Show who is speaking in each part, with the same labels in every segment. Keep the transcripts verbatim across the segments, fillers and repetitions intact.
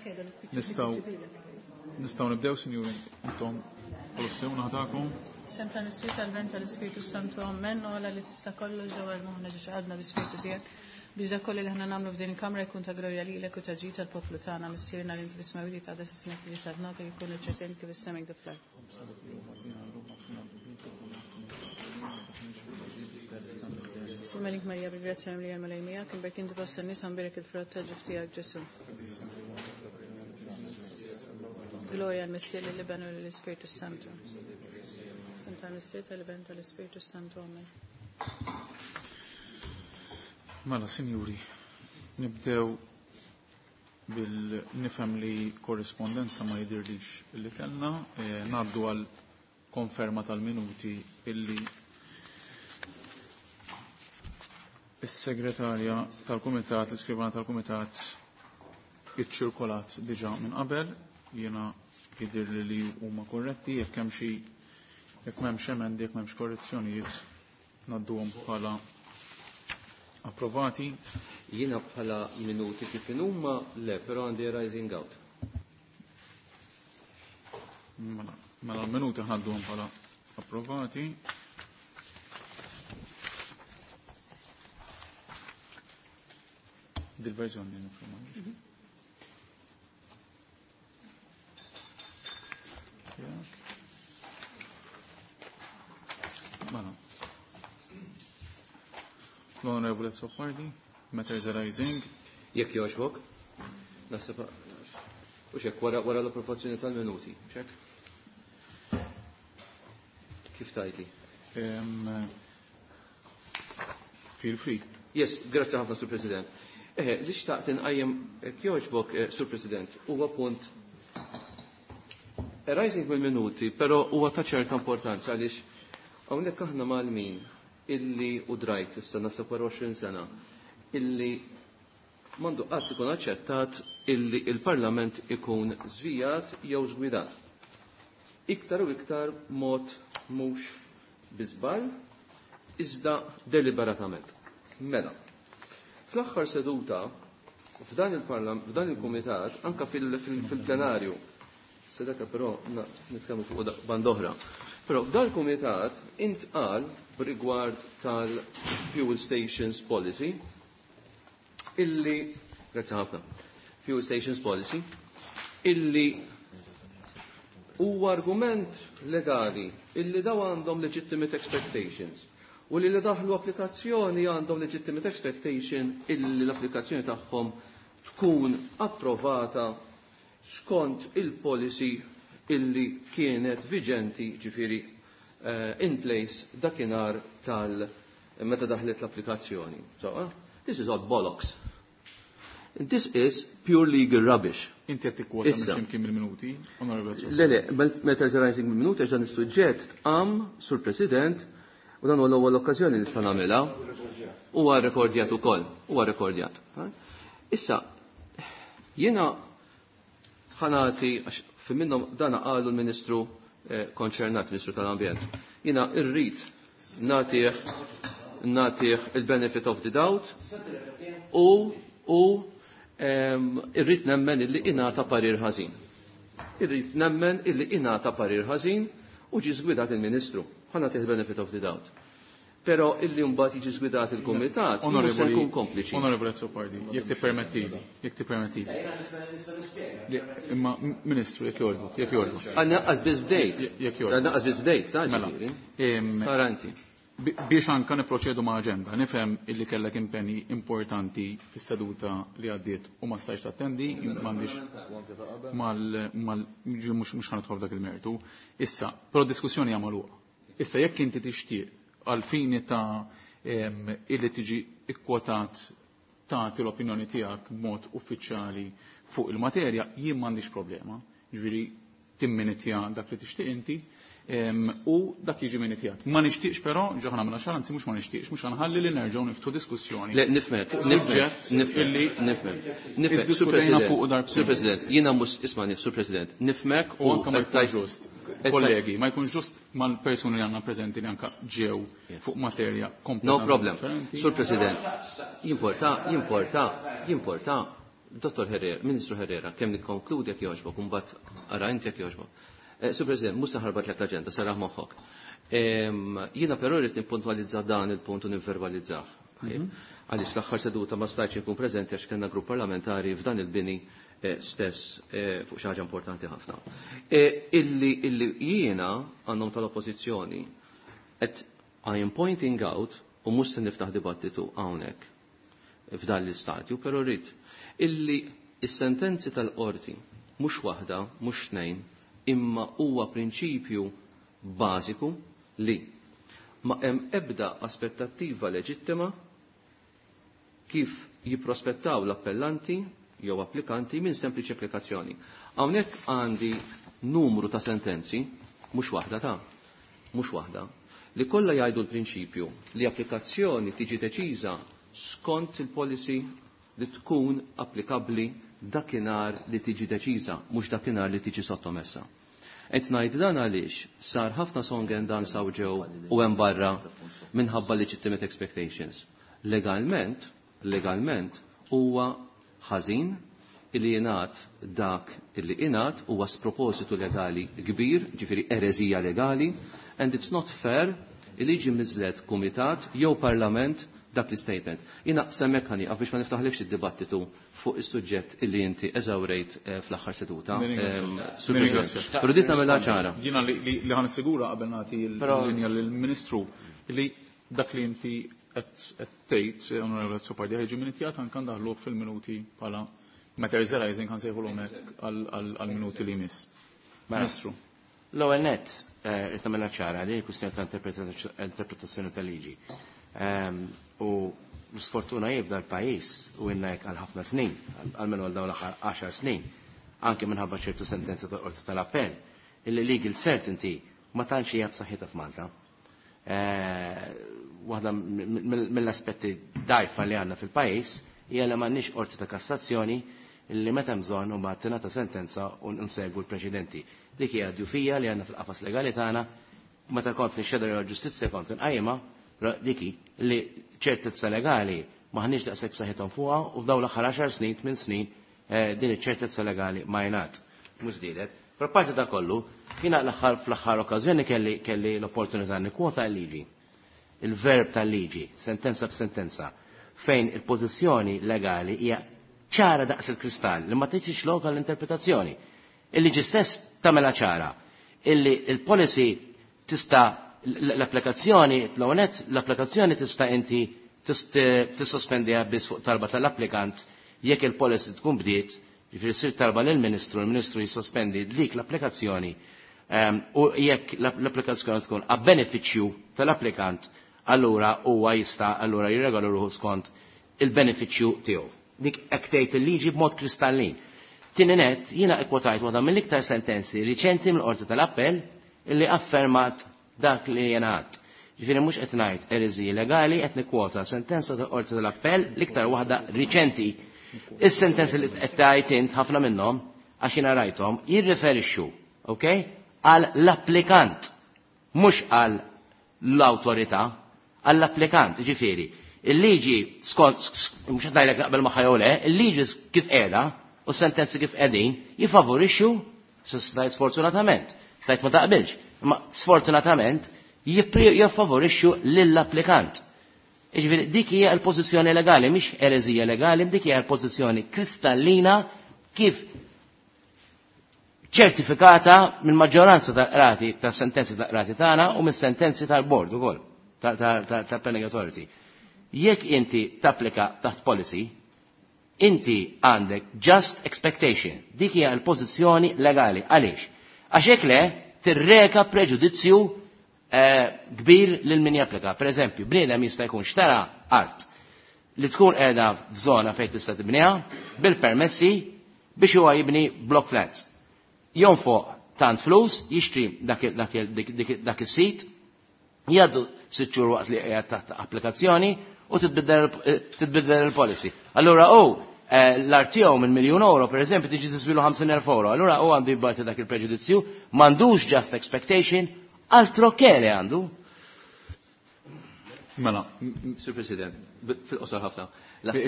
Speaker 1: Nistgħu nistgħu nibdew, sinjuri, intom l-ossjoni ħatakom.
Speaker 2: Sem tal-Missier tal-Ven tal-Ispirtu Santu Amen, u għala li tista' kollox ġewwa l-moħħna ġiex għadna bi-Spirtu tiegħek biex dak kollu li ħna nagħmlu f'din il-kamra jkun ta' glorja lilek u ta' ġid tal-poplu tagħna Missierna li inti fis-smewwiet għadha ismek tiġi saltnatek jkun iċ-ċetien kif is-sema kif fl-art. Simmelik Marija bil-grazzja mimlija l-Mulej miegħek, imberk inti fost in-nisa mbierek il-frott tal-ġuf tiegħek Ġesù. Gloria al-Missier lill-Iben u lill-Ispirtu Santu. Sem tal-Missier tal-Iben tal-Ispirtu Santu. Amen.
Speaker 1: Mela, sinjuri, nibdew bil-nifhem li korrispondenza ma jidirlix illi kellna, eh, ngħaddu għal konferma tal-minuti illi is-segretarja tal-kumitat, l-iskrivana tal-kumitat iċċirkolat diġà minn qabel, jiena jidirli li huma korretti, jekk hemm xi jekk m'hemmx emendi, jekk m'hemmx korrezzjonijiet, ngħadduhom bħala approvati.
Speaker 3: Jiena bħala minuti kif huma le, però għandi rising out.
Speaker 1: Mela, mela minuti ħadduhom bħala approvati. Dil-verżjoni nifhimha. Mela. L-Onorevole Azzopardi, matters arising.
Speaker 3: Jekk jogħġbok, naħseb u xek wara wara l-approvazzjoni tal-minuti, xek? Kif tajti?
Speaker 1: Um, feel free.
Speaker 3: Yes, grazzi ħafna, Sur President. Eh, li xtaqt inqajjem jekk jogħġbok, eh, Sur President, huwa punt arising mill-minuti, però huwa ta' ċerta importanza għaliex hawnhekk aħna mal-min illi u drajt issa naħseb wara għoxrin sena illi m'għandu qatt ikun aċċettat illi il-Parlament ikun żvijat jew żgwidat. Iktar u iktar mod mhux bi żball, iżda deliberatament. Mela, fl-aħħar seduta f'dan il-Parlament, f'dan il-Kumitat, anka fil-plenarju, sedaka però nitkellmu fuq band oħra. Però f'dan il-Kumitat intqal b'rigward tal-Fuel Stations Policy illi, grazzi ħafna, Fuel Stations Policy, illi huwa argument legali illi daw għandhom legitimate expectations u li li daħlu applikazzjoni għandhom legitimate expectation illi l-applikazzjoni tagħhom tkun approvata skont il-policy illi kienet viġenti ġifieri uh, in place dakinhar tal meta daħlet l-applikazzjoni. So, uh, this is all bollocks. This is pure legal rubbish.
Speaker 1: Inti qed tikkwota minn x'imkien mill-minuti, Onorevole Azzopardi.
Speaker 3: Le, le, meta arising mill-minuti għax dan is-suġġett tqam sur President u dan huwa l-ewwel okkażjoni nista' nagħmilha. Huwa rekordjat ukoll, huwa rekordjat. Issa, jiena ħanati għax fi minnhom dan qalu l-Ministru konċernat, Ministru tal-Ambjent. Jiena rrid nagħtih nagħtih il-benefit of the doubt u u irrid nemmen illi ingħata parir ħażin. Irrid nemmen illi ingħata parir ħażin u ġie żgwidat il-Ministru. Ħa nagħtih il-benefit of the doubt. Però illi mbagħad jiġi żgwidat il-Kumitat, mhux se nkun kompliċi.
Speaker 1: Onorevole Azzopardi, jekk tippermettili, jekk tippermettili. Imma Ministru, jekk jogħġbok, jekk jogħġbok.
Speaker 3: Għandna qas biss bdejt.
Speaker 1: Jekk jogħġbok.
Speaker 3: Għandna qas biss bdejt, ta' ġifieri. Sara inti.
Speaker 1: Biex anka niproċedu ma' aġenda, nifhem illi kellek impenji importanti fis-seduta li għaddiet u ma stajtx tattendi, m'għandix mal mal mhux mhux ħanidħol f'dak il-mertu. Issa, però diskussjoni hija magħluqa. Issa jekk inti tixtieq għal fini ta' illi tiġi ikkwotat tagħti l-opinjoni tiegħek b'mod uffiċjali fuq il-materja, jien m'għandix problema. Ġifieri timminitja dak li tixtieq inti u dak jiġi minitjat. Ma nixtieqx però, ġo ħa nagħmilha ċara, anzi mhux ma nixtieqx, mhux ħanħalli li nerġgħu niftu diskussjoni.
Speaker 3: Le, nifhmek, nifhmek, nifhmek, nifhmek. Nifhmek, Sur
Speaker 1: President,
Speaker 3: Sur President, jiena mhux ismani, Sur President, nifhmek
Speaker 1: u anke ma jkunx ġust. Kollegi, ma jkunx ġust mal-persuni li għandna preżenti li anke ġew fuq materja
Speaker 3: No problem. Sur President, jimporta, jimporta, jimporta, Dottor Herrera, Ministru Herrera, kemm nikkonkludi jekk jogħġbok, u mbagħad ara inti jekk jogħġbok. Sur President, mhux se ħarbat lek l-aġenda, saraħ moħħok. Jiena però rrid nippuntwalizza dan il-punt u nivverbalizzah. Għaliex l-aħħar seduta ma stajtx inkun preżenti għax kellna grupp parlamentari f'dan il-bini stess fuq xi ħaġa importanti ħafna. Illi illi jiena għandhom tal-oppożizzjoni qed I am pointing out u mhux se niftaħ dibattitu hawnhekk f'dan l-istadju, però rrid illi is-sentenzi tal-qorti mhux waħda, mhux tnejn, imma huwa prinċipju bażiku li ma hemm ebda aspettattiva leġittima kif jipprospettaw l-appellanti jew applikanti minn sempliċi applikazzjoni. Hawnhekk għandi numru ta' sentenzi, mhux waħda ta' mhux waħda, li kollha jgħidu l-prinċipju li applikazzjoni tiġi deċiża skont il-policy li tkun applikabbli dakinhar li tiġi deċiża, mhux dakinhar li tiġi sottomessa. Qed ngħid dan għaliex sar ħafna song and dance hawn ġew u hemm barra minħabba legitimate expectations. Legalment, legalment huwa ħażin illi jingħad dak illi ingħad huwa spropositu legali kbir, ġifieri ereżija legali, and it's not fair illi jiġi miżled kumitat jew parlament dak l-statement. Jina semmek ħani, biex ma niftaħlekx id-dibattitu fuq is-suġġett illi inti eżawrejt fl-aħħar seduta. Però dit nagħmilha ċara.
Speaker 1: Jiena li ħan sigura qabel nagħti l-linja lill-Ministru li dak li inti qed tgħid, Onorevole Azzopardi, ħeġi minn ittijat anke ndaħluh fil-minuti bħala matters arising kan sejħulhom hekk għall-minuti li jmiss. Ministru.
Speaker 4: L-ewwel nett irid nagħmilha ċara li l-kwistjoni ta' interpretazzjoni tal-liġi. U l-sfortuna jibda l-pajis u inna jek għal ħafna snin, għalmenu għal dawn l-aħħar għaxar snin, anke minħabba ċertu sentenza tal-qorti tal-appell, illi legal certainty ma tantx hija b'saħħitha f'Malta. Waħda mill-aspetti dajfa li għandna fil-pajis hija li m'għandniex qorti ta' kassazzjoni illi meta bżonn u mbagħad tingħata sentenza u nsegwu l-preċedenti. Dik hija djufija li għandna fil-qafas legali tagħna, meta kont nixxedra l-ġustizzja kont inqajma diki li ċertezza legali maħniex daqshekk b'saħħithom fuqha u f'dawn l-aħħar għaxar snin, tmien snin din iċ-ċertezza legali ma jingħad mhux żdiedet. Però parti da kollu, jiena l-aħħar fl-aħħar okkażjoni kelli kelli l-opportunità nikkwota l-liġi. Il-verb tal-liġi, sentenza b'sentenza, fejn il-pożizzjoni legali hija ċara daqs il-kristall li ma tgħidx lok għall-interpretazzjoni. Il-liġi stess tagħmilha ċara illi il-policy tista' l-applikazzjoni, l-għonet, l-applikazzjoni tista' inti tissospendiha biss fuq talba tal-applikant jekk il-policy tkun bdiet, jiġifieri ssir talba lill-Ministru, il-Ministru jissospendi dik l-applikazzjoni u jekk l-applikazzjoni tkun a benefiċċju tal-applikant, allura huwa jista' allura jirregola ruħu skont il-benefiċċju tiegħu. Dik hekk tgħid il-liġi b'mod kristallin. Tieni nett, jiena ikkwotajt waħda mill-iktar sentenzi riċenti mill-Qorti tal-Appell illi affermat dak li jena għad. Ġifieri mhux qed ngħid ereżiji legali, qed nikkwota sentenza tal-Qorti tal-Appell l-iktar waħda riċenti. Is-sentenzi li qed tgħid int ħafna minnhom għax jiena rajthom jirriferixxu, okay, għal l-applikant, mhux għal l-awtorità, għall-applikant, ġifieri. Il-liġi skont mhux qed ngħidlek naqbel magħha jew le, il-liġi kif qiegħda u s-sentenzi kif qegħdin jifavorixxu, sfortunatament, tajt ma taqbilx. Ma sfortunatament jiffavorixxu lill-applikant. Jiġifieri dik hija l-pożizzjoni legali, mhix ereżija legali, dik hija l-pożizzjoni kristallina kif ċertifikata mill-maġġoranza tal-qrati, tas-sentenzi tal-qrati tagħna u mis-sentenzi tal-bord ukoll tal-Planning Authority. Jekk inti tapplika taħt policy, inti għandek just expectation. Dik hija l-pożizzjoni legali. Għaliex? Għax hekk le tirreka preġudizzju kbir lil min japplika. Per eżempju, bniedem jista' jkun xtara art li tkun qiegħda f'żona fejn tista' tibniha bil-permessi biex huwa jibni block flats. Jonfoq tant flus, jixtri dak is-sit, jgħaddu sitt xhur waqt li qiegħed taħt applikazzjoni u titbiddel il-policy. Allura hu l-art tiegħu minn miljun euro, per eżempju, tiġi tiswilu ħamsin elf euro. Allura hu għandu jibgħati dak il-preġudizzju, m'għandux just expectation, altro che le għandu.
Speaker 1: Mela,
Speaker 3: Sur President, fil-qosor ħafna.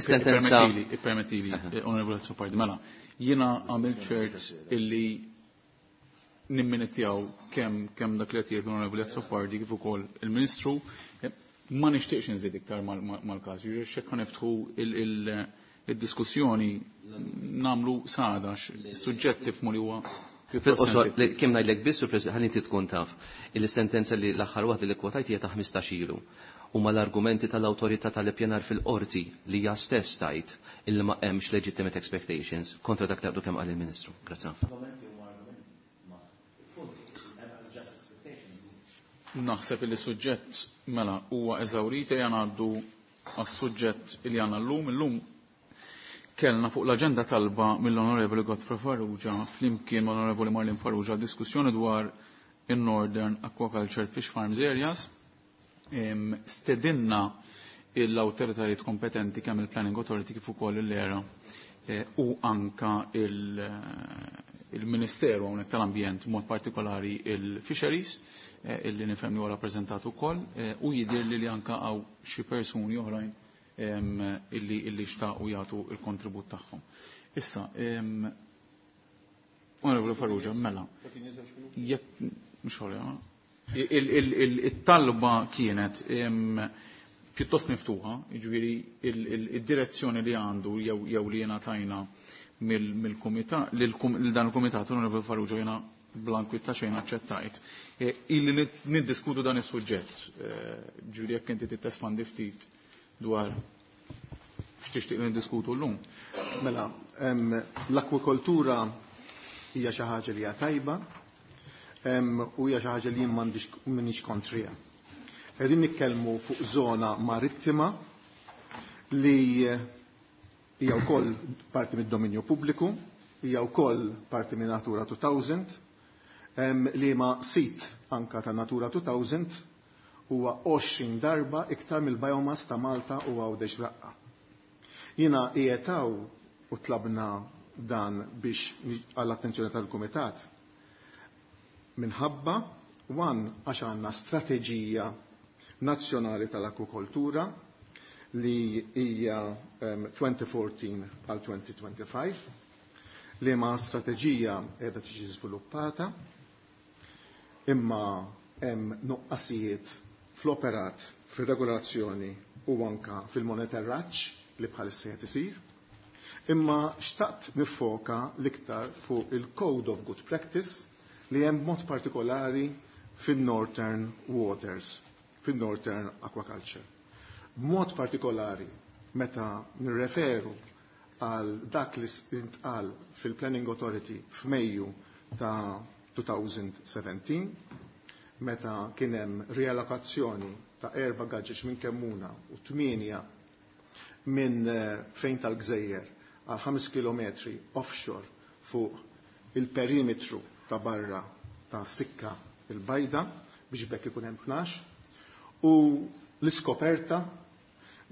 Speaker 3: Sentenza.
Speaker 1: Ippermettili, Onorevole Azzopardi, mela, jiena għamilt ċert illi nimminitjaw kemm kemm dak li qed jgħid l-Onorevoli Azzopardi kif ukoll il-Ministru, ma nixtieqx inżid iktar mal-każ. Jiġifieri x'hekk niftħu il-diskussjoni nagħmlu sada suġġett tifhmu li huwa.
Speaker 3: Fil-qosor, kemm ngħidlek biss, Sur President, ħalli inti tkun taf, il-sentenza li l-aħħar waħda li kwotajt hija ta' ħmistax ilu. Huma l-argumenti tal-awtorità tal-ippjanar fil-qorti li hija stess tajt illi ma hemmx legitimate expectations kontra dak taqdu kemm qal il-Ministru. Grazzi ħafna.
Speaker 1: Naħseb li suġġett mela huwa eżawrita ejja ngħaddu għas-suġġett li għandna llum. Illum kellna fuq l-aġenda talba mill-Onorevoli Godfrey Farrugia flimkien mal-Onorevoli Marlene Farrugia diskussjoni dwar in-Northern Aquaculture Fish Farms Areas. Stedinna l-awtoritajiet kompetenti kemm il-Planning Authority kif ukoll l-ERA u anka il-Ministeru hawnhekk tal-Ambjent mod partikolari il-Fisheries illi nifhem li huwa rappreżentat ukoll u jidher li li anka hawn xi persuni oħrajn illi illi xtaqu jagħtu il-kontribut tagħhom. Issa, Onorevoli Farrugia, mela, jekk mhux il-talba kienet pjuttost miftuħa, jiġifieri id-direzzjoni li għandu jew li jiena tajna mill-kumitat, lil dan il-kumitat Onorevoli Farrugia jiena blankwit ta' xejn aċċettajt. Illi niddiskutu dan is-suġġett, ġifieri jekk inti tespandi ftit dwar x'tixtieq niddiskutu llum.
Speaker 5: Mela, l-akwakultura hija xi ħaġa li hija tajba u hija xi ħaġa li jien m'għandix m'iniex kontrija. Qegħdin nitkellmu fuq żona marittima li hija wkoll parti mid-dominju pubbliku, hija wkoll parti minn Natura two thousand, li ma sit anka ta' Natura two thousand huwa għoxrin darba iktar mill-biomass ta' Malta u Għawdex Raqqa. Jiena qiegħed hawn u tlabna dan biex għall-attenzjoni tal-Kumitat minħabba wan għax għandna strateġija nazzjonali tal-akwakultura li hija twenty fourteen għal twenty twenty-five, li ma strateġija qiegħda tiġi żviluppata imma hemm nuqqasijiet fl-operat, fir-regolazzjoni u anka fil-monitoraġġ li bħalissa qed isir. Imma xtaqt nifoka l-iktar fuq il-Code of Good Practice li hemm mod partikolari fin-Northern Waters, fin-Northern Aquaculture. B'mod partikolari meta nirreferu għal dak li intqal fil-Planning Authority f'Mejju ta' two thousand seventeen, meta kien hemm riallokazzjoni ta' erba' gaġġeġ minn Kemmuna u tmienja minn fejn tal-Gżejjer għal ħames kilometri offshore fuq il-perimetru ta' barra ta' Sikka il-Bajda biex bekk ikun hemm tnax, u l-iskoperta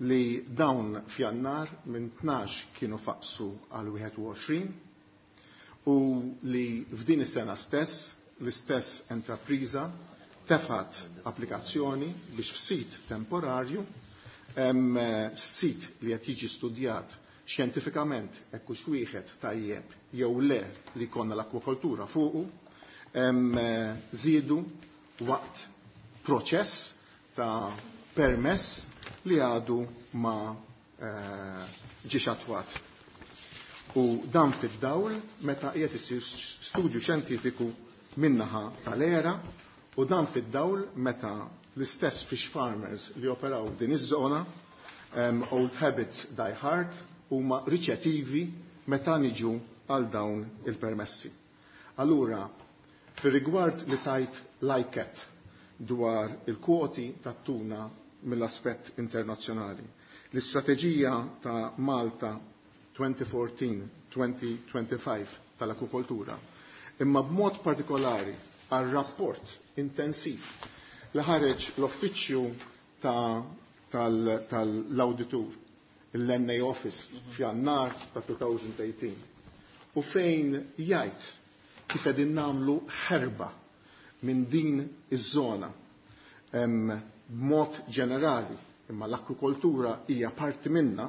Speaker 5: li dawn f'Jannar minn tnax kienu faqsu għal wieħed u għoxrin u li f'din is-sena stess l-istess entrapriża tefat applikazzjoni biex f'sit temporarju, hemm sit li qed jiġi studjat xjentifikament hekk hux wieħed tajjeb jew le li jkollna l-akwakultura fuqu, hemm żiedu waqt proċess ta' permess li għadu ma ġiex attwat. U dan fid-dawl meta qiegħed isir studju xjentifiku min-naħa tal-ERA, u dan fid-dawl meta l-istess fish farmers li operaw din iż-żona, old habits die hard, huma riċettivi meta niġu għal dawn il-permessi. Allura, fir-rigward li tajt lajket dwar il-kwoti tat-tuna mill-aspett internazzjonali, l-istrateġija ta' Malta twenty fourteen twenty twenty-five tal-akwakultura, imma b'mod partikolari għal rapport intensiv li ħareġ l-uffiċċju tal-awditur, l-N A Office, f'Jannar ta' two thousand eighteen, u fejn jgħid kif qegħdin nagħmlu ħerba minn din iż-żona b'mod ġenerali, imma l-akwikoltura hija parti minna,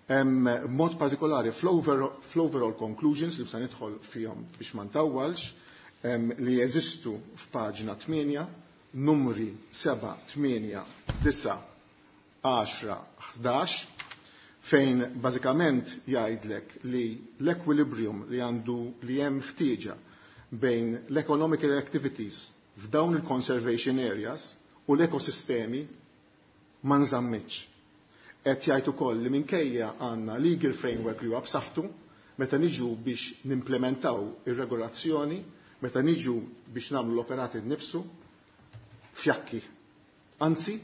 Speaker 5: b'mod partikolari fl-overall conclusions li bsa nidħol fihom biex ma ntawwalx, li jeżistu f'paġna tmienja, numri seba', tmienja, disa', għaxra, ħdax, fejn bażikament jgħidlek li l-equilibrium li għandu li hemm ħtieġa bejn l-economic activities f'dawn il-conservation areas u l-ekosistemi ma nżammitx. Qed jgħid ukoll li minkejja għandna legal framework li huwa b'saħħtu, meta niġu biex nimplementaw ir-regolazzjoni, meta niġu biex nagħmlu l-operati nnifsu, fjakki. Anzi,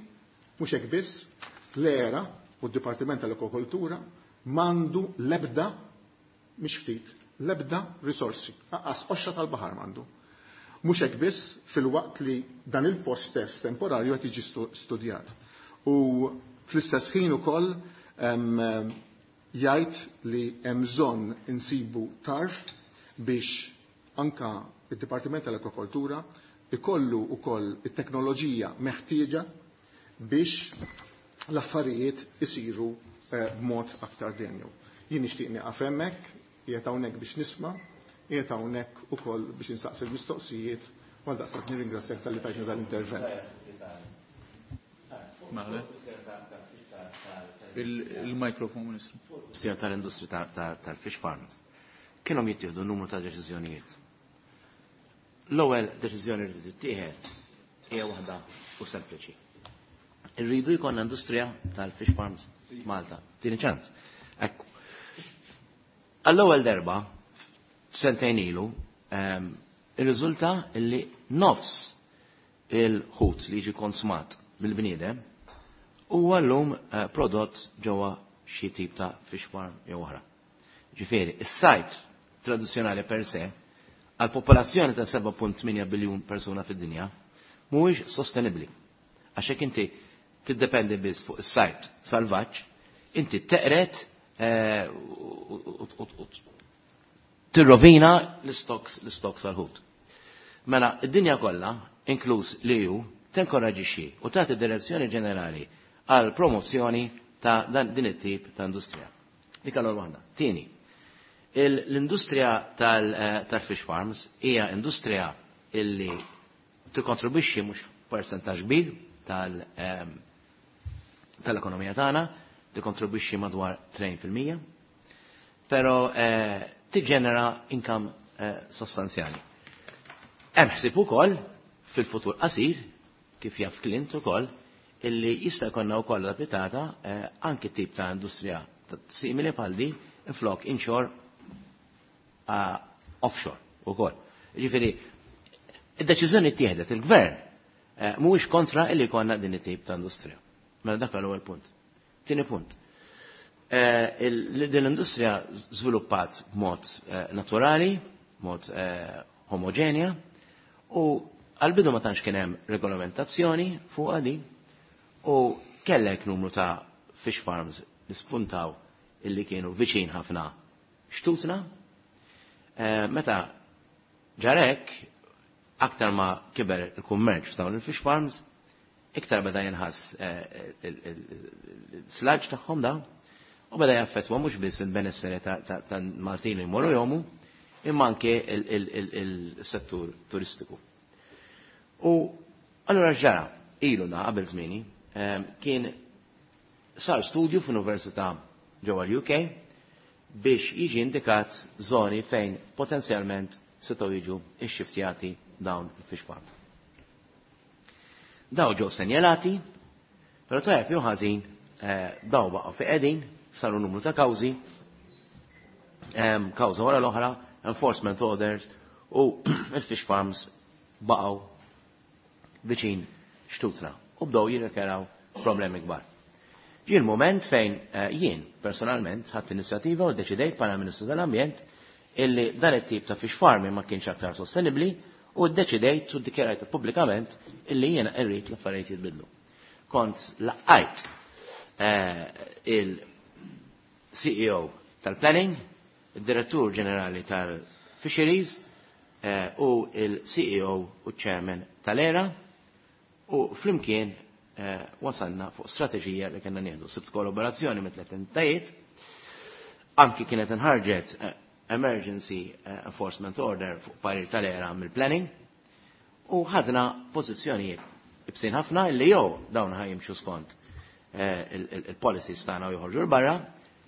Speaker 5: mhux hekk biss, l-era u d-Dipartiment tal-Akwakultura m'għandu l-ebda, mhix ftit, l-ebda risorsi, aqqas qoxra tal-baħar m'għandu. Mhux hekk biss, fil-waqt li dan il-post stess temporarju qed jiġi studjat. U fl-istess ħin ukoll jgħid li hemm bżonn insibu tarf biex anka id-Dipartiment tal-Akwakultura ikollu ukoll it-teknoloġija meħtieġa biex l-affarijiet isiru b'mod aktar denju. Jien nixtieq nieqaf hemmhekk, qiegħed hawnhekk biex nisma', qiegħed hawnhekk ukoll biex insaqsi l-mistoqsijiet, u għal daqstant nirringrazzjak talli tajtni dal-intervent.
Speaker 1: Il-mikrofon, Ministru.
Speaker 4: Sija tal-industrija tal-fish farms. Kienhom jittieħdu numru ta' deċiżjonijiet. L-ewwel deċiżjoni li tittieħed hija waħda u sempliċi. Irridu jkollna industrija tal-fish farms Malta. Tieni ċans. Ekku. Għall-ewwel darba sentejn ilu irriżulta li nofs il-ħut li jiġi konsumat mill-bniedem huwa llum prodott ġewwa xi tip ta' fish farm jew oħra. Ġifieri, is-sajt tradizzjonali per se għal popolazzjoni ta' seba' punt tmienja biljun persuna fid-dinja mhuwiex sostenibbli. Għax hekk inti tiddependi biss fuq is-sajt salvaġġ, inti teqret tirrovina l-istoks l-istoks għal-ħut. Mela, id-dinja kollha, inkluż l-E U, tenkoraġixxi u tagħti direzzjoni ġenerali għal promozzjoni ta' din it-tip ta' industrija. Dik allura waħda. Tieni, l-industrija tal-fish farms hija industrija illi tikkontribwixxi mhux percentaġġ kbir tal-ekonomija tagħna, tikkontribwixxi madwar tnejn fil-mija, però tiġġenera income sostanzjali. Hemm ħsieb ukoll fil-futur qasir, kif jaf Clint ukoll, illi jista' jkollna wkoll applikata anki tip ta' industrija simili bħal di flok inshore offshore ukoll. Ġifieri, id-deċiżjoni ttieħdet il-gvern mhuwiex kontra illi jkollna din it-tip ta' industrija. Mela dak l-ewwel punt. Tieni punt. Din l-industrija żviluppat b'mod naturali, b'mod homogenja, u għal-bidu ma tantx kien hemm regolamentazzjoni fuq din, u kellek numru ta' fish farms li spuntaw illi kienu viċin ħafna xtutna. Meta ġarek, aktar ma kiber il-kummerċ f'dawn il-fish farms, iktar beda jinħass il-slaġ tagħhom dawn, u beda jaffettwa mhux biss il-benessere ta' Maltin li jmorru jomu, imma anke il-settur turistiku. U allura ġara, ilu na qabel żmieni, kien sar studju f'università ġewwa l-U K biex jiġi indikat zoni fejn potenzjalment setgħu jiġu ixxiftjati dawn il-fish farms. Daw ġew senjalati, però tajjeb jew ħażin daw baqgħu fi qegħdin, saru numru ta' kawżi, kawża wara l-oħra, enforcement orders, u il-fish farms baqgħu viċin xtutna u bdew jirrikeraw problemi kbar. Ġie l-moment fejn jien personalment ħadt inizjattiva u ddeċidejt bħala Ministru tal-Ambjent illi dan it-tip ta' fish farming ma kienx aktar sostenibbli u ddeċidejt u ddikjarajt pubblikament illi jiena rrid l-affarijiet jitbidlu. Kont laqajt il-C E O tal-Planning, il-Direttur Ġenerali tal-Fisheries u il-C E O u Chairman tal-E R A U flimkien eh, wasalna fuq strateġija li kellna nieħdu. Sibt kollaborazzjoni mit tliet entitajiet, anki kienet inħarġet eh, Emergency eh, Enforcement Order fuq parir tal-ERA mill-planning u ħadna pożizzjonijiet ibsin ħafna illi jew dawn ħa jimxu skont il-policies tagħna u joħorġu 'l barra,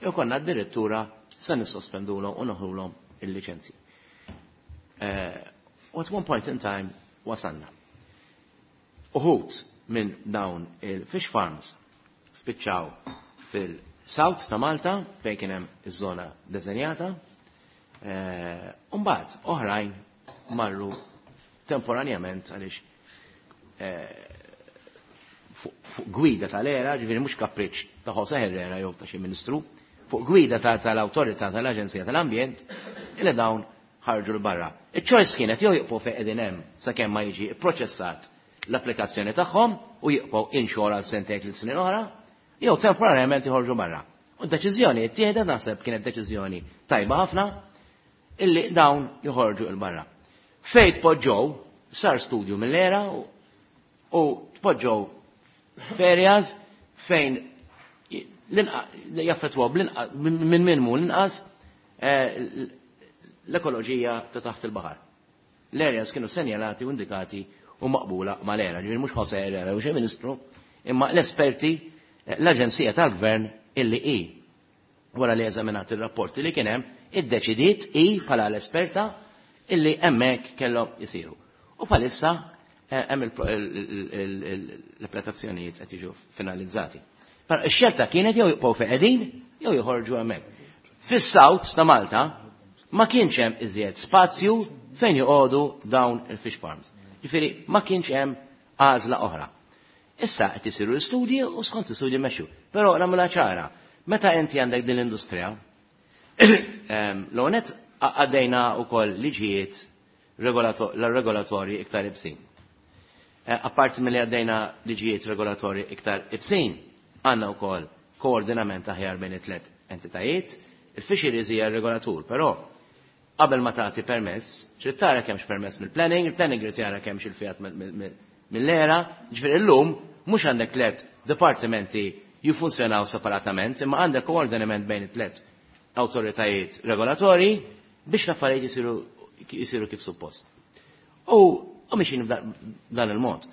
Speaker 4: jew konna addirittura se nissospendulhom u noħrulhom il-liċenzji. U at one point in time wasalna. Uħud minn dawn il-fish farms spiċċaw fil-South ta' Malta fejn kien hemm iż-żona deżenjata, u mbagħad oħrajn marru temporanjament għaliex fuq gwida tal-ERA, ġifieri mhux kapriċ ta' Jose Herrera jew ta' xi ministru, fuq gwida tal-awtorità tal-Aġenzija tal-Ambjent, illi dawn ħarġu 'l barra. Iċ-choice kienet jew jibqgħu fejn qegħdin hemm sakemm ma jiġi pproċessat l-applikazzjoni tagħhom u jibqgħu inshore għal sentejn tliet snin oħra, jew temporanjament joħorġu barra. U d-deċiżjoni ttieħdet, naħseb kienet deċiżjoni tajba ħafna, illi dawn joħorġu 'l barra. Fejn tpoġġew, sar studju mill-ERA u tpoġġew f'areas fejn jaffettwaw minn minmu l-inqas l-ekoloġija ta' taħt il-baħar. L-areas kienu senjalati u indikati u maqbula mal-ERA, ġifieri mhux Jose Herrera u xi ministru, imma l-esperti, l-Aġenzija tal-Gvern illi hi wara li eżaminat ir-rapporti li kien hemm, iddeċidiet hi bħala l-esperta illi hemmhekk kellhom isiru. U bħalissa hemm l-applikazzjonijiet qed jiġu finalizzati. Però ix-xelta kienet jew jibqgħu fejn qegħdin jew joħorġu hemmhekk. Fis-South ta' Malta ma kienx hemm iżjed spazju fejn joqogħdu dawn il-fish farms. Ġifieri ma kienx hemm għażla oħra. Issa qed isiru l-istudji u skont l-istudji mexxu. Però nagħmilha ċara, meta inti għandek din l-industrija, l-onet għaddejna wkoll liġijiet regolatorji iktar ibsin. Apparti milli għaddejna liġijiet regolatorji iktar ibsin, għandna wkoll koordinament aħjar bejn it-tlet entitajiet. Il-fisheries hija regolatur, però qabel ma tagħti permess, trid tara kemmx permess mill-planning, il-planning irid jara kemmx il-fiat mill-ERA, ġifieri illum mhux għandek tliet dipartimenti jiffunzjonaw separatament, imma għandek koordinament bejn it-tliet awtoritajiet regolatorji biex l-affarijiet jisiru jisiru kif suppost. U u mixin b'dan il-mod.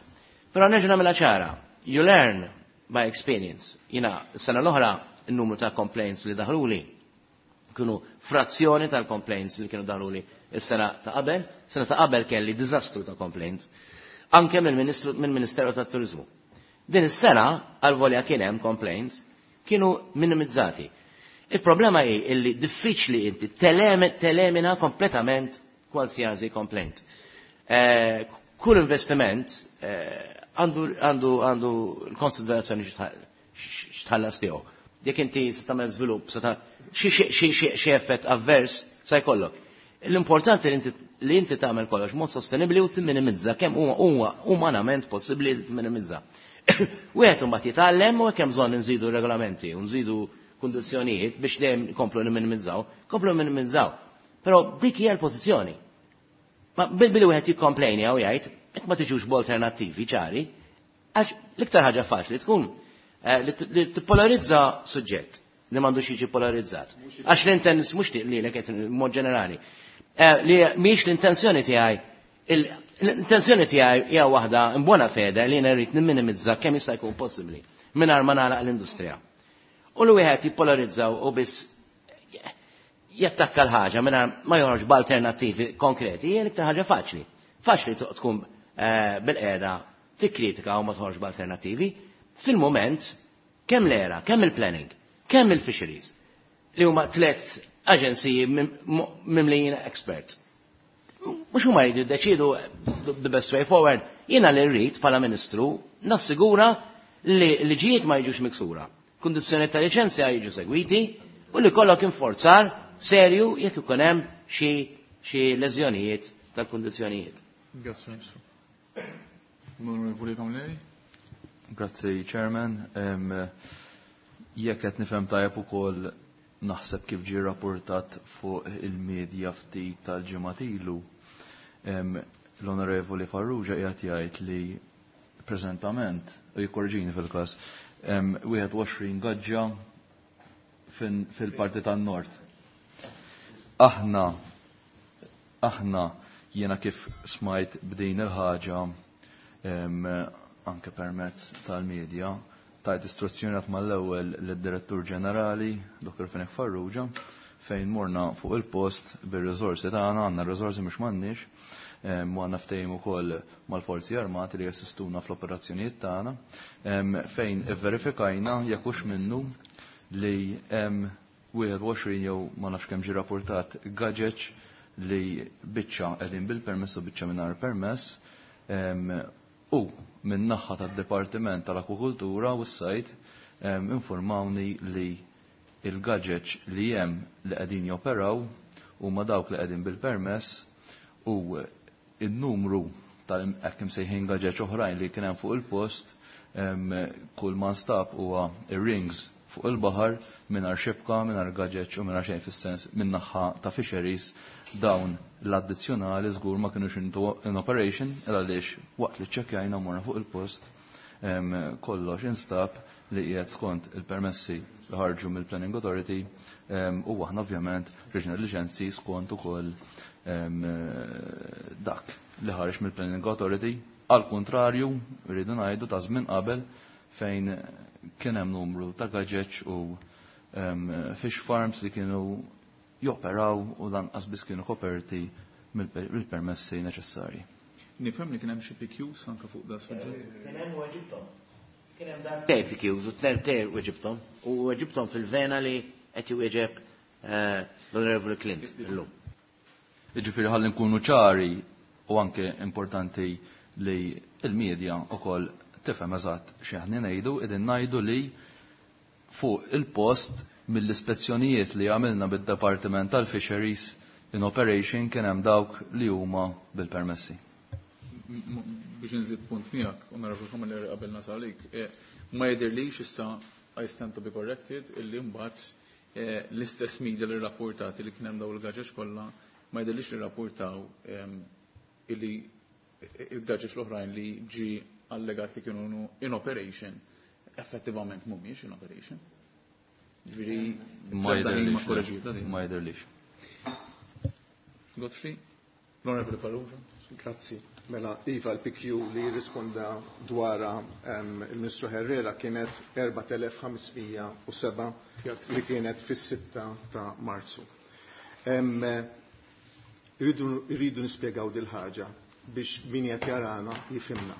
Speaker 4: Però nerġa' nagħmilha ċara, you learn by experience. Jiena s-sena l-oħra n-numru ta' complaints li daħluli kienu frazzjoni tal-complaints li kienu daħluli s-sena ta' qabel. Sena ta' qabel kelli diżastru ta' complaints. Anke mill-Ministeru tat-Turizmu. Din is-sena għal-volja kien hemm complaints kienu minimizzati. Il-problema hi illi diffiċli inti telemina kompletament qualsiasi complaint. Eh, kull investiment għandu għandu l-konsiderazzjoni x'tħallas tiegħu. Jekk inti se tagħmel żvilupp, se xi effett avvers se jkollok. L-importanti li inti tagħmel kollox mod sostenibbli u timminimizza kemm huwa umanament possibbli li timminimizza. Wieħed imbagħad jitgħallem u hekk hemm bżonn nżidu regolamenti u nżidu kundizzjonijiet biex dejjem komplu nimminimizzaw, komplu nimminimizzaw. Però dik hija l-pożizzjoni. Ma bil-billi wieħed jikkomplejni jew jgħid, jekk ma tiġux b'alternattivi ċari, għax l-iktar ħaġa faċli tkun li tippolarizza suġġett li m'għandux jiġi polarizzat. Għax l-intens mhux lilek qed mod ġenerali. Li mhix l-intenzjoni tiegħi, l-intenzjoni tiegħi hija waħda in buona fede li jiena rrid nimminimizza kemm jista' jkun possibbli mingħajr ma nagħlaq l-industrija. U li wieħed jippolarizzaw u biss jattakka l-ħaġa mingħajr ma joħroġ b'alternattivi konkreti hija l-iktar ħaġa faċli. Faċli tkun bil-qiegħda tikkritika u ma toħroġ b'alternattivi. Fil-moment kemm l-ERA, kemm il-planning, kemm il-fisheries, li huma tliet aġenziji mimlijin experts. Mhux huma jridu jiddeċidu the best way forward. Jiena li rrid bħala ministru nassigura li liġijiet ma jiġux miksura. Kundizzjoni ta' liċenzja jiġu segwiti u li kollok inforzar serju jekk ikun hemm xi xi leżjonijiet tal-kundizzjonijiet.
Speaker 1: Grazie, Ministru. Onorevoli Camilleri.
Speaker 6: Grazzi, Chairman. Jekk qed nifhem tajjeb ukoll naħseb kif ġie rapportat fuq il-medja ftit tal-ġimgħat ilu, l-Onorevoli Farrugia qiegħed jgħid li preżentament, u jikkorġini fil-każ, hemm wieħed u għoxrin gaġġa fil-parti tan-nord. Aħna aħna jiena kif smajt b'din il-ħaġa anke permezz tal-medja, tajt istruzzjoni għat mal-ewwel lid-Direttur Ġenerali, Doktor Fenech Farrugia, fejn morna fuq il-post bir-riżorsi tagħna, għandna r-riżorsi mhux m'għandniex, u għandna ftehim ukoll mal-Forzi Armati li jassistuna fl-operazzjonijiet tagħna, fejn ivverifikajna jekk hux minnu li hemm wieħed u għoxrin jew ma nafx kemm ġie rapportat gaġeġ li biċċa qegħdin bil-permess u biċċa mingħajr permess, u minn naħa tad-Dipartiment tal-Akwakultura u s-Sajt informawni li il-gaġeġ li hemm li qegħdin joperaw huma dawk li qegħdin bil-permess, u il-numru tal-hekk imsejħin gaġeġ oħrajn li kien hemm fuq il-post, kull ma nstab huwa ir-rings fuq il-baħar mingħajr xibka, mingħajr gaġeġ u mingħajr xejn fis-sens minn naħa ta' fisheries. Dawn l-addizzjonali żgur ma kinux in operation għaliex waqt li ċċekkjajna morna fuq il-post kollox instab li qiegħed skont il-permessi li ħarġu mill-Planning Authority, u aħna ovvjament riġna liċenzji skont ukoll dak li ħareġ mill-Planning Authority. Għal kontrarju, rridu ngħidu ta' żmien qabel fejn kien hemm numru ta' gaġeġ u fish farms li kienu joperaw u lanqas biss kienu koperti mill-permessi neċessarji.
Speaker 1: Nifhem li kien hemm xi P Qs anke fuq da suġġett.
Speaker 4: Kien hemm weġibthom. Kien hemm darbtejn P Qs u tnejn weġibthom u weġibthom fil-vena li qed iwieġeb l-Onorevoli Clint illum.
Speaker 6: Jiġifieri ħalli nkunu ċari u anke importanti li l-medja wkoll tifhem eżatt xi aħna ngħidu, qegħdin ngħidu li fuq il-post mill-ispezzjonijiet li għamilna bid-Departiment tal-Fisheries in operation kien hemm dawk li huma bil-permessi.
Speaker 1: Biex nżid punt miegħek, Onorevoli Camilleri, qabel nasalik, ma jidhirlix issa I stand to be corrected illi mbagħad l-istess media li rrapportati li kien hemm dawn il-gaġeġ kollha ma jidhirlix li rrapportaw illi il-gaġeġ l-oħrajn li ġi allegat li kienu in operation effettivament mhumiex in operation. Ġifieri
Speaker 6: ma
Speaker 1: jidhirlix.
Speaker 6: Ma jidhirlix.
Speaker 1: Godfrey, l-Onorevoli Farrugia.
Speaker 5: Grazzi. Mela, Iva, l-P Q li jirrisponda dwar il-Ministru Herrera kienet erbat elef ħamsmija u seba' li kienet fis-sitta ta' Marzu. Irridu nispjegaw dil-ħaġa biex min qed jarana jifhimna.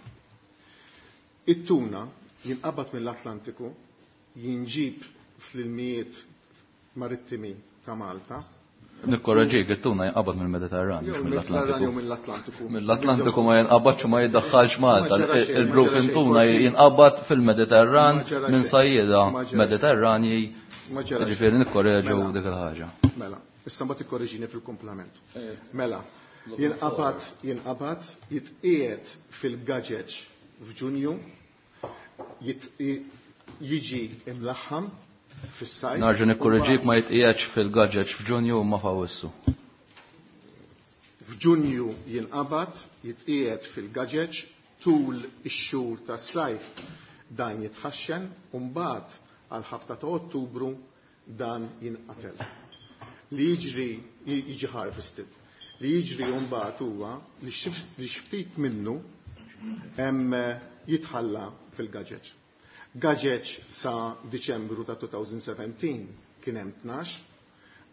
Speaker 5: It-tuna jinqabad mill-Atlantiku, jinġib fl-ilmijiet marittimi ta' Malta.
Speaker 6: Nikkorreġik, it-tuna jinqabad mill-Mediterran, mhux mill-Atlantiku.
Speaker 5: Mill-Atlantiku.
Speaker 6: Mill-Atlantiku ma jinqabadx u ma jiddaħħalx Malta. Il-bluefin tuna jinqabad fil-Mediterran minn sajjieda Mediterranji. Ġifieri nikkorreġu dik il-ħaġa.
Speaker 5: Mela, issa mbagħad ikkorreġini fil-kumplament. Mela, jinqabad, jinqabad, jitqiegħed fil-gaġeġ f'Ġunju, jiġi imlaħħam fis-sajf.
Speaker 6: Narġa' nikkorreġik, ma jitqiegħedx fil-gaġeġ f'Ġunju u ma f'Awwissu.
Speaker 5: F'Ġunju jinqabad, jitqiegħed fil-gaġeġ, tul ix-xhur tas-sajf dan jitħaxxen u mbagħad għal ħabta ta' Ottubru dan jinqatel. Li jiġri jiġi harvested. Li jiġri mbagħad huwa li xi ftit minnu hemm jitħalla fil-gaġeġ. Gaġeġ sa Diċembru ta' twenty seventeen kien hemm tnax,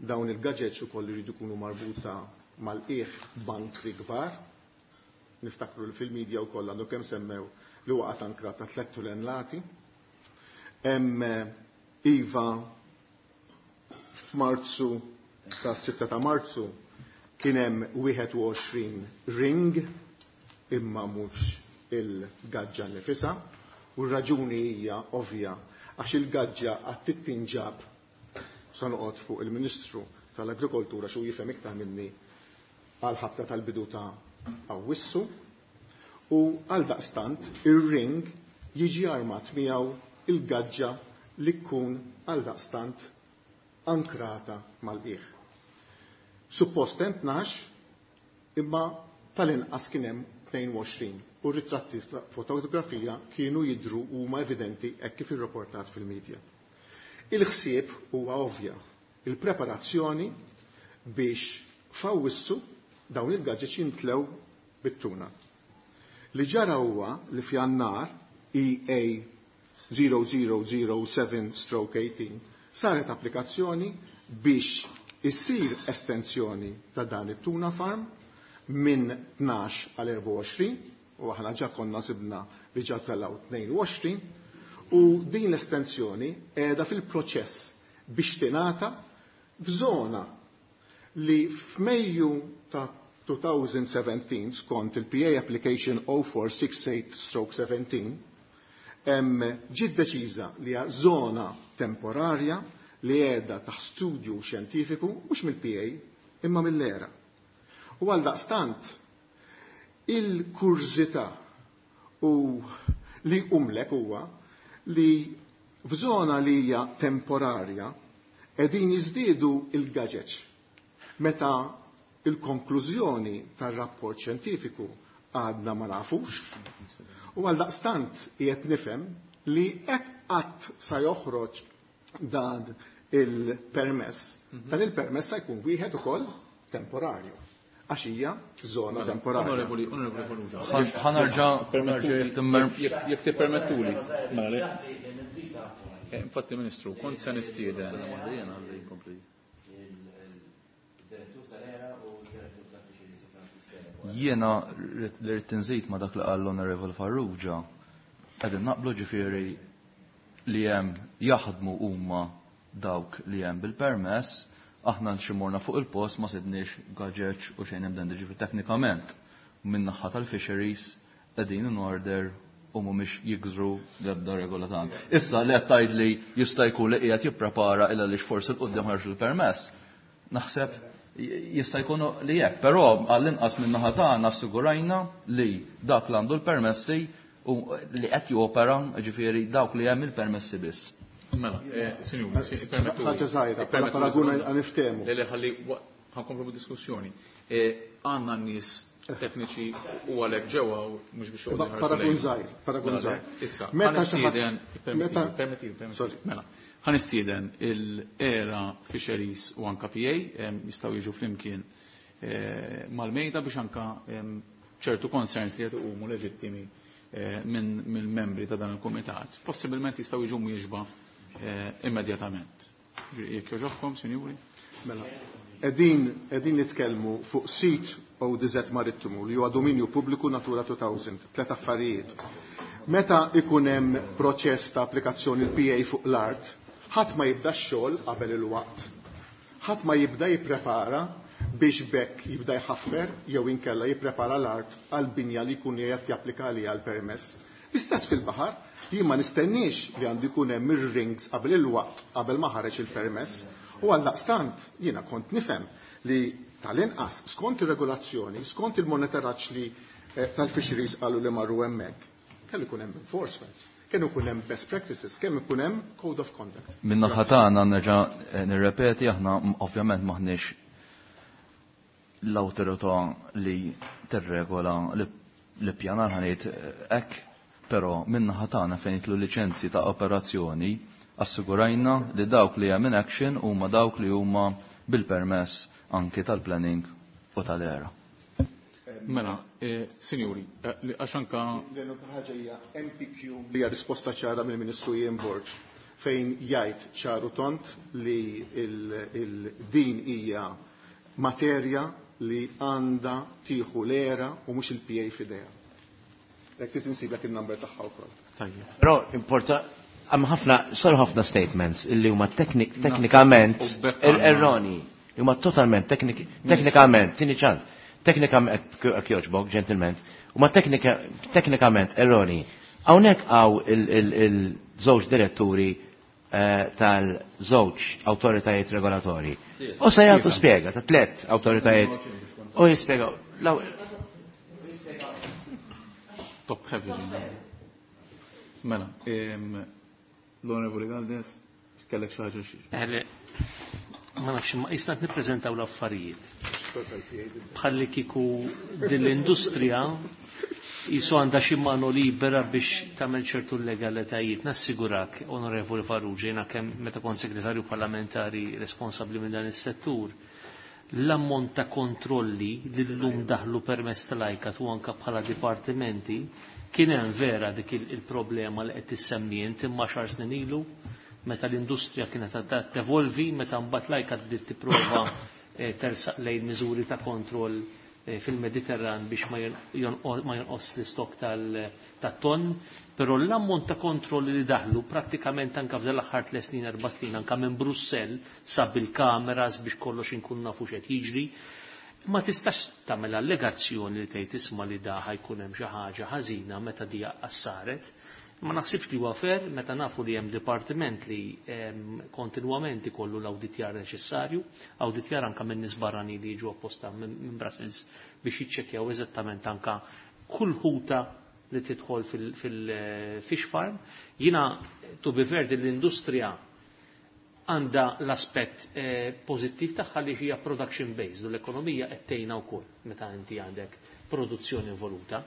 Speaker 5: dawn il-gaġeġ ukoll iridu jkunu marbuta mal-qiegħ bankri kbar. Niftakru li fil-medja wkoll għandu kemm semmew li waqgħet ankra ta' tliet tulenlati. Hemm iva f'Marzu ta' sitta ta' Marzu kien hemm wieħed u għoxrin ring imma mhux il-gaġġa nifisha. U r-raġuni hija ovvja għax il-gaġġa għad tittinġab sa noqgħod fuq il-Ministru tal-Agrikoltura xu jifhem iktar minni għal ħabta tal-bidu ta' Awwissu, u għal daqstant ir-ring jiġi armat miegħu il-gaġġa li tkun għal daqstant ankrata mal-qiegħ. Suppost hemm tnax, imma tal-inqas kien hemm tnejn u għoxrin. u ritratti ta' fotografija kienu jidhru huma evidenti hekk kif irrapportat fil-medja. Il-ħsieb huwa ovvja, il-preparazzjoni biex f'Awwissu dawn il-gaġeġ jintlew bit-tuna. Li ġara huwa li f'Jannar E A zero zero zero seven stroke eighteen saret applikazzjoni biex issir estensjoni ta' dan it-tuna farm minn tnax għal erbgħa u għoxrin, u aħna ġa konna sibna li ġa tellgħu tnejn u għoxrin, u din l-estensjoni qiegħda fil-proċess biex tingħata f'żona li f'Mejju ta' two thousand seventeen skont il-P A application oh four six eight stroke seventeen hemm ġiet deċiża li hija żona temporarja li qiegħda taħt studju xjentifiku mhux mill-P A imma mill-E R A. U għaldaqstant il-kurżità u li umlek huwa li f'żona li hija temporarja qegħdin jiżdiedu il-gaġeġ meta il-konklużjoni tar-rapport xjentifiku għadna ma nafux, u għaldaqstant qiegħed nifhem li hekk qatt sa joħroġ dan il-permess,
Speaker 1: Mhm.
Speaker 5: dan il-permess sa jkun wieħed ukoll temporarju, għax hija żona
Speaker 1: Mela,
Speaker 5: temporarja.
Speaker 1: Onorevoli, onorevoli Farrugia.
Speaker 6: Ħanerġa',
Speaker 1: Permettuli,
Speaker 6: ħanerġa' jittimmer-
Speaker 1: jekk, jekk tippermettuli. Mela, le. Eh, infatti, Ministru, kont se nistieden.
Speaker 6: Jiena li rrid inżid ma dak li qal l-Onorevoli Farrugia, qegħdin naqblu ġifieri li hemm jaħdmu huma dawk li hemm bil-permess, aħna nximurna fuq il-post ma sidniex gaġeġ u xejn hemm dan, ġifieri teknikament min-naħa tal-fisheries qegħdin in order u mhumiex jikżru l-ebda regola tagħna. Issa li qed tgħid li jista' jkun li qiegħed jipprepara illa għaliex forsi l-qudiem ħarġu l-permess, naħseb jista' jkun li hekk, però għall-inqas min-naħa tagħna assigurajna li dak li għandu l-permessi u li qed jopera, ġifieri dawk li hemm il-permessi biss.
Speaker 1: Mela, eh, sinjuri, si permettuli.
Speaker 5: Ħaġa żgħira, bħala
Speaker 1: Permettuli
Speaker 5: paraguna
Speaker 1: sekonda.
Speaker 5: niftehmu.
Speaker 1: Le, le, ħalli wa-, ħankomplu bid-diskussjoni. Eh, għandna n-nies tekniċi u għalhekk ġewwa u mhux biex joqogħdu jħarsu
Speaker 5: Paragun
Speaker 1: lejn.
Speaker 5: żgħir, paragun
Speaker 1: Mela,
Speaker 5: żgħir.
Speaker 1: Issa,
Speaker 5: Meta xi ħadd-
Speaker 1: ħanistieden, permettili,
Speaker 5: meta-
Speaker 1: permettili, permettili.
Speaker 5: Sorry.
Speaker 1: Mela, ħanistieden il-E R A Fisheries u anka P A, em, jistgħu jiġu flimkien, eh, mal-mejda biex anka, em, ċertu concerns li qed iqumu leġittimi, eh, minn mill-membri ta' dan il-kumitat. Possibilment jistgħu jiġu mwieġba, eh, immedjatament. Ġifieri, jekk jogħġobkom, sinjuri?
Speaker 5: Mela, qegħdin, qegħdin nitkellmu fuq sit O D Z Marittimu li huwa dominju pubbliku Natura two thousand, tliet affarijiet. Meta ikun hemm proċess ta' applikazzjoni l-P A fuq l-art, ħadd ma jibda x-xogħol qabel il-waqt. Ħadd ma jibda jipprepara biex bekk jibda jħaffer jew inkella jipprepara l-art għal binja li jkun qiegħed japplika għaliha l-permess. L-istess fil-baħar, jien ma nistenniex li għandu jkun hemm ir-rings qabel il-waqt qabel ma ħareġ il-permess. U għaldaqstant jiena kont nifhem li tal-inqas skont ir-regolazzjoni, skont il-monitoraġġ li, eh, tal-fisheries qalu li marru hemmhekk, kellu jkun hemm enforcements, kellu jkun hemm best practices, kemm ikun hemm code of conduct.
Speaker 6: Min naħa tagħna nerġa', eh, nirrepeti, aħna m-, ovvjament m'aħniex l-awtorità li tirregola l-ippjanar ħanejt, eh, hekk, però min naħa tagħna fejn jitlu liċenzji ta' operazzjoni assigurajna li dawk li hemm in action huma dawk li huma bil-permess anki tal-planning u tal-E R A.
Speaker 1: Mela, eh, sinjuri, eh, li għax anka
Speaker 5: L-unika ħaġa hija M P Q li hija risposta ċara mill-Ministru Ian Borg fejn jgħid ċaru tont li il-, il-, din hija materja li għandha tieħu l-E R A u mhux il-P A f'idejha. Jekk trid insiblek in-number tagħha wkoll.
Speaker 1: Tajjeb.
Speaker 4: Però importa hemm ħafna, saru ħafna statements illi huma teknik-, teknikament
Speaker 1: U bekk
Speaker 4: er-,
Speaker 1: għandna.
Speaker 4: erroni, huma totalment teknik-, teknikament, tini ċans, teknikament, jekk jogħġbok, gentlemen, huma teknika-, teknikament erroni. Hawnhekk hawn il-, il-, il-żewġ diretturi, eh, tal-żewġ awtoritajiet regolatorji. U se jagħtu spjega ta' tliet awtoritajiet u jispjegaw. Law-
Speaker 1: Top heavy. Mela, em, l-Onorevoli Galdes, kellek xi ħaġa xi?
Speaker 7: Eh, ma nafx, ma jista' nippreżentaw l-affarijiet. Bħalli kieku din l-industrija Jisu għandha xi mano libera biex tagħmel ċertu legalitajiet. Nassigurak, Onorevoli Farrugia, jiena kemm meta kont segretarju parlamentari responsabbli minn dan is-settur, l-ammont ta' kontrolli li llum daħlu permezz tal-ICAT u anke bħala dipartimenti, kien hemm vera dik il-problema li qed tissemmi int imma xar snin ilu, meta l-industrija kienet għadha tevolvi, meta mbagħad l-ICAT bdiet tipprova tersaq lejn miżuri ta' kontroll fil-Mediterran biex ma jonqos l-istok tat-ton, però l-ammont ta' kontrolli li daħlu prattikament anka f'dan l-aħħar tliet snin, erba' snin, anka minn Brussell sab il-kameras biex kollox inkun nafu x'qed jiġri, ma tistax tagħmel allegazzjoni li tgħid isma' li da ħajkun hemm xi ħaġa ħażina meta di saret. Ma naħsibx li huwa fair meta nafu li hemm dipartiment li kontinwament ikollu l-awditjar neċessarju, awditjar anka minn nies barrani li jiġu apposta minn Brussels biex jiċċekkjaw eżattament anka kull ħuta li tidħol fil-fish farm. Jiena to be fair din l-industrija għandha l-aspett pożittiv tagħha li hija production based u l-ekonomija qed tgħinha wkoll meta inti għandek produzzjoni involuta.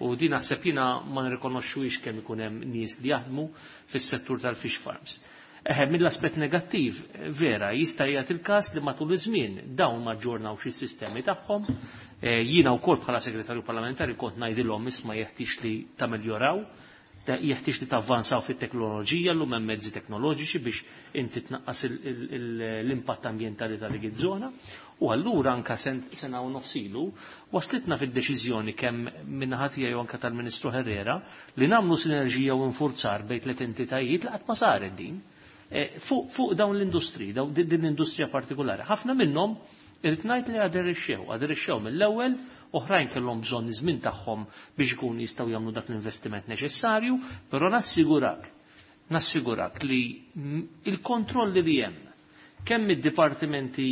Speaker 7: U din naħseb jiena ma nirrikonoxxuhiex kemm ikun hemm nies li jaħdmu fis-settur tal-fish farms. Eħe, mill-aspett negattiv, vera, jista' jagħti il-każ li matul iż-żmien dawn ma ġġornawx is-sistemi tagħhom. Jiena wkoll bħala segretarju parlamentari kont ngħidilhom isma' jeħtieġ li tameljoraw, jeħtieġ li tavvanzaw fit-teknoloġija, llum hemm mezzi teknoloġiċi biex inti tnaqqas l-impatt ambjentali ta' dik iż-żona. U allura anka sena u nofsilu waslitna fid-deċiżjoni kemm min-naħa tiegħi u anka tal-Ministru Herrera li nagħmlu sinerġija u infurzar bejn tliet entitajiet li qatt ma saret din fuq dawn l-industri, din l-industrija partikolari. Ħafna minnhom irrid ngħid li aderixxew, aderixxew mill-ewwel, oħrajn kellhom bżonn iż-żmien tagħhom biex ikunu jistgħu jagħmlu dak l-investiment neċessarju, però nassigurak, nassigurak li il-kontrolli li hemm kemm id-dipartimenti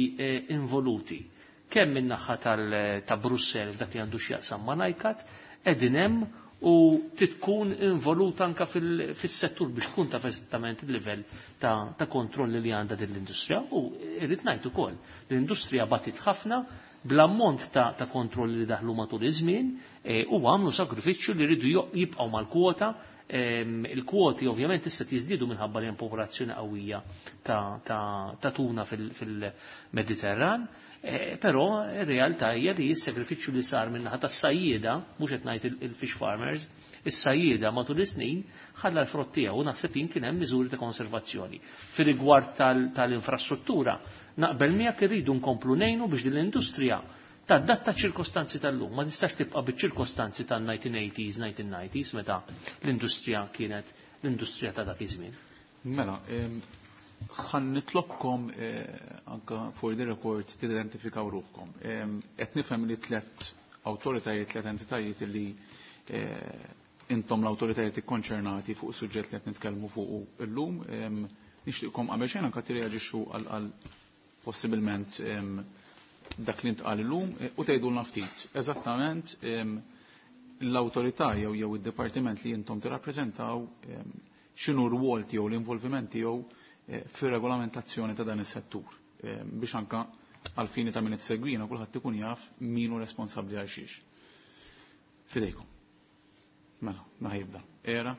Speaker 7: involuti, kemm min-naħa ta' Brussell dak li għandu x'jaqsam ma' ICAT, qegħdin hemm u titkun involuta anka fis-settur biex tkun taf eżattament il-livell ta' kontrolli li għandha din l-industrija. U irrid ngħid ukoll l-industrija batit ħafna bl-ammont ta' kontrolli li daħlu matul iż-żmien u għamlu sakrifiċċju li rridu jibqgħu mal-kwota. Il-kwoti ovvjament issa jiżdiedu minħabba li hemm popolazzjoni qawwija ta' tuna fil-Mediterran, però ir-realtà hija li s-sakrifiċċju li sar min-naħa tas-sajjieda, mhux qed ngħid il-fish farmers, is-sajjieda matul is-snin ħalla l-frott tiegħu u naħseb jien kien hemm miżuri ta' konservazzjoni. Fir-rigward tal-infrastruttura, naqbel miegħek irridu nkomplu ngħinu biex din l-industrija tadatta ċirkostanzi tal-lum, ma tistax tibqa' biċ-ċirkostanzi tan-nineteen eighties, nineteen nineties, meta l-industrija kienet l-industrija ta' dak iż-żmien.
Speaker 1: Mela, ħan nitlobkom anka for the record tidentifikaw ruħkom. Qed nifhem li tliet awtoritajiet, tliet entitajiet li intom l-awtoritajiet ikkonċernati fuq is-suġġett li qed nitkellmu fuq illum, nixtieqkom qabel xejn anke tirreaġixxu għal possibilment dak li ntqal illum u tgħidulna ftit eżattament l-awtorità jew jew id-dipartiment li intom tirrappreżentaw x'inhu r-rwol tiegħu l-involviment tiegħu fir-regolamentazzjoni ta' dan is-settur biex anka għal fini ta' min itsegwina kulħadd ikun jaf min hu responsabbli għal xiex. Fidejkom. Mela, ma ħajibda. Era?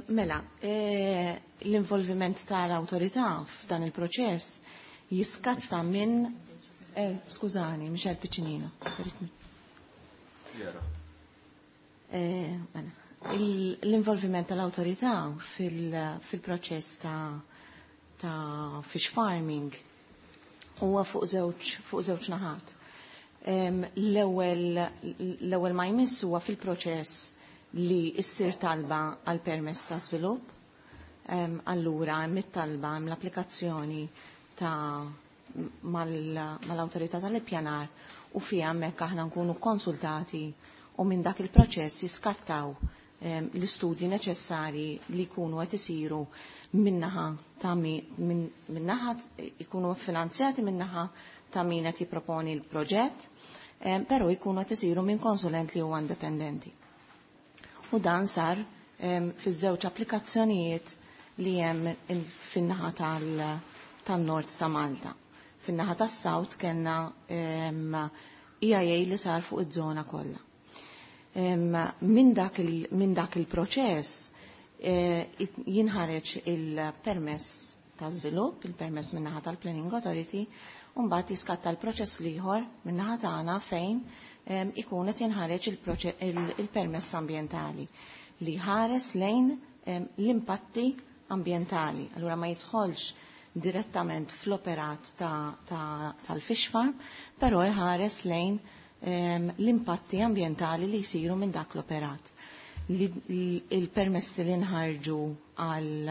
Speaker 8: Mela, l-involviment tal-awtorità f'dan il-proċess jiskatta minn eh, skużani, Michel Piccinino. Eh, mela, l-involviment tal-awtorità fil-proċess ta' ta' fish farming huwa fuq żewġ fuq żewġ naħat. L-ewwel l-ewwel ma jmiss huwa fil-proċess li ssir talba għal permess ta' żvilupp. Allura hemm it-talba hemm l-applikazzjoni ta' mal-awtorità tal-ippjanar u fiha hemmhekk aħna nkunu konsultati u minn dak il-proċess jiskattaw l-istudji neċessari li jkunu qed isiru minnaħa ta' minnaħa jkunu finanzjati minnaħa ta' min qed jipproponi l-proġett, però jkunu qed isiru minn konsulent li huwa indipendenti. U dan sar fiż-żewġ applikazzjonijiet li hemm fin-naħa tal-Nord ta' Malta. Fin-naħa tas-South kellna E I A li sar fuq iż-żona kollha. Minn dak il-proċess jinħareġ il-permess ta' żvilupp, il-permess min-naħa tal-Planning Authority, u mbagħad jiskatta l-proċess l-ieħor min-naħa tagħna fejn ikun qed jinħareġ il-permess ambjentali li ħares lejn l-impatti ambjentali. Allura ma jidħolx direttament fl-operat tal-fish farm, però jħares lejn l-impatti ambjentali li jsiru minn dak l-operat. Il-permessi li nħarġu għal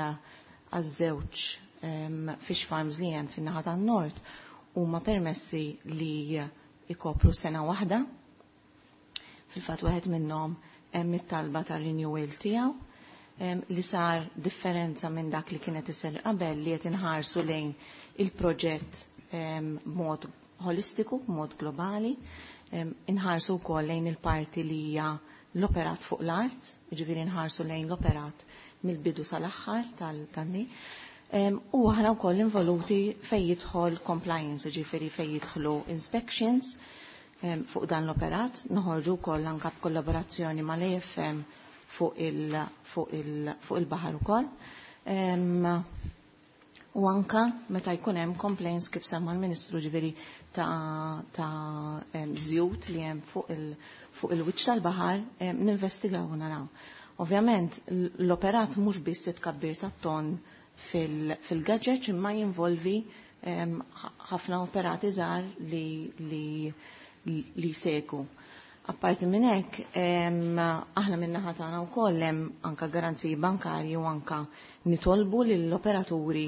Speaker 8: żewġ fish farms li hemm fin-naħa tan-nord huma permessi li ikopru sena waħda. Fil-fatt wieħed minnhom hemm it-talba tar-renewal tiegħu li sar differenza minn dak li kienet isir qabel li qed inħarsu lejn il-proġett b'mod holistiku, b'mod globali, inħarsu wkoll lejn il-parti li hija l-operat fuq l-art, jiġifieri nħarsu lejn l-operat mill-bidu sal-aħħar tal-tanni. U aħna wkoll involuti fejn jidħol compliance, jiġifieri fejn jidħlu inspections fuq dan l-operat, noħorġu wkoll anke b'kollaborazzjoni mal-A F M fuq il-baħar ukoll. U anka meta jkun hemm complaints kif semma l-Ministru, ġifieri ta' żjut li hemm fuq il-wiċċ tal-baħar, ninvestigaw u naraw. Ovvjament l-operat mhux biss it-tkabbir tat-ton fil-gadget imma jinvolvi ħafna operati żgħar li li jsegwu. Apparti minn hekk, aħna min-naħa tagħna wkoll hemm anke garanziji bankarji u anke nitolbu lill-operaturi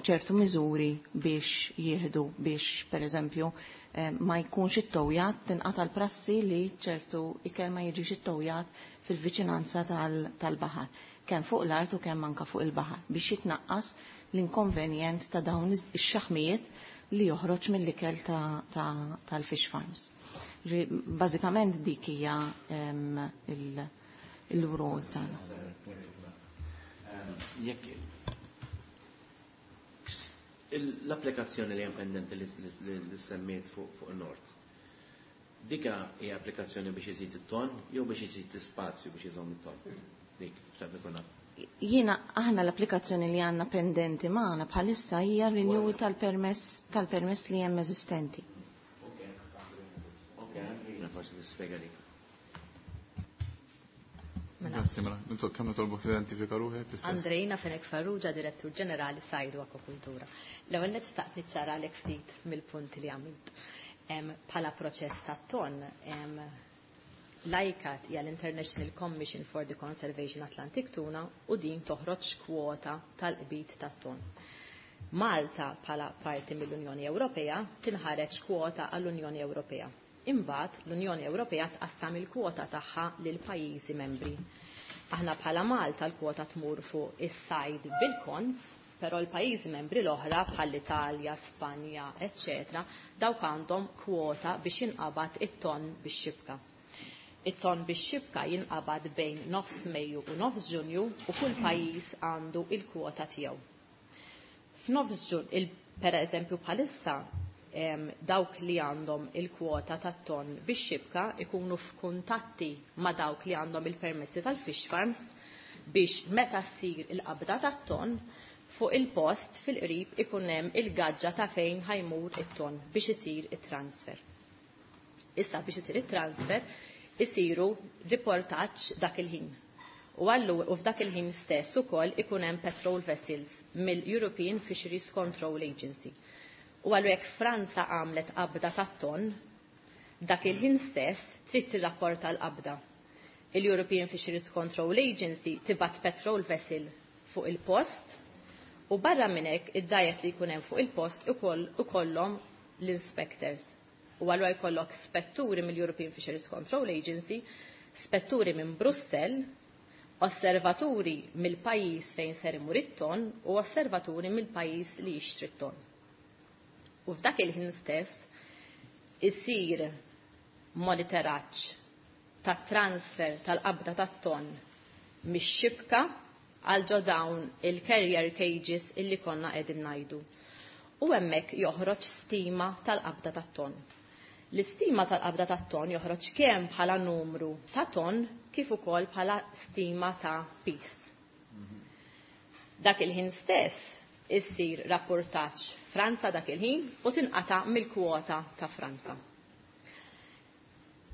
Speaker 8: ċertu miżuri biex jieħdu biex pereżempju ma jkunx ittowjat, tinqata' l-prassi li ċertu ikel ma jiġix ittowjat fil-viċinanza tal-baħar, kemm fuq l-art u kemm anke fuq il-baħar, biex jitnaqqas l-inkonvenjent ta' dawn ix-xaħmijiet li joħroġ mill-ikel tal-fish farms. Bażikament dik hija il-rol tagħna.
Speaker 4: Jekk l-applikazzjoni li hemm pendenti li semmiet fuq il-Nord, dika hija applikazzjoni biex iżid it-ton jew biex iżid l-ispazju biex iżomm it-ton? Dik, x'taf ikun naf.
Speaker 8: Jiena aħna l-applikazzjoni li għandna pendenti magħna bħalissa hija renewal tal-permess tal-permess li hemm eżistenti.
Speaker 4: Forsi tispjega dik.
Speaker 1: Grazzi, mela. Intu kemm nitolbok tidentifika ruħek l-istess?
Speaker 9: Andreina Fenech Farrugia, Direttur Ġenerali Sajd u Akwakultura. L-ewwel nett xtaqt niċċaralek ftit mill-punti li għamilt. Bħala proċess tat-ton, l-I C A T hija l-International Commission for the Conservation Atlantic Tuna u din toħroġ kwota tal-qbid tat-ton. Malta bħala parti mill-Unjoni Ewropea tinħareġ kwota għall-Unjoni Ewropea. Imbagħad l-Unjoni Ewropea tqassam il-kwota tagħha lil pajjiżi membri. Aħna bħala Malta l-kwota tmur fuq is-sajd bil-konz, però l-pajjiżi membri l-oħra bħall-Italja, Spanja, eċċetera, dawk għandhom kwota biex jinqabad it-ton bix-xibka. It-ton bix-xibka jinqabad bejn nofs Mejju u nofs Ġunju u kull pajjiż għandu il-kwota tiegħu. F'nofs Ġunju, per eżempju bħalissa, dawk li għandhom il-kwota tat-ton bix-xibka ikunu f'kuntatti ma' dawk li għandhom il-permessi tal-fish farms biex meta ssir il-qabda tat-ton fuq il-post fil-qrib ikun hemm il-gaġġa ta' fejn ħajmur it-ton biex isir it-transfer. Issa biex isir it-transfer isiru riportaġġ dak il-ħin. U għallu u f'dak il-ħin stess ukoll ikun hemm patrol vessels mill-European Fisheries Control Agency. U għallu jekk Franza għamlet qabda tat-ton, dak il-ħin stess trid tirrapporta l-qabda. Il-European Fisheries Control Agency tibgħat patrol vessel fuq il-post u barra minn hekk id-dgħajjes li jkun hemm fuq il-post ukoll ikollhom l-inspectors. U allura jkollok spetturi mill-European Fisheries Control Agency, spetturi minn Brussell, osservaturi mill-pajjiż fejn ser imur it-ton u osservaturi mill-pajjiż li jixtri t-ton. U f'dak il-ħin stess isir monitoraġġ ta' transfer tal-qabda tat-ton mix-xibka għal ġo dawn il-carrier cages illi konna qegħdin ngħidu. U hemmhekk joħroġ stima tal-qabda tat-ton. L-istima tal-qabda tat-ton joħroġ kemm bħala numru ta' ton kif ukoll bħala stima ta' piż. Dak il-ħin stess issir rapportaġġ Franza dak il-ħin u tinqata' mill-kwota ta' Franza.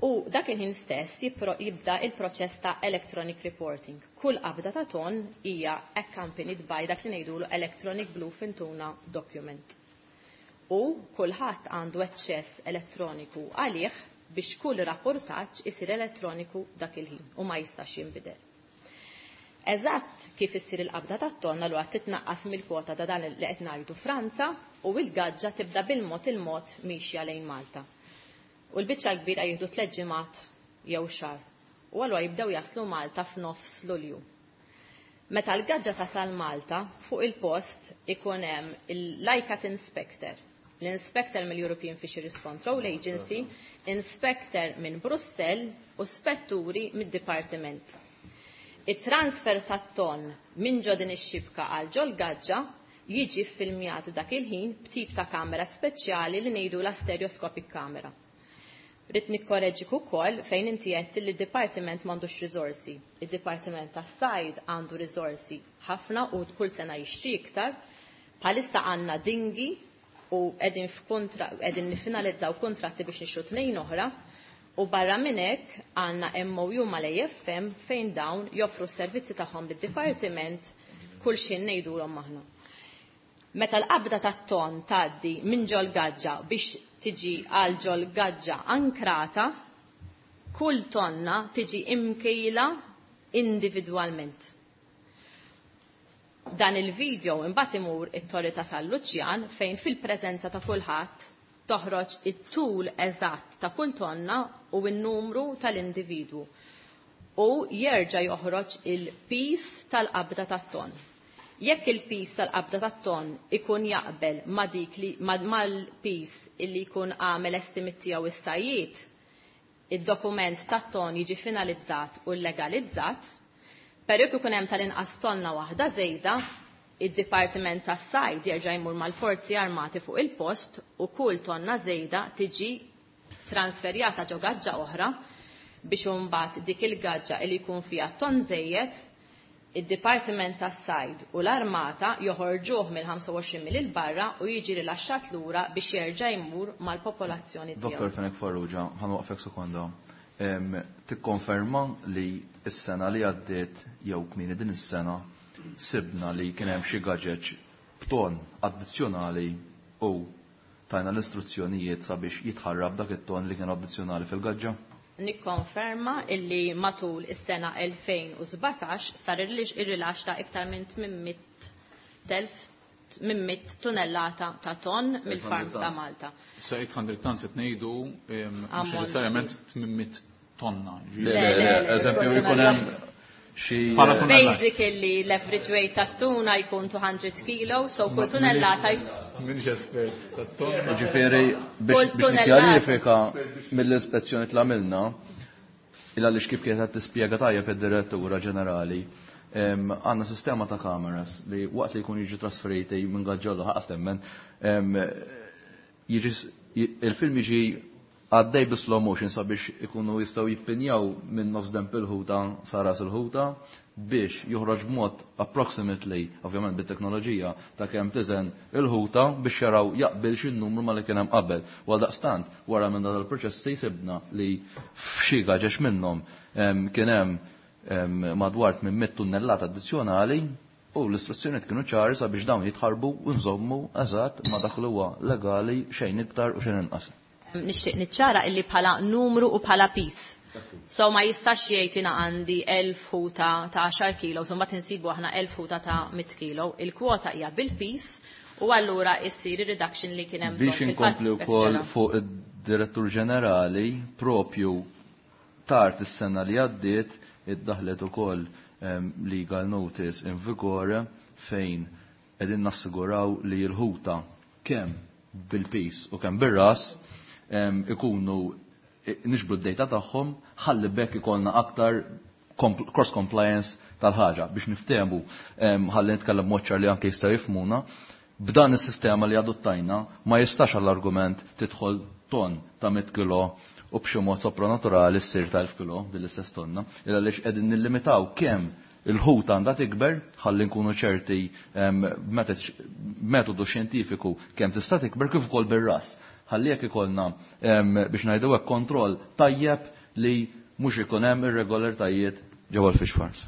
Speaker 9: U dak il-ħin stess jibda il-proċess ta' electronic reporting. Kull qabda ta' ton hija accompanied by dak li ngħidulu electronic bluefin tuna document. U kulħadd għandu aċċess elettroniku għalih biex kull rapportaġġ isir elettroniku dak il-ħin u ma jistax jinbidel. Eżatt kif issir il-qabda tat-tonna l titnaqqas mill-kwota ta' dan li qed ngħidu Franza u l-gaġġa tibda bil-mod il-mod mixja lejn Malta. U l-biċċa l-kbira jieħdu tliet ġimgħat jew xahar. U allura jibdew jaslu Malta f'nofs Lulju. Meta l-gaġġa tasal Malta, fuq il-post ikun hemm il-ICCAT Inspector, l-Inspector mill-European Fisheries Control Agency, Inspector minn Brussell u spetturi mid-Dipartiment. Il-transfer tat-ton minn ġo din ix-xibka għal ġol gaġġa jiġi filmjat dak il-ħin b'tip ta' kamera speċjali li ngħidu la stereoscopic camera. Rrid nikkoreġik ukoll fejn inti qed li d-dipartiment m'għandux riżorsi. Id-Dipartiment tas-Sajd għandu riżorsi ħafna u kull sena jixtri iktar. Bħalissa għandna dingi u qegħdin f'kontra qegħdin nifinalizzaw kontratti biex nixtru tnejn oħra. U barra minn hekk għandna M O U mal-A F M fejn dawn joffru s-servizzi tagħhom lid-dipartiment kull xejn ngħidulhom aħna. Meta l-qabda tat-ton tgħaddi minn ġol gaġġa biex tiġi għal ġol gaġġa ankrata, kull tonna tiġi imkejla individwalment. Dan il-video imbagħad imur it-Torri ta' San Luċjan fejn fil-preżenza ta' kulħadd toħroġ it-tul eżatt ta' kull tonna u n-numru tal-individwu u jerġa' joħroġ il-pis tal-qabda tat-ton. Jekk il-pis tal-qabda tat-ton ikun jaqbel ma' dik li mal-pis illi jkun għamel estimate tiegħu is-sajjied, id-dokument tat-ton jiġi finalizzat u legalizzat, però jekk ikun hemm tal-inqas tonna waħda żejda, id-Dipartiment tas-Sajd jerġa' jmur mal-Forzi Armati fuq il-post u kull tonna żejda tiġi transferjata ġo gaġġa oħra biex imbagħad dik il-gaġġa li jkun fiha ton żejjed, id-Dipartiment tas-Sajd u l-Armata joħorġuh mill-ħamsa u għoxrin mil il barra u jiġi rilaxxat lura biex jerġa' jmur mal-popolazzjoni tiegħu.
Speaker 6: Doktor Fenech Farrugia, ħanwaqfek sekonda. Tikkonferma li s-sena li għaddiet jew kmieni din is-sena sibna li kien hemm xi gaġeġ b'ton addizzjonali u tajna l-istruzzjonijiet sabiex jitħarrab dak it-ton li kien addizzjonali fil-gaġġa?
Speaker 9: Nikkonferma illi matul is-sena elfejn u sbatax sar ir-rilax ta' iktar minn tmien mitt tunnellata ta' ton mill-farms ta' Malta.
Speaker 1: Issa eight hundred tons qed ngħidu, mhux
Speaker 9: Ammont.
Speaker 1: neċessarjament tmien mitt tonna.
Speaker 6: Le, le, le, eżempju jkun hemm xi
Speaker 1: Bħala tunnellata.
Speaker 9: Basically l-average weight tat-tuna jkun two hundred kilo, so kull tunnellata jkun
Speaker 1: Minx espert tat-tonna.
Speaker 6: Ġifieri biex
Speaker 9: Kull
Speaker 6: biex
Speaker 9: tunnellata.
Speaker 6: nikkjarifika mill-ispezzjoni li għamilna, il għaliex kif kienet qed tispjega tajjeb id-direttura ġenerali, em, għandna sistema ta' kameras li waqt li jkun jiġu trasferiti minn gaġġollu ħaqas temmen, em, jiġi s-, j-, il-film jiġi għaddej bi slow motion sabiex ikunu jistgħu jippinjaw minn nofs demp il-ħuta sa ras il-ħuta biex joħroġ b'mod approximately, ovvjament bit-teknoloġija, ta' kemm tiżen il-ħuta biex jaraw jaqbel xi numru ma li kien hemm qabel. U għaldaqstant, wara minn dan il-proċess sibna li f'xi gaġex minnhom, em, kien hemm, em, madwar minn mitt tunnellata addizzjonali u l-istruzzjonijiet kienu ċari sabiex dawn jitħarbu u nżommu eżatt ma dak li huwa legali xejn iktar u xejn inqas.
Speaker 9: Nixtieq niċċara illi bħala numru u bħala pis. So ma jistax jgħid jiena għandi elf ħuta ta' għaxar kilo, so mbagħad insibu aħna elf ħuta ta' mitt kilo. Il-kwota hija bil-pis u allura issir ir-reduction li kien hemm
Speaker 6: Biex
Speaker 9: bżonn fil-fatt
Speaker 6: inkompli wkoll
Speaker 9: ġara.
Speaker 6: fuq id-direttur ġenerali propju tard is-sena li għaddiet iddaħlet ukoll, em, legal notice in vigore fejn qegħdin nassiguraw li l-ħuta kemm bil-pis u kemm bir-ras, em, ikunu nixbru d-data tagħhom ħalli bekk ikollna aktar compl-, cross compliance tal-ħaġa biex niftehmu, em, ħalli nitkellem mod ċar li anke jistgħu jifhmuna. B'dan is-sistema li adottajna ma jistax għall-argument tidħol ton ta' mitt kilo u b'xi mod sopranaturali ssir ta' elf kilo din l-istess tonna, illa għaliex qegħdin nillimitaw kemm il-ħut għandha tikber ħalli nkunu ċerti metodu xjentifiku kemm tista' tikber kif ukoll bir-ras. Ħalli jekk ikollna biex ngħidu hekk kontroll tajjeb li mhux ikun hemm irregolaritajiet ġewwa l-fish farms.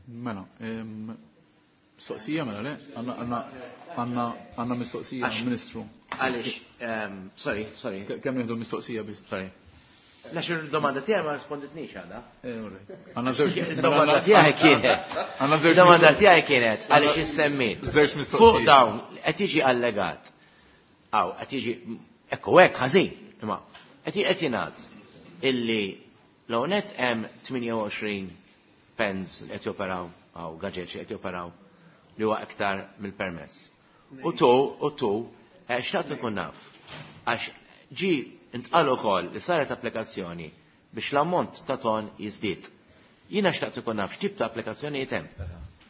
Speaker 1: Mela, mistoqsija mela le? Għandna mistoqsija Ministru.
Speaker 4: Għaliex, sorry, sorry.
Speaker 1: Kemm nieħdu mistoqsija biss?
Speaker 4: Sorry. Għax il-domanda tiegħi ma risponditnix għadha.
Speaker 1: Għandna żewġ.
Speaker 4: Il-domanda tiegħi kienet. Il-domanda tiegħi kienet għaliex issemmiet.
Speaker 1: Żewġ mistoqsijiet.
Speaker 4: Fuq dawn qed jiġi allegat. Aw, qed jiġi ekku hekk ħażin, imma qed qed jingħad illi l-għonet hemm tmienja u għoxrin pens li qed joperaw aw gaġeġ li qed joperaw li huwa iktar mill-permess. U tu, u tu, xtaqt ikun naf, għax ġi intqal ukoll li saret applikazzjoni biex l-ammont ta' ton jiżdied. Jiena xtaqt ikun naf x'tip ta' applikazzjonijiet hemm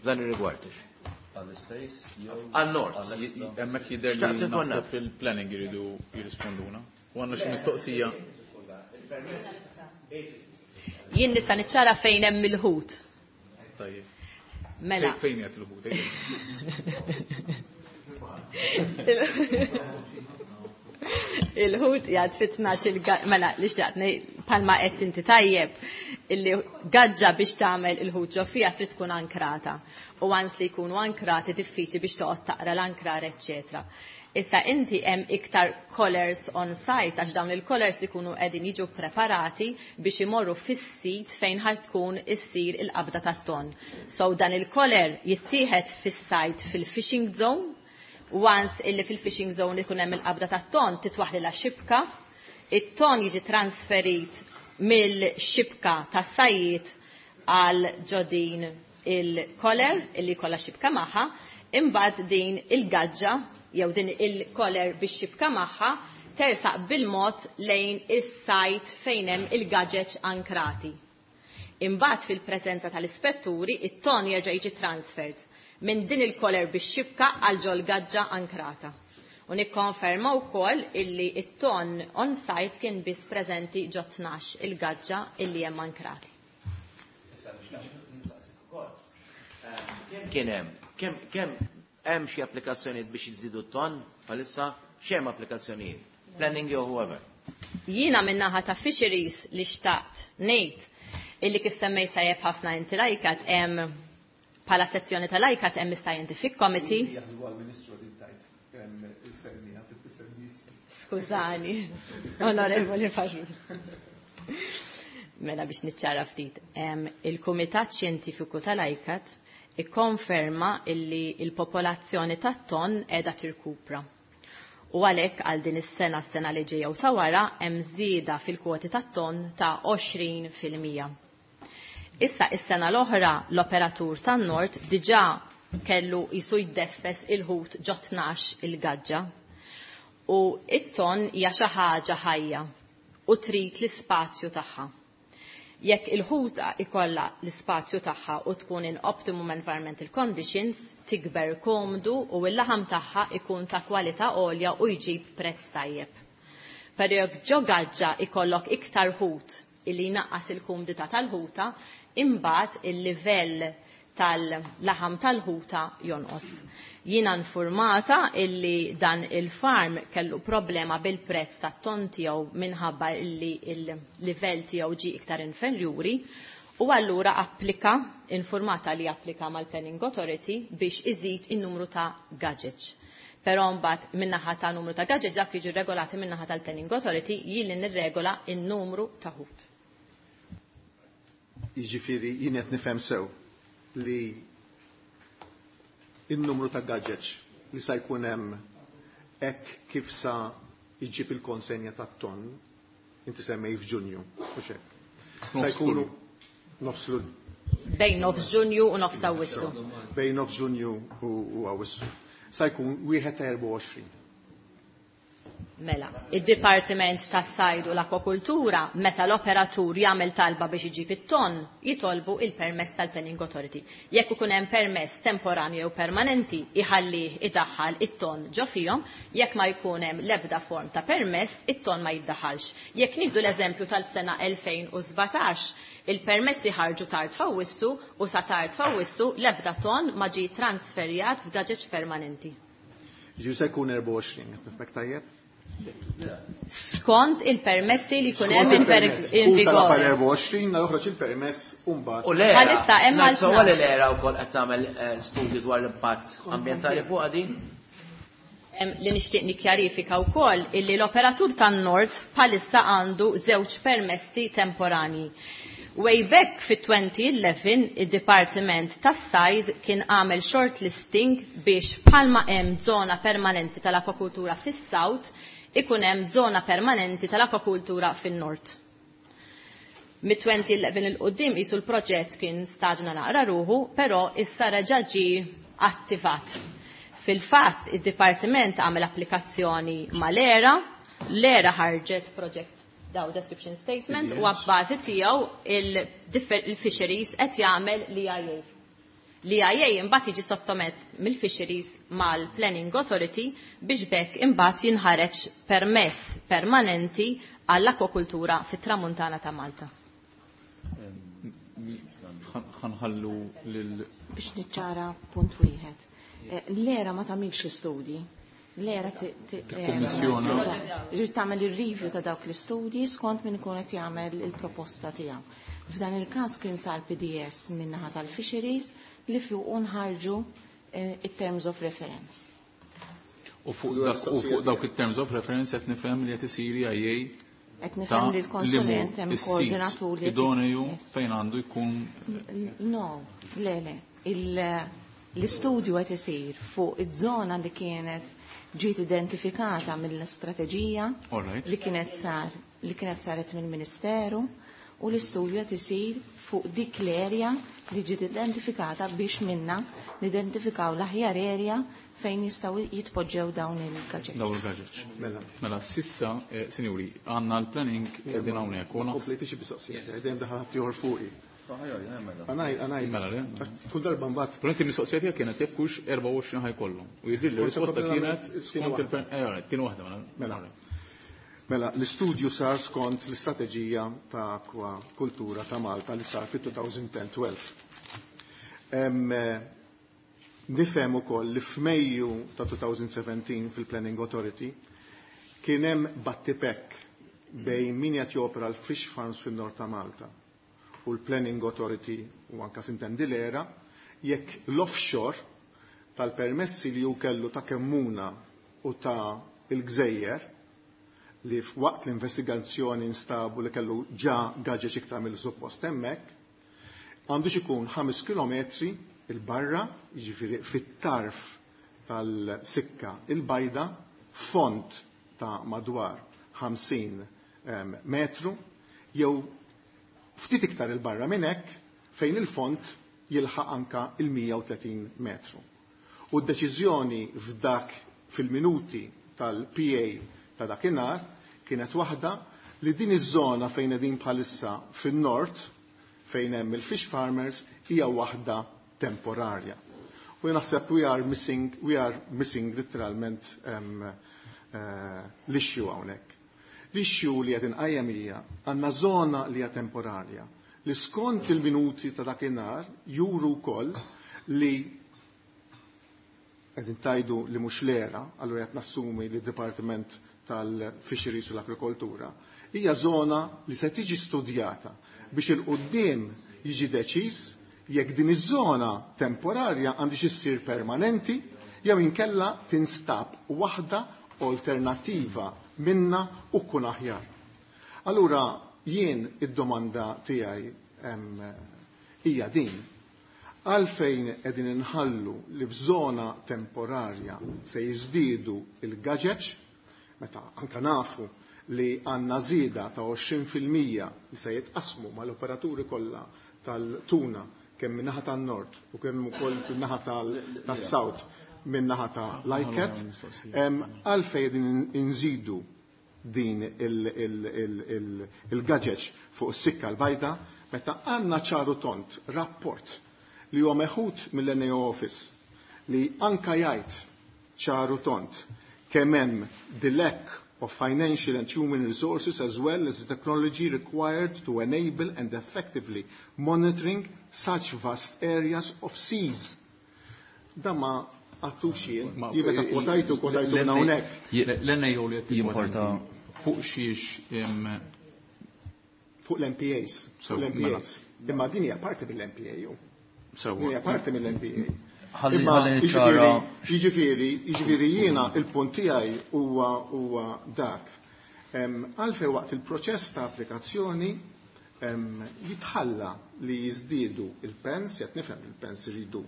Speaker 4: f'dan ir-rigward.
Speaker 6: Għall-space jew
Speaker 4: Għan-nord.
Speaker 1: Hemmhekk jidher li naħseb fil-planning jridu jirrisponduna. U għandna xi mistoqsija.
Speaker 9: Jien nista' niċċara fejn hemm il-ħut.
Speaker 1: Tajjeb.
Speaker 9: Mela.
Speaker 1: Fejn qed il-ħut?
Speaker 9: Il-ħut jgħad fit-tnax il-ga-, mela li xtaqt ngħid bħalma qed inti tajjeb illi gaġġa biex tagħmel il-ħut ġo fiha trid tkun ankrata. U għans li jkunu ankrati diffiċli biex toqgħod taqra l-ankrar, eċċetera. Issa inti hemm iktar collars on site għax dawn il-collars ikunu qegħdin jiġu preparati biex imorru fis-sit fejn ħad tkun issir il-qabda tat-ton. So dan il-collar jittieħed fis-site fil-fishing zone. Once illi fil-fishing zone ikun hemm il-qabda tat-ton titwaħlilha xibka, it-ton jiġi transferit mill-xibka tas-sajjied għal ġodin il-collar illi jkollha xibka magħha, imbagħad din il-gaġġa jew din il-collar biex xibka magħha tersaq bil-mod lejn is-sajt fejn hemm il-gaġeġ ankrati. Imbagħad fil-preżenza tal-ispetturi it-ton jerġa' jiġi transferred minn din il-collar biex xibka għal ġol gaġġa ankrata. U nikkonferma wkoll illi it-ton on site kien biss preżenti ġo tnax il-gaġġa illi hemm ankrati.
Speaker 4: Kemm kien hemm? Kemm, kemm hemm xi applikazzjonijiet biex jiżdiedu t-ton bħalissa? X'hemm applikazzjonijiet? Planning jew whoever.
Speaker 9: Jiena min-naħa ta' fisheries li xtaqt ngħid illi kif semmejt tajjeb ħafna inti lajkat hemm bħala sezzjoni tal-ICCAT hemm is-Scientific Committee. Skużani, onorevoli Farrugia. Mela biex niċċara ftit. Il-Kumitat Xjentifiku tal-ICCAT ikkonferma illi il-popolazzjoni tat-ton qiegħda tirkupra. U għalhekk għal din is-sena, s-sena li ġejja u ta' wara hemm żieda fil-kwoti tat-ton ta' għoxrin fil-mija. Issa is-sena l-oħra l-operatur tan-Nord diġà kellu jisu jiddeffes il-ħut ġo tnax il-gaġġa. U it-ton hija xi ħaġa ħajja u trid l-ispazju tagħha. Jekk il-ħuta ikollha l-ispazju tagħha u tkun in optimum environmental conditions, tikber komdu u l-laħam tagħha ikun ta' kwalità għolja u jġib prezz tajjeb. Però jekk ġo gaġġa ikollok iktar ħut illi jnaqqas il-kumdità tal-ħuta, imbagħad il-livell tal-laħam tal-ħuta jonqos. Jiena informata illi dan il-farm kellu problema bil-prezz tat-ton tiegħu minħabba illi il-livell tiegħu ġie iktar inferjuri u allura applika, informata li applika mal-Planning Authority biex iżid in-numru ta' gadgets. Però mbagħad min-naħa ta' numru ta' gadgets dak jiġu regolati min-naħa tal-Planning Authority jien li nirregola in-numru ta' ħut.
Speaker 5: Jiġifieri jien qed nifhem sew li in-numru ta' gadgets li sa jkun hemm hekk kif sa jġib il-konsenja tat-ton, inti semmej f'Ġunju, mhux hekk. Sa jkunu nofs Lulju.
Speaker 9: Bejn nofs Ġunju u nofs Awwissu.
Speaker 5: Bejn nofs Ġunju u, u Awwissu. Sa jkun wieħed erba' u għoxrin.
Speaker 9: Mela, id-Dipartiment tas-Sajd u l-Akwakultura meta l-operatur jagħmel talba biex iġib it-ton, jitolbu il-permess tal-Planning Authority. Jekk ikun hemm permess temporanju jew permanenti, iħallih idaħħal it-ton ġo fihom, jekk ma jkun hemm l-ebda form ta' permess, it-ton ma jiddaħħalx. Jekk nieħdu l-eżempju tal-sena elfejn u sbatax, il-permessi ħarġu tard f'Awwissu u sa tard f'Awwissu l-ebda ton ma ġie transferjat f'gaġeġ permanenti.
Speaker 5: Ġifieri se jkun erbgħa u għoxrin, qed nifhmek tajjeb?
Speaker 9: Skont il-permessi li jkun hemm in
Speaker 5: vigore. Tal erbgħa u għoxrin joħroġ il-permess u mbagħad.
Speaker 4: U l-era.
Speaker 9: Bħalissa hemm għal
Speaker 4: Sewwa li l-era wkoll qed tagħmel studju dwar l-impatt ambjentali fuqha din?
Speaker 9: Li nixtieq nikkjarifika wkoll illi l-operatur tan-Nord bħalissa għandu żewġ permessi temporani. Way back fi twenty eleven id-Dipartiment tas-Sajd kien għamel shortlisting biex bħalma hemm żona permanenti tal-akwakultura fis-South ikun hemm żona permanenti tal-akwakultura fin-Nord. Mit twenty eleven il quddiem qisu l-proġett kien staġna naqra ruħu, però issa reġa' ġie attivat. Fil-fatt id-Dipartiment għamel applikazzjoni mal-ERA, l-ERA ħarġet project daw description statement u għabbażi tiegħu il-fisheries qed jagħmel l-E I A. L-E I A imbagħad jiġi sottomet mill-fisheries mal-Planning Authority biex bekk imbagħad jinħareġ permess permanenti għall-akwakultura fit-Tramuntana ta' Malta.
Speaker 1: Ħanħallu lil
Speaker 8: biex niċċara punt wieħed. L-era ma tagħmilx l-istudji. L-era
Speaker 1: Kummissjoni.
Speaker 8: Ġifieri tagħmel ir-review ta' dawk l-istudji skont min ikun qed jagħmel il-proposta tiegħu. F'dan il-każ kien sar P D S min-naħa tal-fisheries li fuq nħarġu it-terms of reference.
Speaker 1: U fuq dak, u fuq dawk it-terms of reference qed nifhem li qed isir I A
Speaker 8: Qed nifhem li l-konsulent hemm koordinatur li
Speaker 1: idoneju fejn għandu jkun.
Speaker 8: No, le, le. L-istudju qed isir fuq iż-żona li kienet ġiet identifikata mill-istrateġija li kienet sar, li kienet saret mill-Ministeru, u l-istudju qed isir fuq dik l-erja li ġiet identifikata biex minna nidentifikaw l-aħjar erja fejn jistgħu jitpoġġew dawn il-gaġeġ.
Speaker 1: Dawn il-gaġeġ. Mela. Mela, sissa, eh, sinjuri, għandna l-planning qegħdin hawnhekk.
Speaker 5: Kompleti xi mistoqsijiet, dejjem daħal ħadd ieħor fuqi. Għanaj, għanaj.
Speaker 1: Mela, le?
Speaker 5: Kull darba mbagħad.
Speaker 1: Però inti mistoqsija tiegħek kienet jekk hux erbgħa u għoxrin ħajkollhom. U jidhirli
Speaker 5: Forse
Speaker 1: l-risposta
Speaker 5: qabel
Speaker 1: kienet
Speaker 5: nagħmel
Speaker 1: skont
Speaker 5: waħda.
Speaker 1: il-plan, eh, all right, tieni waħda, mela.
Speaker 5: Mela. Mela, l-istudju sar skont l-istrateġija ta' akwakultura ta' Malta li sar fit-two thousand ten twelve. Nifhem ukoll li f'Mejju ta' two thousand seventeen fil-Planning Authority kien hemm battipek bejn min qed jopera l-fish farms fin-nord ta' Malta u l-Planning Authority u anka sintendi l-era jekk l-offshore tal-permessi li hu kellu ta' Kemmuna u ta' il-Gżejjer li f'waqt l-investigazzjoni nstabu li kellu ġa gaġeġ iktar mill-suppost hemmhekk, għandux ikun ħames kilometri il-barra, jiġifieri fit-tarf tal-sikka il-bajda, font ta' madwar ħamsin, ehm, metru, jew ftit iktar il-barra minn hekk fejn il-font jilħaq anka il-mija u tletin metru. U d-deċiżjoni f'dak fil-minuti tal-P A ta' dakinhar kienet waħda li din iż-żona fejn qegħdin bħalissa fin-nord fejn hemm il-fish farmers hija waħda temporarja. U jien naħseb we are missing, we are missing literalment, um, uh, l-issue hawnhekk. L-issue li qed inqajjem hija għandna żona li hija temporarja li skont il-minuti ta' dakinhar juru wkoll li qegħdin tajdu li mhux l-era, allura qed nassumi li d-Dipartiment tal-Fisheries u l-Agrikoltura, hija żona li se tiġi studjata biex il-qudiem jiġi deċiż jekk din iż-żona temporarja għandix issir permanenti jew inkella tinstab waħda alternattiva minna u tkun aħjar. Allura jien id-domanda tiegħi, em, hija din. Għalfejn qegħdin inħallu li f'żona temporarja se jiżdiedu il-gaġeġ, meta anka nafu li għandna żieda ta' għoxrin fil-mija li se jitqasmu mal-operaturi kollha tal-tuna kemm min-naħa tan-nord u kemm ukoll min-naħa tal-, tas-south min-naħa ta' l-I C A T, għalfejn din inżidu din il-gaġeġ fuq is-sikka l-bajda meta għandna ċar u tond rapport li huwa meħud mill-N A O Office li anka jgħid ċar u tond kemm hemm the lack of financial and human resources as well as the technology required to enable and effectively monitoring such vast areas of seas. Da ma għedtux jien, jien meta kwotajtu, kwotajtu minn hawnhekk.
Speaker 1: L-N A O li qed
Speaker 6: jimporta
Speaker 1: fuq xiex
Speaker 5: fuq l-M P As, fuq l-M P As. Imma din hija parti mill-M P A ju. Din hija parti mill-M P A.
Speaker 6: Imma
Speaker 5: jiġifieri, jiġifieri jiena il-punt tiegħi huwa huwa dak. Għalfejn waqt il-proċess ta' applikazzjoni jitħalla li jiżdiedu il-pens, qed nifhem il-pens iridu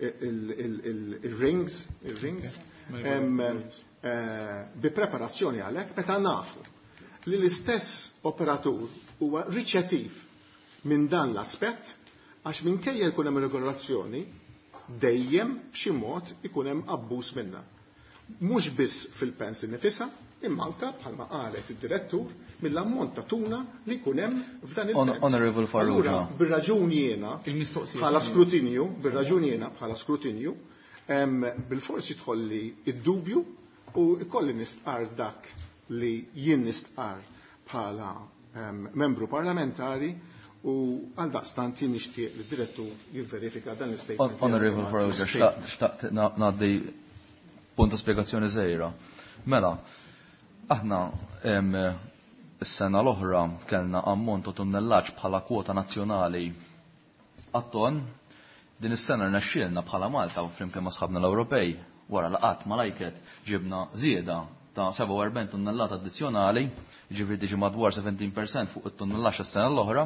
Speaker 5: il-rings, il-rings, eh, bi preparazzjoni għalhekk meta nafu li l-istess operatur huwa riċettiv minn dan l-aspett, għax minkejja jkun hemm regolazzjoni dejjem b'xi mod ikun hemm abbuż minnha. Mhux biss fil-pens nifisha, imma anka bħalma qalet id-direttur mill-ammont ta' tuna li jkun hemm f'dan il-pens.
Speaker 6: Honorable Farrugia.
Speaker 5: Allura, bir-raġuni jiena bħala skrutinju, bir-raġuni jiena bħala skrutinju, bil-forsi tħolli id-dubju u ikolli nistqar dak li jien nistqar bħala membru parlamentari u għal daqstant jien nixtieq li d-direttur jivverifika dan l-statement.
Speaker 6: Honorable Farrugia, xtaqt ngħaddi punta spiegazzjoni żgħira. Mela, aħna s-sena l-oħra kellna ammont ta' tunnellaġġ bħala kwota nazzjonali għat-ton. Din is-sena rnexxielna bħala Malta u flimkien ma' sħabna l-Ewropej wara laqat ma' l-I C A T ġibna żieda ta' sebgħa u erbgħin tunnellata addizzjonali, ġifieri tiġi madwar sbatax fil-mija fuq it-tunnellaġġ is-sena l-oħra.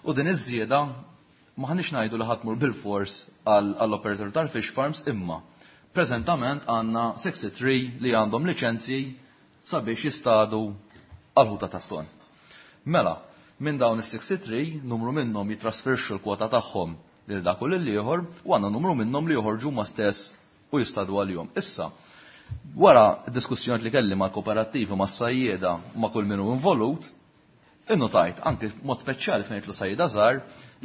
Speaker 6: U din iż-żieda maħniex ngħidu li ħa tmur bil-fors għall-operator tal-fish farms, imma preżentament għandna tlieta u sittin li għandhom liċenzji sabiex jistadu għal-ħuta tat-ton. Mela, minn dawn is-tlieta u sittin, numru minnhom jitrasferxu l-kwota tagħhom lil dak u lil ieħor u għandna numru minnhom li joħorġu ma stess u jistadu għalihom. Issa, wara diskussjoni li kelli ma' kooperattivi, ma' sajjieda, ma' kull min hu involut, innotajt anke mod speċjali fejn jidħlu sajjieda żgħar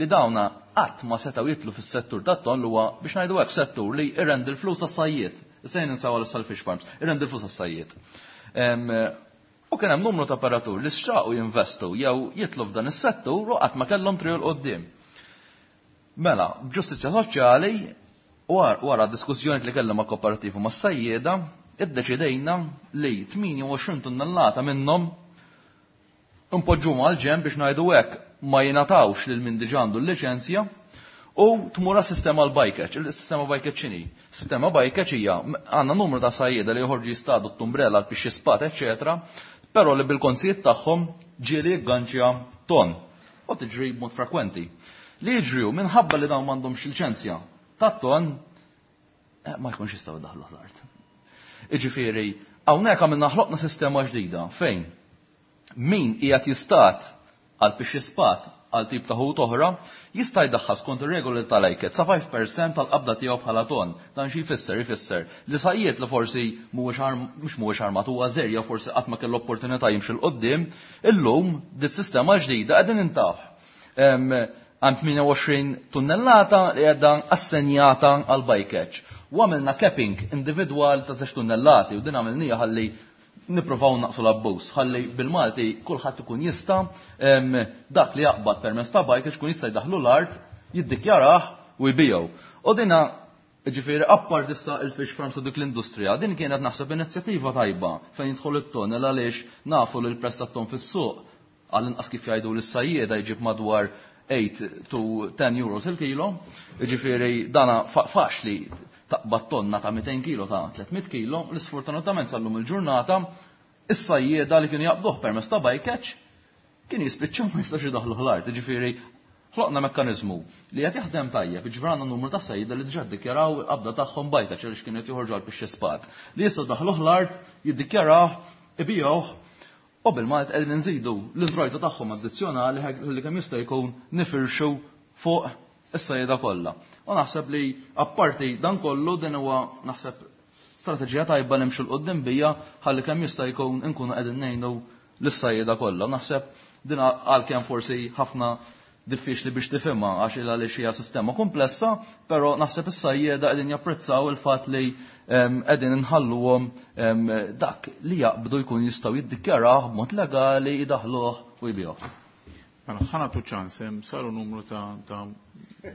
Speaker 6: li dawna qatt ma setgħu jidħlu fis-settur tat-ton li huwa, biex ngħidu hekk, settur li irrendi l-flus għas-sajjied. Issa jien ninsaw għal fish farms, irrendi l-flus għas-sajjied. U kien hemm numru ta' operatur li xtaqu jinvestu jew jidħlu f'dan is-settur u qatt ma kellhom triq 'l quddiem. Mela, b'ġustizzja soċjali, wara diskussjoni li kellha ma' kooperattivi, ma' sajjieda, iddeċidejna li tmienja u għoxrin tunnellata minnhom npoġġu għal ġenb, biex ngħidu hekk, ma jingħatawx lil min diġà għandu l-liċenzja u tmur sistema l-bycatch. Il-sistema bycatch x'inhi? Sistema bycatch hija għandna numru ta' sajjieda li joħorġu jistadu t-tumbrella, l-pixxi spat, eċetera, però li bil-konzijiet tagħhom ġieli jigganċja ton u tiġri b'mod frekwenti. Li jiġriju minħabba li dawn m'għandhomx liċenzja tat-ton eh, ma jkunx jistgħu daħlu l-art. Iġifieri, hawnhekk għamilna ħloqna sistema ġdida fejn min qiegħed jistad għal pixxi spat, għal tip ta' ħut oħra, jista' jdaħħal skont ir-regoli tal-I C A T sa ħamsa fil-mija tal-qabda tiegħu bħala ton. Dan xi jfisser? Jfisser li sajjied li forsi mhuwiex mhux mhuwiex armat, huwa żgħir jew forsi qatt ma kellu opportunità jimxi 'l quddiem, illum dis-sistema ġdida qegħdin intaħ. Għand tmienja u għoxrin tunnellata li qiegħda assenjata għal bycatch. U għamilna capping individwal ta' żewġ tunnellati u din għamilnija ħalli nippruvaw naqsu l-abbuż, ħalli bil-Malti kulħadd ikun jista' dak li jaqbad permezz ta' bycatch ikun jista' jdaħlu l-art, jiddikjarah u jbigħu. U dina ġifieri appart issa il-fish farms u dik l-industrija, din kienet naħseb inizjattiva tajba fejn jidħol it-ton, għaliex nafu li l-prezz tat-ton fis-suq, għall-inqas kif jgħidu l-sajjieda, jġib madwar eight to ten euros il-kilo, ġifieri dana faċli taqbad tonna ta' mitejn kilo, ta' tliet mitt kilo. L-sfortunatament sal-lum il-ġurnata is-sajjieda li kienu jaqbduh permezz ta' bycatch kien jispiċċaw ma jistax idaħlu l-art, ġifieri ħloqna mekkanizmu li qed jaħdem tajjeb, ġifieri għandna numru ta' sajjieda li diġà ddikjaraw il-qabda tagħhom bycatch għaliex kienu qed joħorġu għal pixxi spat. Li jistgħu daħluh l-art, jiddikjaraw, ibigħuh u bil-Malt qegħdin nżidu l-introjtu tagħhom addizzjonali li kemm jista' jkun nifirxu fuq is-sajjieda kollha. U naħseb li apparti dan kollu din huwa naħseb strateġija tajba nimxu 'l quddiem bija ħalli kemm jista' jkun inkunu qegħdin ngħinu lis-sajjieda kollha. Naħseb din għalkemm forsi ħafna diffiċli biex tifhimha għax il għaliex hija sistema komplessa, però naħseb is-sajjieda qegħdin japprezzaw il-fatt li qegħdin inħalluhom dak li jaqbdu jkun jistgħu jiddikjarawh b'mod legali, jidaħluh u jbigħuh.
Speaker 1: Mela, ħa nagħtu ċans, saru numru ta', ta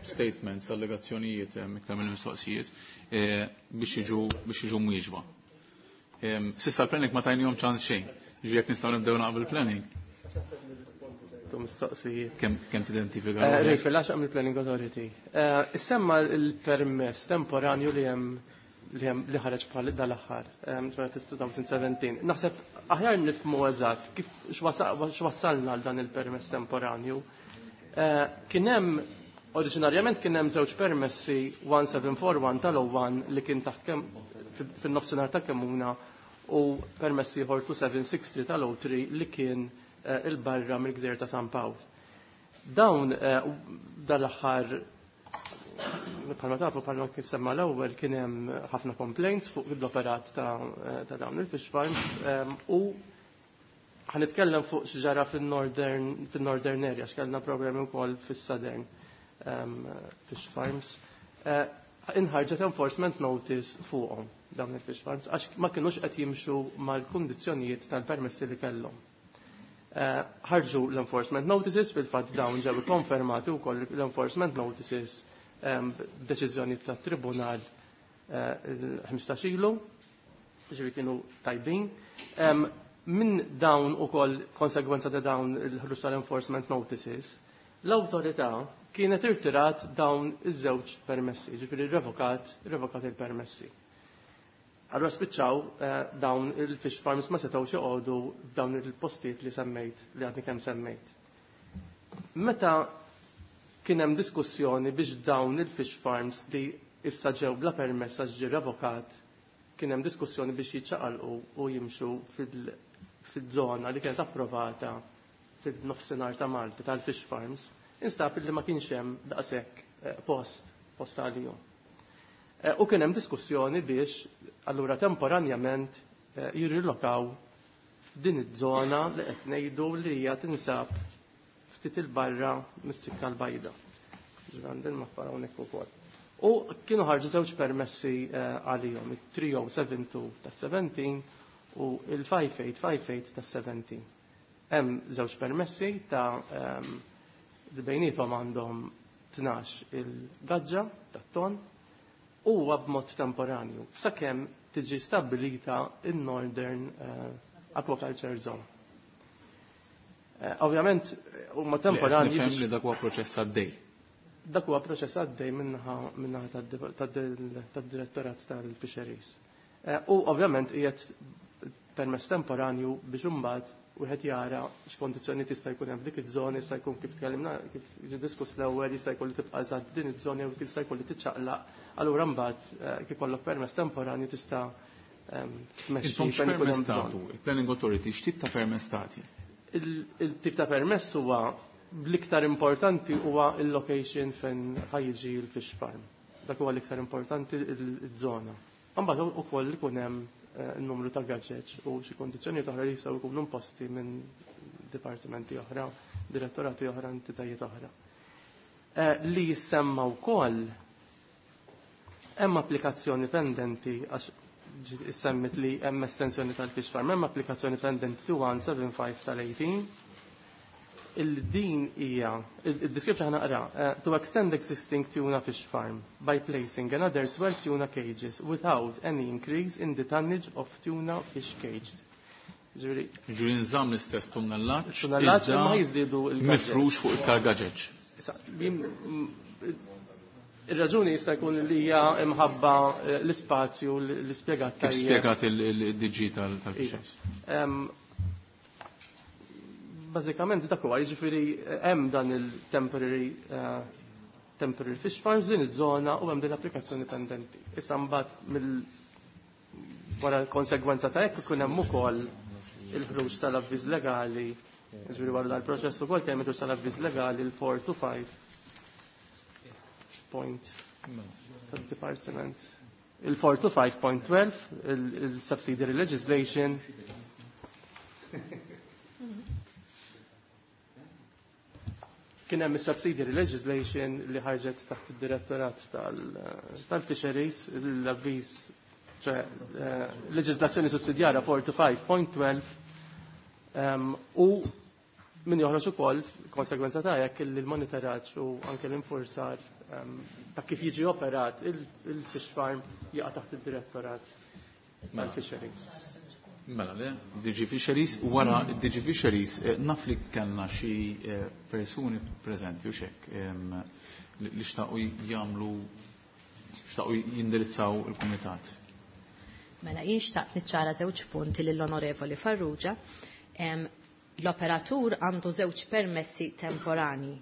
Speaker 1: statements, allegazzjonijiet, iktar minn mistoqsijiet, biex jiġu biex jiġu mwieġba. S'issa l-planning ma tajnihom ċans xejn, ġifieri jekk nistgħu nibdew naqbel planning.
Speaker 10: Mistoqsijiet.
Speaker 1: Kemm kemm tidentifika?
Speaker 10: Rejfel, għax mill Planning Authority. Issemma l-permess temporanju li hemm li hemm li ħareġ bħal dal-aħħar, elfejn u sbatax. Naħseb aħjar nifhmu eżatt kif x'wassalna għal dan il-permess temporanju. Kien hemm oriġinarjament kien hemm żewġ permessi wieħed seba' erba' wieħed tal-O one li kien taħt fin-nofsinhar ta' Kemmuna u permessi ieħor tnejn seba' sitta tlieta tal-O tlieta li kien il-barra mill-Gżejjer ta' San Pawl. Dawn dal-aħħar, bħalma tafu, bħalma kien semma l-ewwel, kien hemm ħafna complaints fuq l-operat ta' dawn il-fish farms u ħa nitkellem fuq x'ġara fil-northern fil-northern area, x'kellna problemi wkoll fis-southern fish farms. Inħarġet enforcement notice fuqhom dawn il-fish farms għax ma kinux qed jimxu mal-kundizzjonijiet tal-permessi li kellhom. Ħarġu l-enforcement notices, fil-fatt dawn ġew konfermati wkoll l-enforcement notices b'deċiżjoni tat-tribunal il-ħmistax ilu, ġifieri kienu tajbin. Minn dawn ukoll, konsegwenza ta' dawn il-ħruġ tal-enforcement notices, l-awtorità kienet irtirat dawn iż-żewġ permessi, ġifieri revokat, revokat il-permessi. Allura spiċċaw dawn il-fish farms ma setgħux joqogħdu f'dawn il-postijiet li semmejt, li għadni kemm semmejt. Meta kien hemm diskussjoni biex dawn il-fish farms li issa ġew bla permess għax ġie revokat, kien hemm diskussjoni biex jiċċaqalqu u jimxu fil-żona li kienet approvata fil-nofsinhar ta' Malta tal-fish farms, instab li ma kienx hemm daqshekk post post għalihom. U kien hemm diskussjoni biex allura temporanjament jirrilokaw f'din iż-żona li qed ngħidu li hija tinsab ftit il-barra mis-Sikka l-Bajda. Ġran mappa hawnhekk ukoll. U kienu ħarġu żewġ permessi għalihom, it-tlieta żero seba tnejn ta' sbatax u il-ħamsa tmenja ħamsa tmenja ta' sbatax. Hemm żewġ permessi ta' li bejniethom għandhom tnax il-gaġġa tat-ton u b'mod temporanju sakemm tiġi stabilita in-Northern Aquaculture Zone. Ovvjament huma temporanji.
Speaker 1: Nifhem li dak huwa proċess għaddej.
Speaker 10: Dak huwa proċess għaddej minnaħa minnaħa tad-Direttorat tal-Fisheries. U ovvjament qiegħed permess temporanju biex imbagħad wieħed jara x'kondizzjoni tista' jkun hemm f'dik iż-żona, jista' jkun kif tkellimna, kif ġie diskuss l-ewwel, jista' jkun li tibqa' eżatt din iż-żona jew jista' jkun li tiċċaqlaq. Allura mbagħad kif ikollok permess temporanju tista'
Speaker 1: tmexxi fejn ikun hemm bżonn. Il-Planning Authority x'tip ta' permess tagħti?
Speaker 10: Il-tip ta' permess huwa, l-iktar importanti huwa il-location fejn ħa jiġi l-fish farm. Dak huwa l-iktar importanti, il-żona. Mbagħad ukoll ikun hemm il-numru ta' gaġġeġ u xi kondizzjoni oħra li jistgħu jkunu imposti minn dipartimenti oħra, direttorati oħra, entitajiet oħra. Li jissemma wkoll, hemm applikazzjoni pendenti, għax semmit li hemm estensjoni tal-fish farm, hemm applikazzjoni pendenti tnejn wieħed seba' ħamsa tal-tmintax. Il-din hija, il-description ħa naqra, to extend existing tuna fish farm by placing another twelve tuna cages without any increase in the tonnage of tuna fish caged.
Speaker 1: Ġifieri nżamm l-istess tunnellaġġ.
Speaker 10: Tunnellaġġ imma jiżdiedu
Speaker 1: il mifrux fuq iktar gaġeġ.
Speaker 10: Ir-raġuni jista' jkun li hija imħabba l-ispazju li spjegat.
Speaker 1: Kif spjegat il-D G tal-Fisheries.
Speaker 10: Bażikament dak huwa, jiġifieri hemm dan il-temporary temporary fish farms din iż-żona u hemm din l-applikazzjoni pendenti. Issa mbagħad mill wara l-konsegwenza ta' hekk ikun hemm ukoll il-ħruġ tal-avviż legali, jiġifieri wara dal-proċess ukoll kemm il-ħruġ tal-avviż legali l-four to five point tad-department. Il four two five point twelve, il-subsidiary legislation. Kien hemm is-subsidiary legislation li ħarġet taħt id-direttorat tal-fisheries, l-avviż, ċe leġislazzjoni sussidjarja four two five point twelve, u min joħroġ ukoll konsegwenza ta' hekk li l-monitoraġġ u anke l-infurzar ta' kif jiġi operat il-fish farm jaqa' taħt id-direttorat tal-fisheries.
Speaker 1: Mela le, D G Fisheries, wara D G Fisheries, naf li kellna xi persuni preżenti u xek li xtaqu jagħmlu, xtaqu jindirizzaw il-kumitat.
Speaker 9: Mela jien xtaqt niċċara żewġ punti lill-Onorevoli Farrugia. L-operatur għandu żewġ permessi temporani.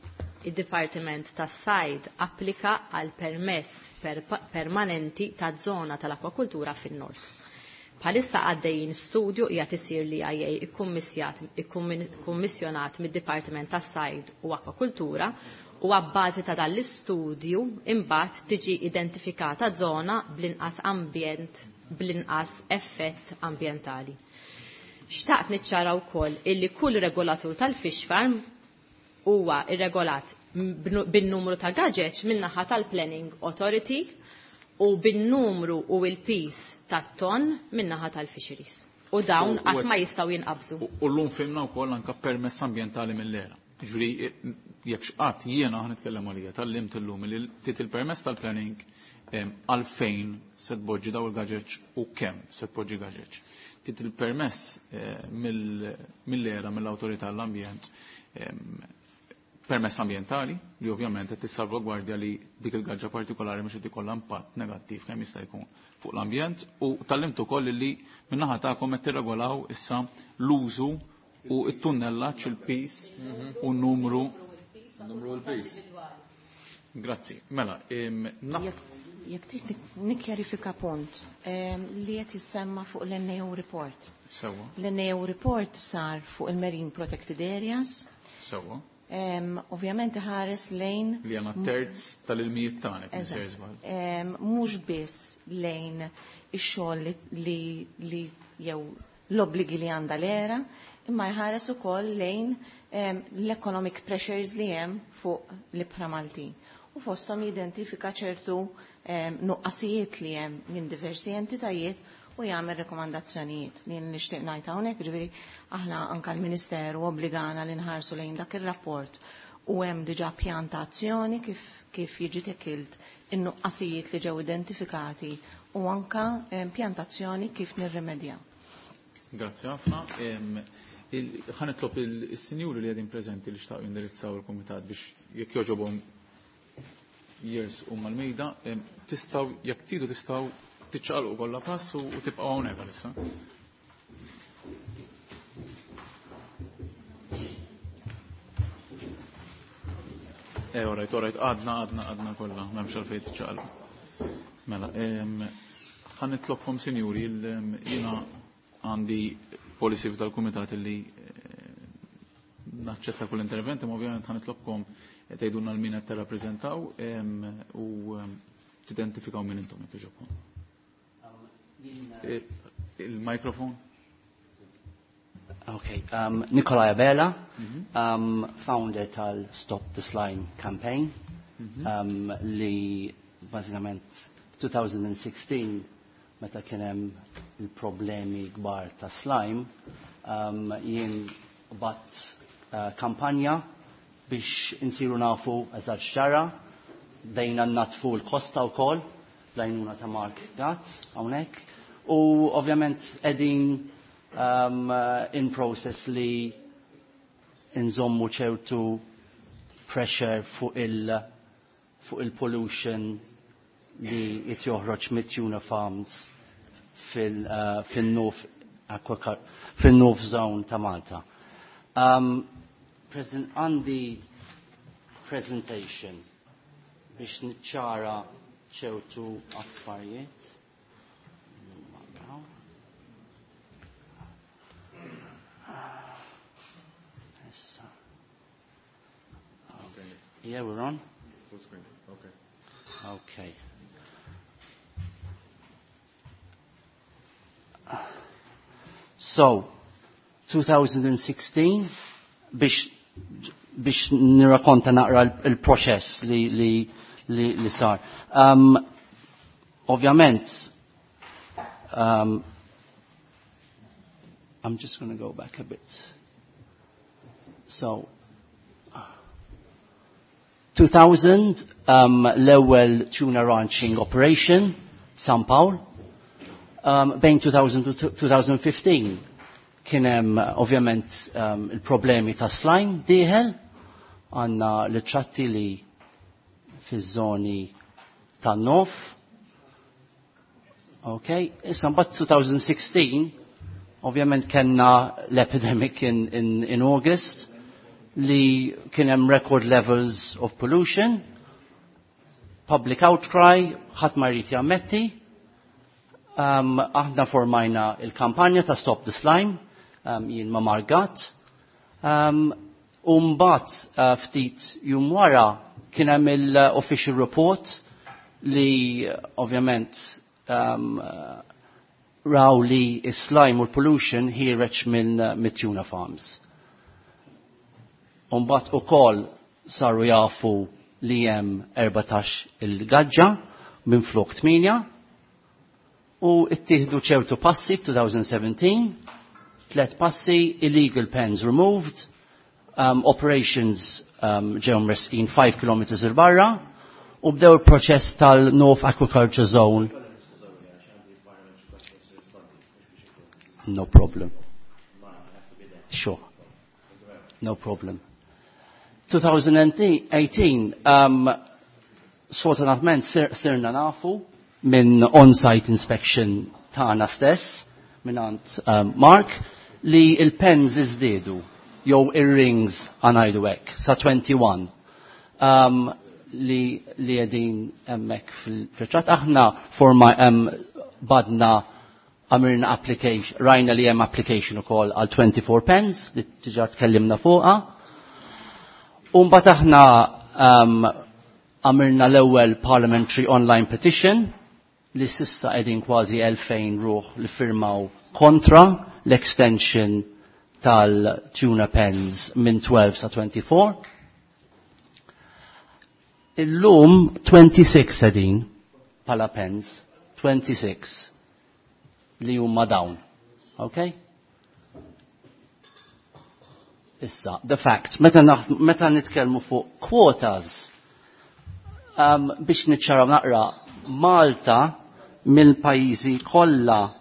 Speaker 9: Id-Dipartiment tas-Sajd applika għal permess per permanenti ta' zona tal-akwakultura fin-nord. Bħalissa għaddejjin studju qiegħed isir li I A ikkummissjonat mid-Dipartiment tas-Sajd u Akwakultura u għabbażi ta' dan l-istudju imbagħad tiġi identifikata zona bl-inqas ambjent, bl-inqas effett ambjentali. Xtaqt niċċara wkoll illi kull regolatur tal-fish farm huwa irregolat bin-numru ta' gaġeġ min-naħa tal-Planning Authority u bin-numru u l-pis tat-ton min-naħa tal-fisheries. U dawn qatt ma jistgħu jinqabżu.
Speaker 1: U llum fimna wkoll anke permess ambjentali mill-era. Ġifieri jekk x'qatt jiena ħa nitkellem għalija tal-lim illum li tit il-permess tal-planning għalfejn se tpoġġi daw il-gaġeġ u kemm se tpoġġi gaġeġ. Tit il-permess mill-era mill-awtorità l-ambjent permess ambjentali li ovvjament qed tissalvagwardja li dik il-gaġġa partikolari mhux qed ikollha impatt negattiv kemm jista' jkun fuq l-ambjent u tallimt ukoll li min-naħa tagħkom qed tirregolaw issa l-użu u t-tunnellaġġ il-pis u n-numru.
Speaker 6: Numru l-pis.
Speaker 1: Grazzi. Mela,
Speaker 8: jekk trid nikkjarifika punt li qed jissemma fuq l-N A O report.
Speaker 1: Sewwa.
Speaker 8: L-N A O report sar fuq il-Marine Protected Areas.
Speaker 1: Sewwa.
Speaker 8: Ovvjament ħares lejn
Speaker 1: li għandna terz tal-ilmijiet tagħna kif
Speaker 8: Eżatt.
Speaker 1: se żball.
Speaker 8: Mhux biss lejn ix-xogħol li, li jew l-obbligi li għandha l-era, imma jħares ukoll lejn l-economic pressures li hemm fuq l-ibħra Maltin. U fosthom jidentifika ċertu nuqqasijiet li hemm minn diversi entitajiet u jagħmel rekomandazzjonijiet li nixtieq ngħid hawnhekk, ġifieri aħna anke l-Ministeru obbligana li nħarsu lejn dak ir-rapport u hemm diġà pjan ta' azzjoni kif, kif jiġi tekilt in-nuqqasijiet li ġew identifikati u anke pjan ta' azzjoni kif nirrimedjaw.
Speaker 1: Grazzi ħafna. Ħa nitlob il-sinjuri li qegħdin preżenti li xtaqu jindirizzaw il-kumitat biex jekk jogħġobhom jersqu mal-mejda, tistgħu jekk tridu tistgħu tiċċaqalqu kollha pass u tibqgħu hawnhekk għalissa. Eh, all right, all right, għadna, għadna, għadna kollha, m'hemmx għalfejn tiċċaqalqu. Mela, ħa nitlobkom sinjuri, jiena għandi policy tal-kumitat li naċċetta kull intervent, imma ovvjament ħa nitlobkom tgħidulna l-min qed tirrappreżentaw u tidentifikaw min intom jekk iġobkom. Il-mikrofon.
Speaker 11: Okay, um, Nikolai Abela,
Speaker 1: Mhm.
Speaker 11: um, founder tal-Stop the Slime campaign,
Speaker 1: Mhm.
Speaker 11: um, li bażikament twenty sixteen meta kien hemm il-problemi kbar ta' slime, um, jien bat, uh, kampanja biex insiru nafu eżatt x'ġara, bdejna natfu l-kosta wkoll, l-għajnuna ta' Mark Gatt hawnhekk, u ovvjament qegħdin, um, in process li nżommu ċertu pressure fuq il-, fuq il-pollution li qed joħroġ mit-tuna farms fil-, uh, fil-North Aqua, fil-North Zone ta' Malta. Um, President, għandi presentation biex niċċara ċertu affarijiet. Issa. Yeah, we're on.
Speaker 6: Full screen. Okay.
Speaker 11: Okay. So, twenty sixteen, biex biex nirrakonta naqra il-proċess li, li, li, li sar. Um, ovvjament, um, I'm just going to go back a bit. So, two thousand, um, l-ewwel tuna ranching operation, San Pawl. Um, bejn two thousand u twenty fifteen kien hemm ovvjament um, il-problemi ta' slime dieħel, għandna l-ċatti li fiż-żoni tan-North. Okay, issa mbagħad twenty sixteen ovvjament kellna l-epidemic in, in, in August li kien hemm record levels of pollution, public outcry, ħadd ma jrid jammetti. Um, aħna formajna il-kampanja ta' Stop the Slime, um, jien ma' Margat. Um, u mbagħad uh, ftit jum wara kien hemm il-official report li uh, ovvjament um, uh, raw li is-slime u l-pollution ħiereġ minn uh, mit-tuna farms. Umbat u kol saru jafu li hemm erbatax il-gaġġa minn flok tmienja u ittieħdu ċertu passi f'twenty seventeen, tlet passi: illegal pens removed, um, operations um, ġew mresqin five kilometers il barra u bdew il-proċess tal-North Aquaculture Zone. No problem. Sure. No problem. twenty eighteen, um, sfortunatament sir, sirna nafu minn on-site inspection tagħna stess, minn um, Mark, li il-pens iżdiedu, jew ir-rings għanajdu hekk, sa twenty-one. Um, li li qegħdin hemmhekk fil-ċat. Aħna forma um, badna għamilna application, rajna li hemm application ukoll għal twenty-four pens li diġà tkellimna fuqha. U mbagħad aħna um, għamilna l-ewwel parliamentary online petition li s'issa qegħdin kważi elfejn ruħ li firmaw kontra l-extension tal-tuna pens minn tnax sa twenty-four. Illum twenty-six qegħdin pala pens, twenty-six li huma dawn. Okay? Issa, the facts, meta, meta nitkellmu fuq quotas, um, biex niċċaraw naqra, Malta mill-pajjiżi kollha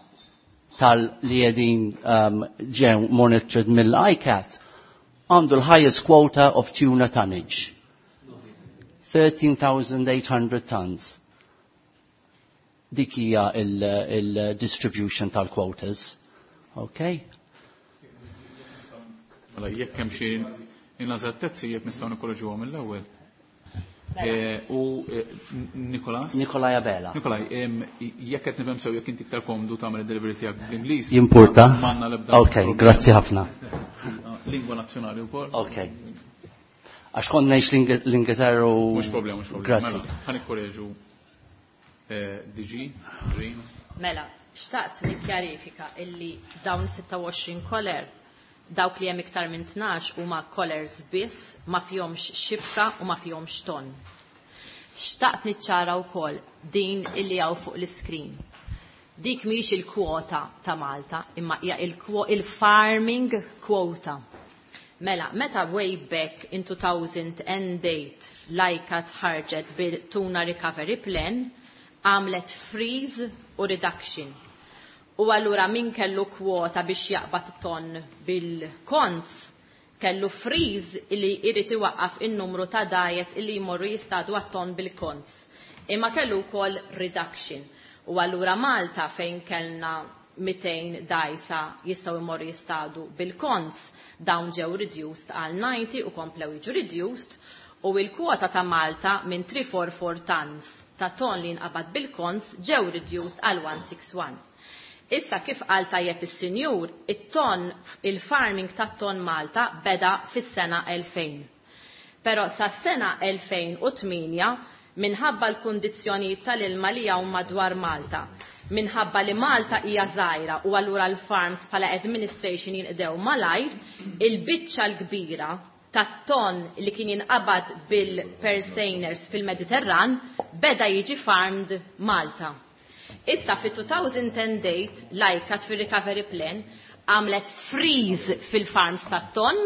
Speaker 11: tal li qegħdin um, ġew monitored mill-ICCAT għandu l-highest quota of tuna tonnage. thirteen thousand eight hundred tons. Dik hija il-distribution tal-quotas. Okay?
Speaker 1: Mela, jekk hemm xi ineżattezzi, jekk nistgħu nikkoreġuhom mill-ewwel. Eh, u eh, Nikolas?
Speaker 11: Nikolaj Abela.
Speaker 1: Nikolaj, jekk qed nifhem sew, jekk inti iktar komdu tagħmel id-delivery tiegħek bl-Ingliż.
Speaker 11: Jimpurta?
Speaker 1: M'għandna l-ebda
Speaker 11: Ok, grazzi ħafna.
Speaker 1: Lingwa nazzjonali wkoll.
Speaker 11: Ok. Għax kont ngħix l-Ingilterra u.
Speaker 1: Mhux problema, mhux problema.
Speaker 11: Grazzi.
Speaker 1: Mela, ħa nikkoreġu eh, D G, Green.
Speaker 9: Mela, xtaqt nikkjarifika illi dawn sitta u għoxrin collar, dawk li hemm iktar minn tnax huma collars biss, ma fihomx xibka u ma fihomx ton. Xtaqt niċċara wkoll din illi hawn fuq l-iskrin. Dik mhix il-kwota ta' Malta, imma hija il-farming quota. Mela, meta way back in two thousand eight l-ICCAT ħarġet bil-Tuna Recovery Plan, għamlet freeze u reduction. U allura min kellu kwota biex jaqbad ton bil-konz, kellu freeze illi jrid iwaqqaf in-numru ta' dgħajjes illi jmorru jistadu għat-ton bil-konz. Imma kellu wkoll reduction. U allura Malta fejn kellna mitejn dgħajsa jistgħu jmorru jistadu bil-konz, dawn ġew reduced għal disgħin u komplew jiġu reduced u il-kwota ta' Malta minn tliet mija u erbgħa u erbgħin tons ta' ton li nqabad bil-konz ġew reduced għal mija u wieħed u disgħin. Issa, kif qal tajjeb is-sinjur, it-ton, il-farming tat-ton Malta beda fis-sena elfejn. Però sa sena elfejn u tmienja Minħabba l-kundizzjonijiet tal-ilma li hawn madwar Malta. Minħabba li Malta hija żgħira u allura l-farms bħala administration jinqdew malajr, il-biċċa l-kbira tat-ton li kien jinqabad bil-purse seiners fil-Mediterran beda jiġi farmed Malta. Issa fi two thousand eight l-ICCAT fil-recovery plan għamlet freeze fil-farms tat-ton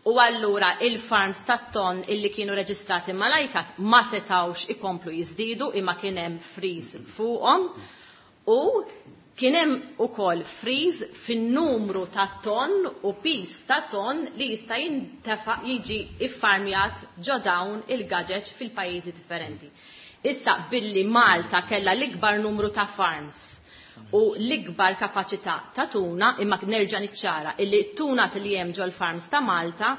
Speaker 9: u allura il-farms tat-ton illi kienu reġistrati mal-ICCAT ma setawx ikomplu jizdidu imma kien hemm freeze fuqhom u kien hemm ukoll freeze fin-numru ta' ton u piż ta' ton li jista' jintefa' jiġi iffarmjat ġo dawn il-gaġeġ fil-pajjiżi differenti. Issa billi Malta kella l-ikbar numru ta' farms u l-ikbar kapaċità ta' tuna, imma nerġa' niċċara illi tuna li hemm ġol farms ta' Malta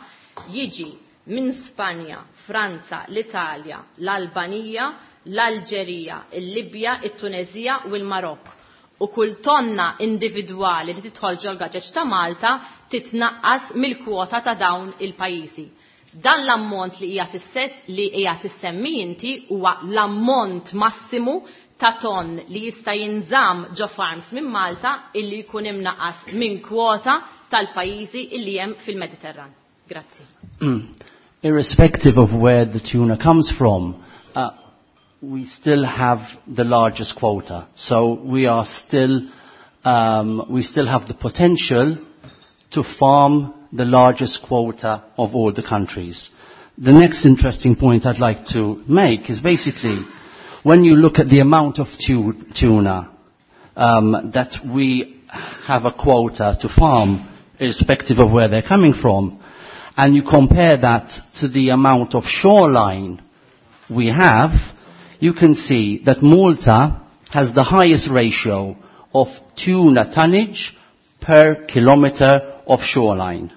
Speaker 9: jiġi minn Spanja, Franza, l-Italja, l-Albanija, l-Alġerija, il-Libja, it-Tunezija u l-Marokk. U kull tonna individwali li tidħol ġol gaġeġ ta' Malta titnaqqas mill-kwota ta' dawn il-pajjiżi. Dan l-ammont li hija tisset li hija tissemmi inti huwa l-ammont massimu ta' ton li jista' jinżamm ġo farms minn Malta illi jkun imnaqas minn kwota tal-pajjiżi illi hemm fil-Mediterran. Grazzi.
Speaker 11: Irrespective of where the tuna comes from, uh, we still have the largest quota. So we are still, um, we still have the potential to farm the largest quota of all the countries. The next interesting point I'd like to make is basically when you look at the amount of tu- tuna um, that we have a quota to farm, irrespective of where they're coming from, and you compare that to the amount of shoreline we have, you can see that Malta has the highest ratio of tuna tonnage per kilometer of shoreline.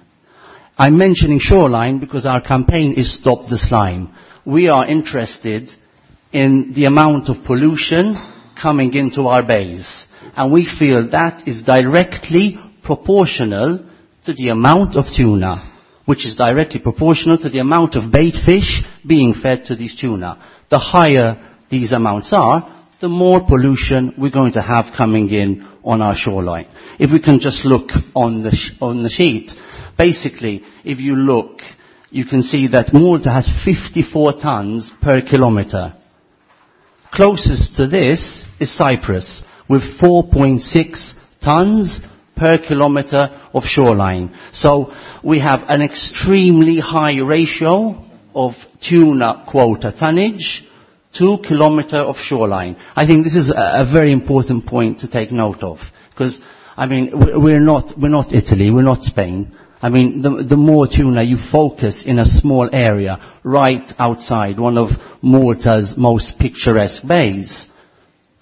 Speaker 11: I'm mentioning shoreline because our campaign is Stop the Slime. We are interested in the amount of pollution coming into our bays. And we feel that is directly proportional to the amount of tuna, which is directly proportional to the amount of bait fish being fed to these tuna. The higher these amounts are, the more pollution we're going to have coming in on our shoreline. If we can just look on the, sh- on the sheet, basically, if you look, you can see that Malta has fifty-four tons per kilometer. Closest to this is Cyprus, with four point six tons per kilometer of shoreline. So we have an extremely high ratio of tuna quota tonnage to kilometer of shoreline. I think this is a, a very important point to take note of, because, I mean, we're not, we're not Italy, we're not Spain. I mean, the, the more tuna you focus in a small area right outside one of Malta's most picturesque bays,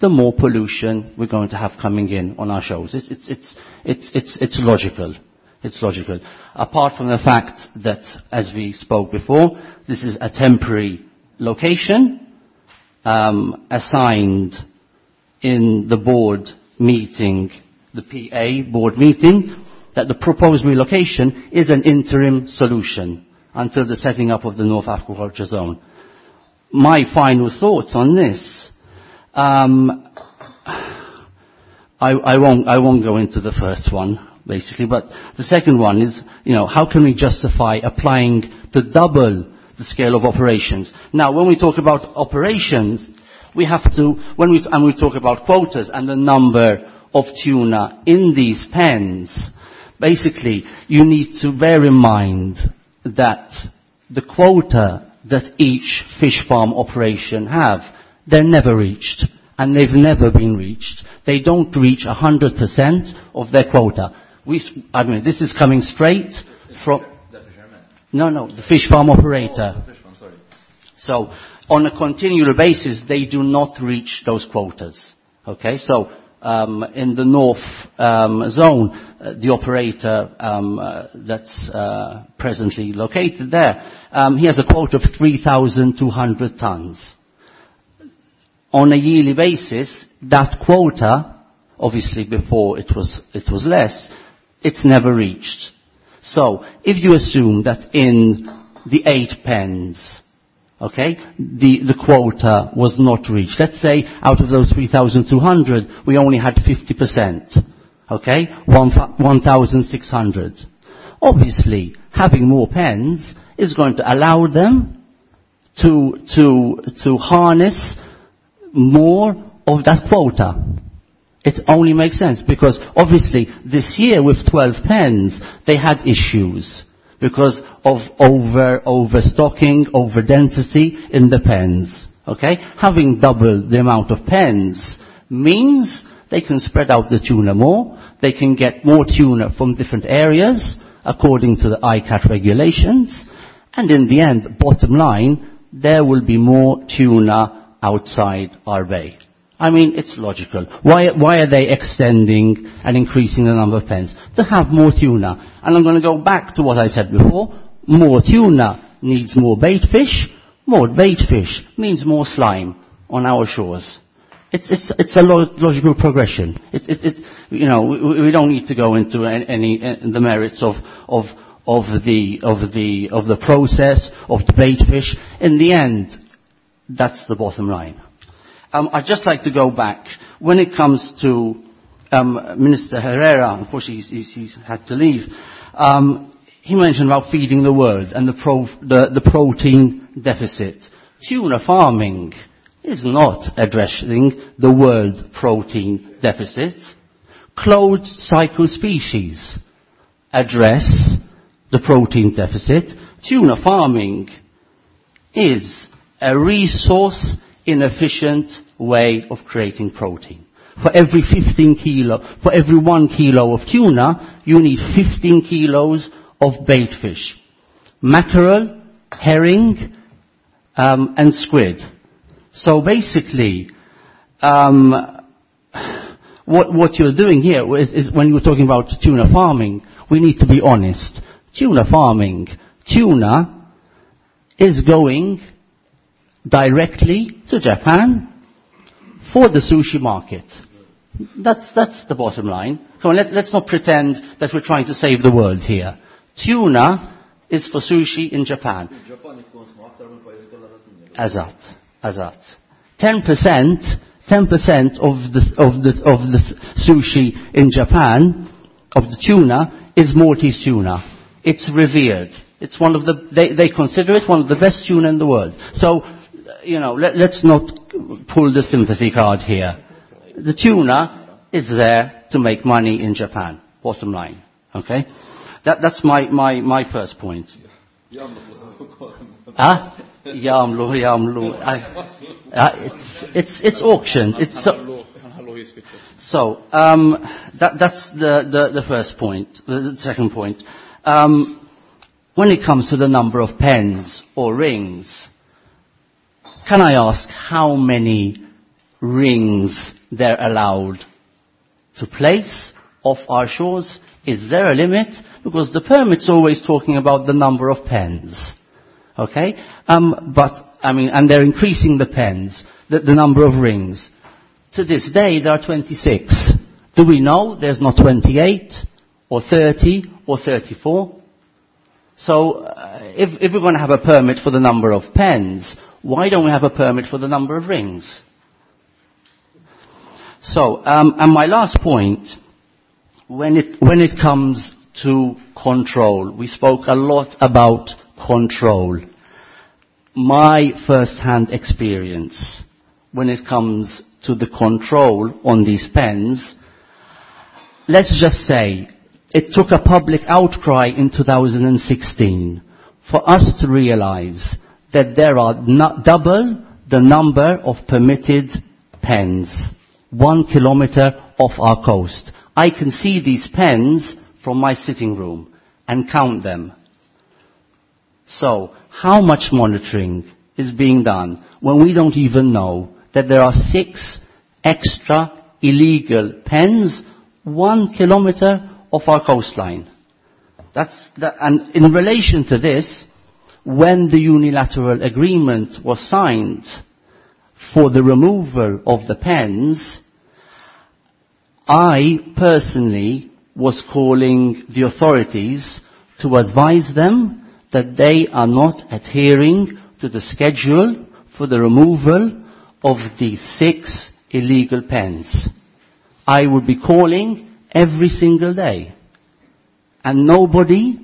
Speaker 11: the more pollution we're going to have coming in on our shores. It's, it's, it's, it's, it's, it's logical. It's logical. Apart from the fact that, as we spoke before, this is a temporary location um, assigned in the board meeting, the P A board meeting, that the proposed relocation is an interim solution until the setting up of the North Aquaculture Zone. My final thoughts on this, um, I, I, won't, I won't go into the first one, basically, but the second one is, you know, how can we justify applying to double the scale of operations? Now, when we talk about operations, we have to, when we, and we talk about quotas and the number of tuna in these pens, basically, you need to bear in mind that the quota that each fish farm operation have, they're never reached. And they've never been reached. They don't reach one hundred percent of their quota. We, I mean, this is coming straight from... No, no, the fish farm operator.
Speaker 6: Oh, the fish farm, sorry.
Speaker 11: So, on a continual basis, they do not reach those quotas. Okay, so um, in the north um, zone, uh, the operator um, uh, that's uh, presently located there, um, he has a quota of three thousand two hundred tons. On a yearly basis, that quota, obviously before it was, it was less, it's never reached. So, if you assume that in the eight pens, Okay? The, the quota was not reached. Let's say out of those three thousand two hundred, we only had fifty percent. Okay? one thousand six hundred. Obviously, having more pens is going to allow them to, to, to harness more of that quota. It only makes sense because obviously this year with twelve pens, they had issues because of over, overstocking, over density in the pens. Okay? Having double the amount of pens means they can spread out the tuna more, they can get more tuna from different areas according to the I C A T regulations, and in the end, bottom line, there will be more tuna outside our bay. I mean, it's logical. Why, why are they extending and increasing the number of pens? To have more tuna. And I'm gonna go back to what I said before. More tuna needs more bait fish. More bait fish means more slime on our shores. It's, it's, it's a lo- logical progression. It, it, it, you know, we, we don't need to go into any, any, the merits of, of, of the, of the, of the process of the bait fish. In the end, that's the bottom line. Um, I'd just like to go back. When it comes to, um, Minister Herrera, unfortunately he's, he's, he's had to leave, um, he mentioned about feeding the world and the, pro, the, the protein deficit. Tuna farming is not addressing the world protein deficit. Closed cycle species address the protein deficit. Tuna farming is a resource inefficient way of creating protein. For every fifteen kilo, for every one kilo of tuna, you need fifteen kilos of bait fish. Mackerel, herring, um, and squid. So basically, um, what, what you're doing here is, is when you're talking about tuna farming, we need to be honest. Tuna farming, tuna is going directly to Japan for the sushi market. That's, that's the bottom line. Come on, let, let's not pretend that we're trying to save the world here. Tuna is for sushi in Japan. Azat, azat. ten percent, ten percent of the, of the, of the sushi in Japan, of the tuna, is Maltese tuna. It's revered. It's one of the, they, they consider it one of the best tuna in the world. So, you know, let, let's not pull the sympathy card here. The tuna is there to make money in Japan, bottom line. Okay? That, that's my, my, my first point. Ah? Jamlu, jamlu. I, uh, it's, it's, it's auctioned. It's so, so um, that, that's the, the, the first point, the, the second point. Um, when it comes to the number of pens or rings, can I ask how many rings they're allowed to place off our shores? Is there a limit? Because the permit's always talking about the number of pens. Okay? Um, but, I mean, and they're increasing the pens, the, the number of rings. To this day, there are twenty-six. Do we know there's not twenty-eight or thirty or thirty-four? So, uh, if, if we're gonna have a permit for the number of pens, why don't we have a permit for the number of rings? So, um, and my last point, when it, when it comes to control, we spoke a lot about control. My first-hand experience when it comes to the control on these pens, let's just say it took a public outcry in two thousand sixteen for us to realize that there are not double the number of permitted pens, one kilometer off our coast. I can see these pens from my sitting room and count them. So, how much monitoring is being done when we don't even know that there are six extra illegal pens one kilometer off our coastline? That's that, and in relation to this, when the unilateral agreement was signed for the removal of the pens, I personally was calling the authorities to advise them that they are not adhering to the schedule for the removal of the six illegal pens. I would be calling every single day. And nobody,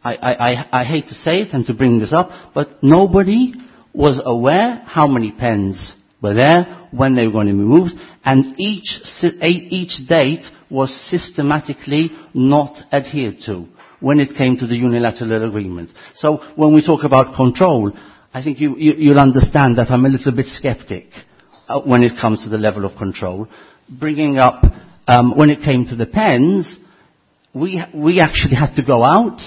Speaker 11: I, I, I, I hate to say it and to bring this up, but nobody was aware how many pens were there, when they were going to be moved, and each, each date was systematically not adhered to when it came to the unilateral agreement. So when we talk about control, I think you, you, you'll understand that I'm a little bit skeptic uh, when it comes to the level of control. Bringing up, um, when it came to the pens, we, we actually had to go out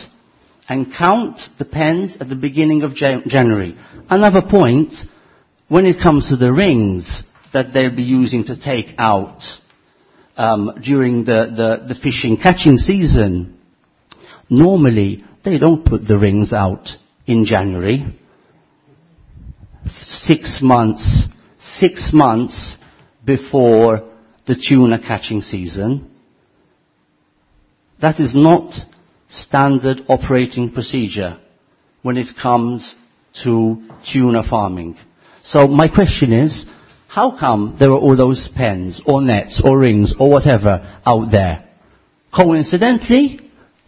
Speaker 11: and count the pens at the beginning of Jan- January. Another point, when it comes to the rings that they'll be using to take out um, during the, the, the fishing catching season, normally they don't put the rings out in January. Six months, six months before the tuna catching season. That is not standard operating procedure when it comes to tuna farming. So my question is, how come there are all those pens or nets or rings or whatever out there? Coincidentally,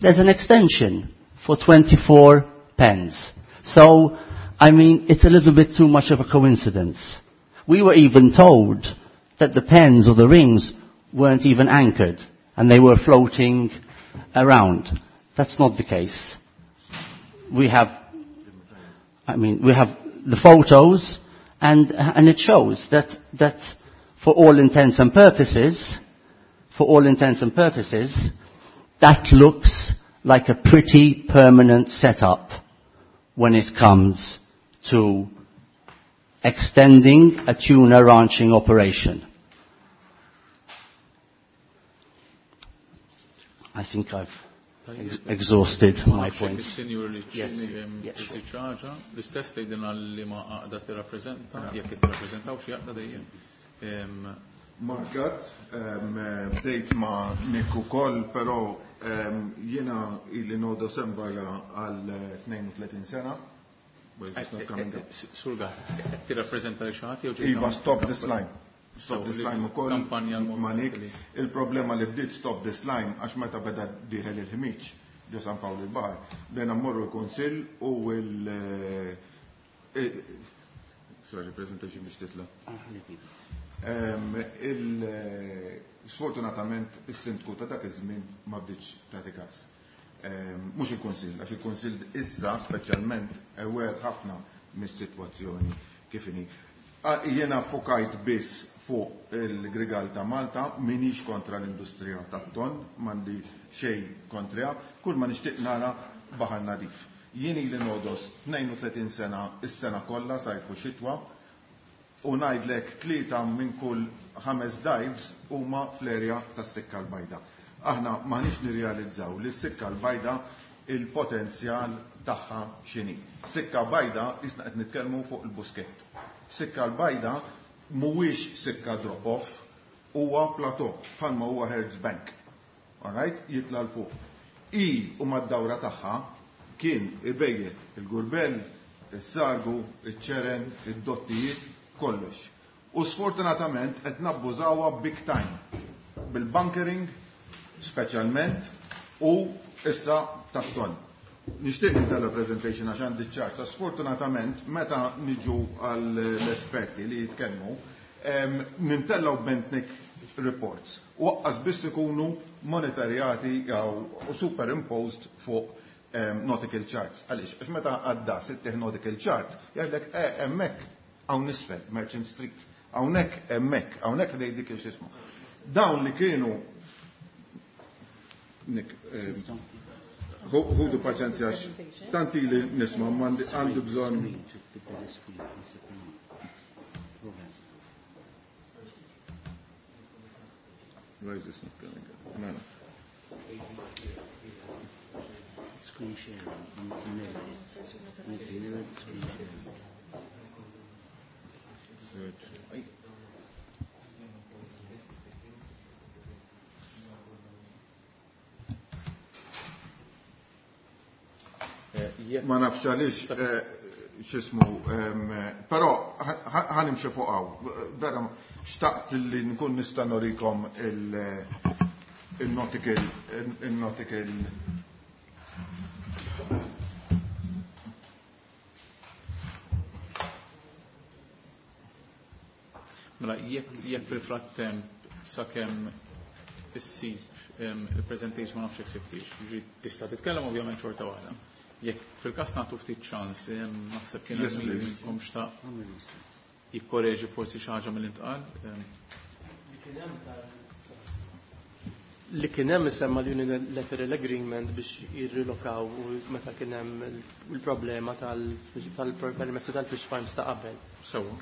Speaker 11: there's an extension for twenty-four pens. So, I mean, it's a little bit too much of a coincidence. We were even told that the pens or the rings weren't even anchored and they were floating around. That's not the case. We have, I mean, we have the photos, and, and it shows that, that for all intents and purposes, for all intents and purposes, that looks like a pretty permanent setup when it comes to extending a tuna ranching operation. I think I've ex exhausted my points.
Speaker 1: Yes. L-istess tgħidilna li ma għaqda tirrappreżenta, jekk tirrappreżentaw xi għaqda dejjem.
Speaker 12: Mark Gatt, bdejt ma' Nick ukoll, però jiena ili nodo sembara għal tnejn u tletin sena.
Speaker 1: Sur Gatt, tirrappreżenta li xi ħadd jew
Speaker 12: Iva, stop this line. Stop this line ukoll ma' Nick. Il-problema li bdiet stop this line għax meta beda dieħel il-ħmiġ ġo San Pawl il-Baħar, bdejna mmorru l-Kunsill u l Sorry, presentation biex titla. Sfortunatament is-sindku ta' dak iż-żmien ma bdietx tagħti każ. Mhux il-Kunsill, għax il-Kunsill issa speċjalment aware ħafna mis-sitwazzjoni kif inhi. Jiena fokajt biss fuq il-Grigal ta' Malta, minix kontra l-industrija tat-ton, m'għandi xejn kontriha, kull ma nixtieq nara baħar nadif. Jien ili nodos tnejn u tletin sena is-sena kollha sajf u xitwa, u ngħidlek tlieta minn kull ħames dives huma fl-erja tas-Sikka l-Bajda. Aħna m'aħniex nirrealizzaw li s-Sikka l-Bajda il-potenzjal tagħha x'inhi. Sikka Bajda isna qed nitkellmu fuq il-Buskett. Sikka l-Bajda mhuwiex sikka drop-off, huwa plateau bħalma huwa Hertz Bank. All right? Jitla' l fuq. I u mad-dawra tagħha kien ibejjet il-gurbell, is-sargu, iċ-ċeren, id-dottijiet, kollox. U sfortunatament qed nabbużawha big time bil-bunkering speċjalment u issa tat-ton. Nixtieq nitella presentation għax għandi ċarta. Sfortunatament meta niġu għall-esperti li jitkellmu, nintellaw Bentnik reports. U waqqas biss ikunu monitorjati jew superimposed fuq nautical charts. Għaliex, għax meta għadda sittieħ nautical chart, jgħidlek eh hemmhekk hawn isfel, Merchant Street, hawnhekk hemmhekk, hawnhekk ħdej dik il-xismu. Dawn li kienu Nick, ħudu paċenzja għax tanti li nisma' għandi bżonn. Why is this not coming up? No, no.
Speaker 11: Screen sharing. Screen sharing.
Speaker 12: Search. Ma nafx għaliex, X'ismu, però ħa nimxi fuq hawn. Vera xtaqt li nkun nista' norikom il-nautical il-nautical
Speaker 1: Mela, jekk fil-frattemp sakemm issib il-presentation ma nafx jekk sibtix, jiġifieri tista' titkellem ovvjament xorta waħda. Jekk fil-każ nagħtu ftit ċans, naħseb kien hemm min minnkom xtaq jikkoreġi forsi xi ħaġa mill-intqal.
Speaker 10: Li kien hemm isemma l-Unilateral Agreement biex jirrilokaw u meta kien hemm il-problema tal-permessi tal-fish farms ta' qabel.
Speaker 1: Sewwa.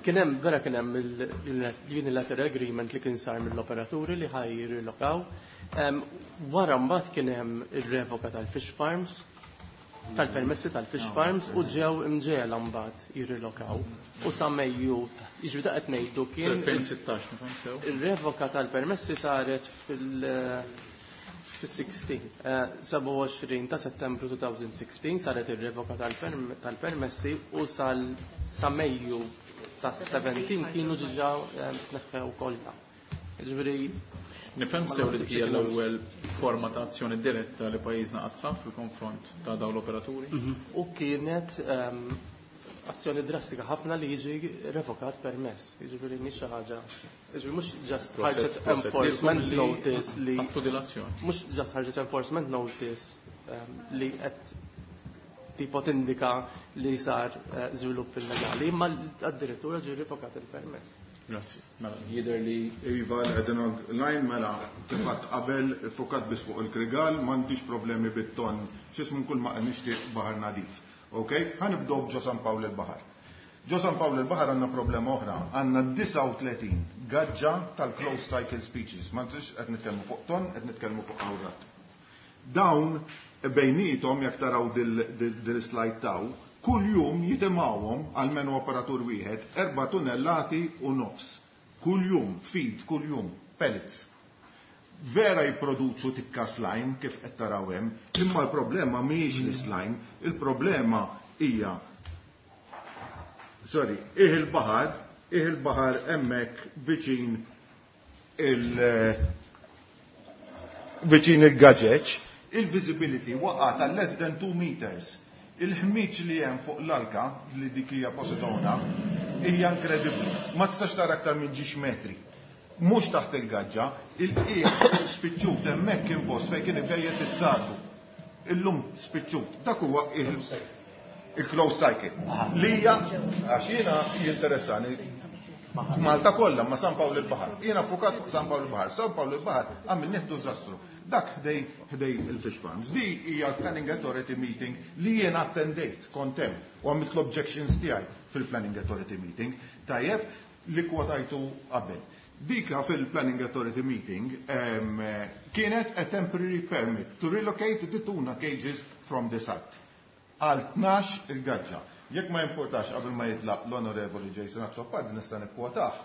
Speaker 10: Kien hemm vera kien hemm il-Unilateral Agreement li kien sar mill-operaturi li ħaj jirrilokaw. Wara mbagħad kien hemm ir-revoka tal-fish farms, tal-permessi tal-fish farms u ġew imġiegħla mbagħad jirrilokaw. U sa Mejju, jiġifieri da qed ngħidu kien
Speaker 1: elfejn sittax, nifhem sew.
Speaker 10: Ir-revoka tal-permessi saret fil- fis-sixteen, sebgħa u għoxrin ta' Settembru twenty sixteen saret ir-revoka tal-permessi u sal sa Mejju ta' seventeen kienu diġà tneħħew kollha. Jiġifieri
Speaker 1: Nifhem sew li dik hija l-ewwel forma ta' azzjoni diretta li pajjiżna qatt ħa fil-konfront ta' dawn l-operaturi.
Speaker 10: U kienet azzjoni drastika ħafna li jiġi revokat permess. Jiġifieri mhix xi ħaġa. Jiġifieri mhux just ħarġet enforcement notice li
Speaker 1: ħadtu din l-azzjoni.
Speaker 10: Mhux just ħarġet enforcement notice li qed tipo tindika li sar żvilupp illegali, imma addirittura ġie revokat il-permess.
Speaker 1: Grazzi. Mela, jidher li
Speaker 12: Iva, qegħdin online, mela, kif qabel fukat biss fuq il-Krigal, m'għandix problemi bit-ton, x'ismu kull ma nixtieq baħar nadif. Ok? Ħa nibdew b'Ġo San Pawl il-Baħar. Ġo San Pawl il-Baħar għandna problema oħra, għandna disgħa u tletin gaġġa tal-closed cycle species. Ma ntix qed nitkellmu fuq ton, qed nitkellmu fuq awrat. Dawn bejnietom jekk taraw dil-slide taw, kull jum jitimgħuhom għalmenu operatur wieħed erba' tunnellati u nofs. Kull jum, feed, kull jum, pellets. Vera jipproduċu tikka slime kif qed taraw hemm, imma l-problema mhijiex l-slime, il-problema hija sorry, ih il-baħar, ih il-baħar hemmhekk viċin il viċin il-gaġeġ, il-visibility waqgħet għal less than two meters. Il-ħmiġ li hemm fuq l-alka, li dik hija Posidona, hija inkredibbli. Ma tistax tara aktar minn ġiex metri. Mhux taħt il-gaġġa, il-qiegħ spiċċut hemmhekk kien post fejn kien ibejjet is-sardu. Illum spiċċut. Dak huwa il-closed cycle. Li hija, għax jiena jinteressani Malta kollha, ma San Pawl il-Baħar. Jiena fukat fuq San Pawl il-Baħar. San Pawl il-Baħar għamil nieħdu żastru. Dak ħdej ħdej il-fish farms. Di hija l-Planning Authority meeting li jiena attendejt kont hemm u għamilt l-objections tiegħi fil-Planning Authority meeting. Tajjeb li kwotajtu qabel. Dika fil-Planning Authority meeting em, kienet a temporary permit to relocate the tuna cages from the site. Għal tnax il-gaġġa. Jekk ma jimportax qabel ma jitlaq l-Onorevoli Jason Azzopardi nista' nikkwotah.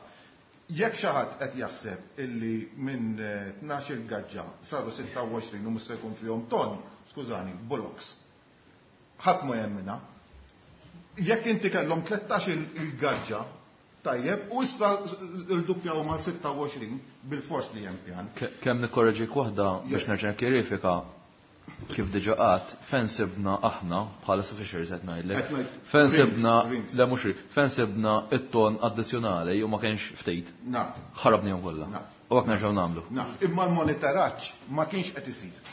Speaker 12: Jekk xi ħadd qed jaħseb illi minn tnax il-gaġġa saru sitta u għoxrin u mhux se jkun fihom ton, skużani, bullocks. Ħadd ma jemmina. Jekk inti kellhom tlettax il-gaġġa, tajjeb, u issa rduppjaw ma' sitta u għoxrin bil-fors li hemm pjan.
Speaker 6: Ke-, kemm nikkorreġik waħda biex
Speaker 12: Yes.
Speaker 6: nerġa' nkjerifika kif diġà qatt, fejn sibna aħna bħala Fishers qed ngħidlek.
Speaker 12: Qed ngħid
Speaker 6: Fejn sibna,
Speaker 12: rings, rings.
Speaker 6: le mhux rings, fejn sibna it-ton addizzjonali u ma kienx ftit.
Speaker 12: Naf.
Speaker 6: Ħarabnihom kollha.
Speaker 12: Naf.
Speaker 6: U hekk nerġgħu nagħmlu.
Speaker 12: Naf, imma l-monitoraġġ ma kienx qed isir.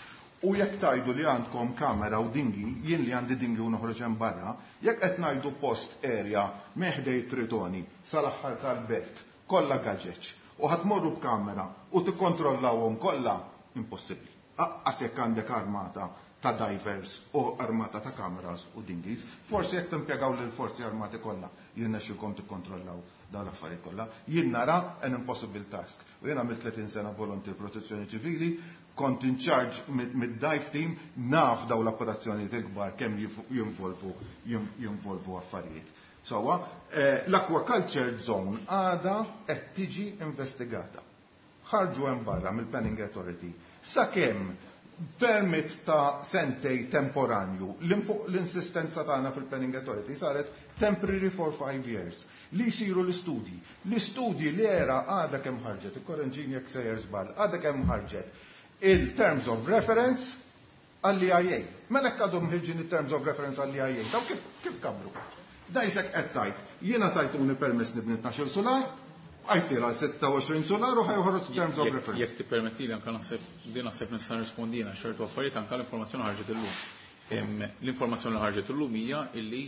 Speaker 12: U jekk tajdu li għandkom kamera u dingi, jien li għandi dingi u noħroġ hemm barra, jekk qed ngħidu post area meħdej Tritoni sal-aħħar tal-belt, kollha gaġeġ, u ħadd morru b'kamera u tikkontrollawhom kollha, impossibbli. Aqqas jekk għandek armata ta' divers u armata ta' kameras u dinghies, forsi jekk timpjegaw lil forzi armati kollha, jirnexxilkom tikkontrollaw dawn l-affarijiet kollha. Jien nara an impossible task. U jien għamilt tletin sena volontier protezzjoni ċivili, kont in charge mid-dive team, naf dawn l-operazzjonijiet il-kbar kemm jinvolvu, jinvolvu affarijiet. Sowa, eh, l-aquaculture zone għada qed tiġi investigata. Ħarġu hemm barra mill-Planning Authority. Sakemm Permit ta' sentej temporanju, l-insistenza tagħna fil-Planning Authority saret temporary for five years, li jsiru l-istudji. L-istudji li era għadha kemm ħarġet, ikkorreġini jekk sejjer żball, għadha kemm ħarġet il-terms of reference għall-E I A. Mela hekk għadhom ħirġin il-terms of reference għall-E I A, daw kif, kif kabru? Dajsek qed tajt, jiena tajtuni permess nibni tnax-il solar, għajtira sitta u għoxrin solar u ħajħorġ terms of reference.
Speaker 1: Jekk tippermettili anke naħseb din naħseb nista' nirrispondina ċertu affarijiet anke l-informazzjoni ħarġet illum. L-informazzjoni li ħarġet illum hija illi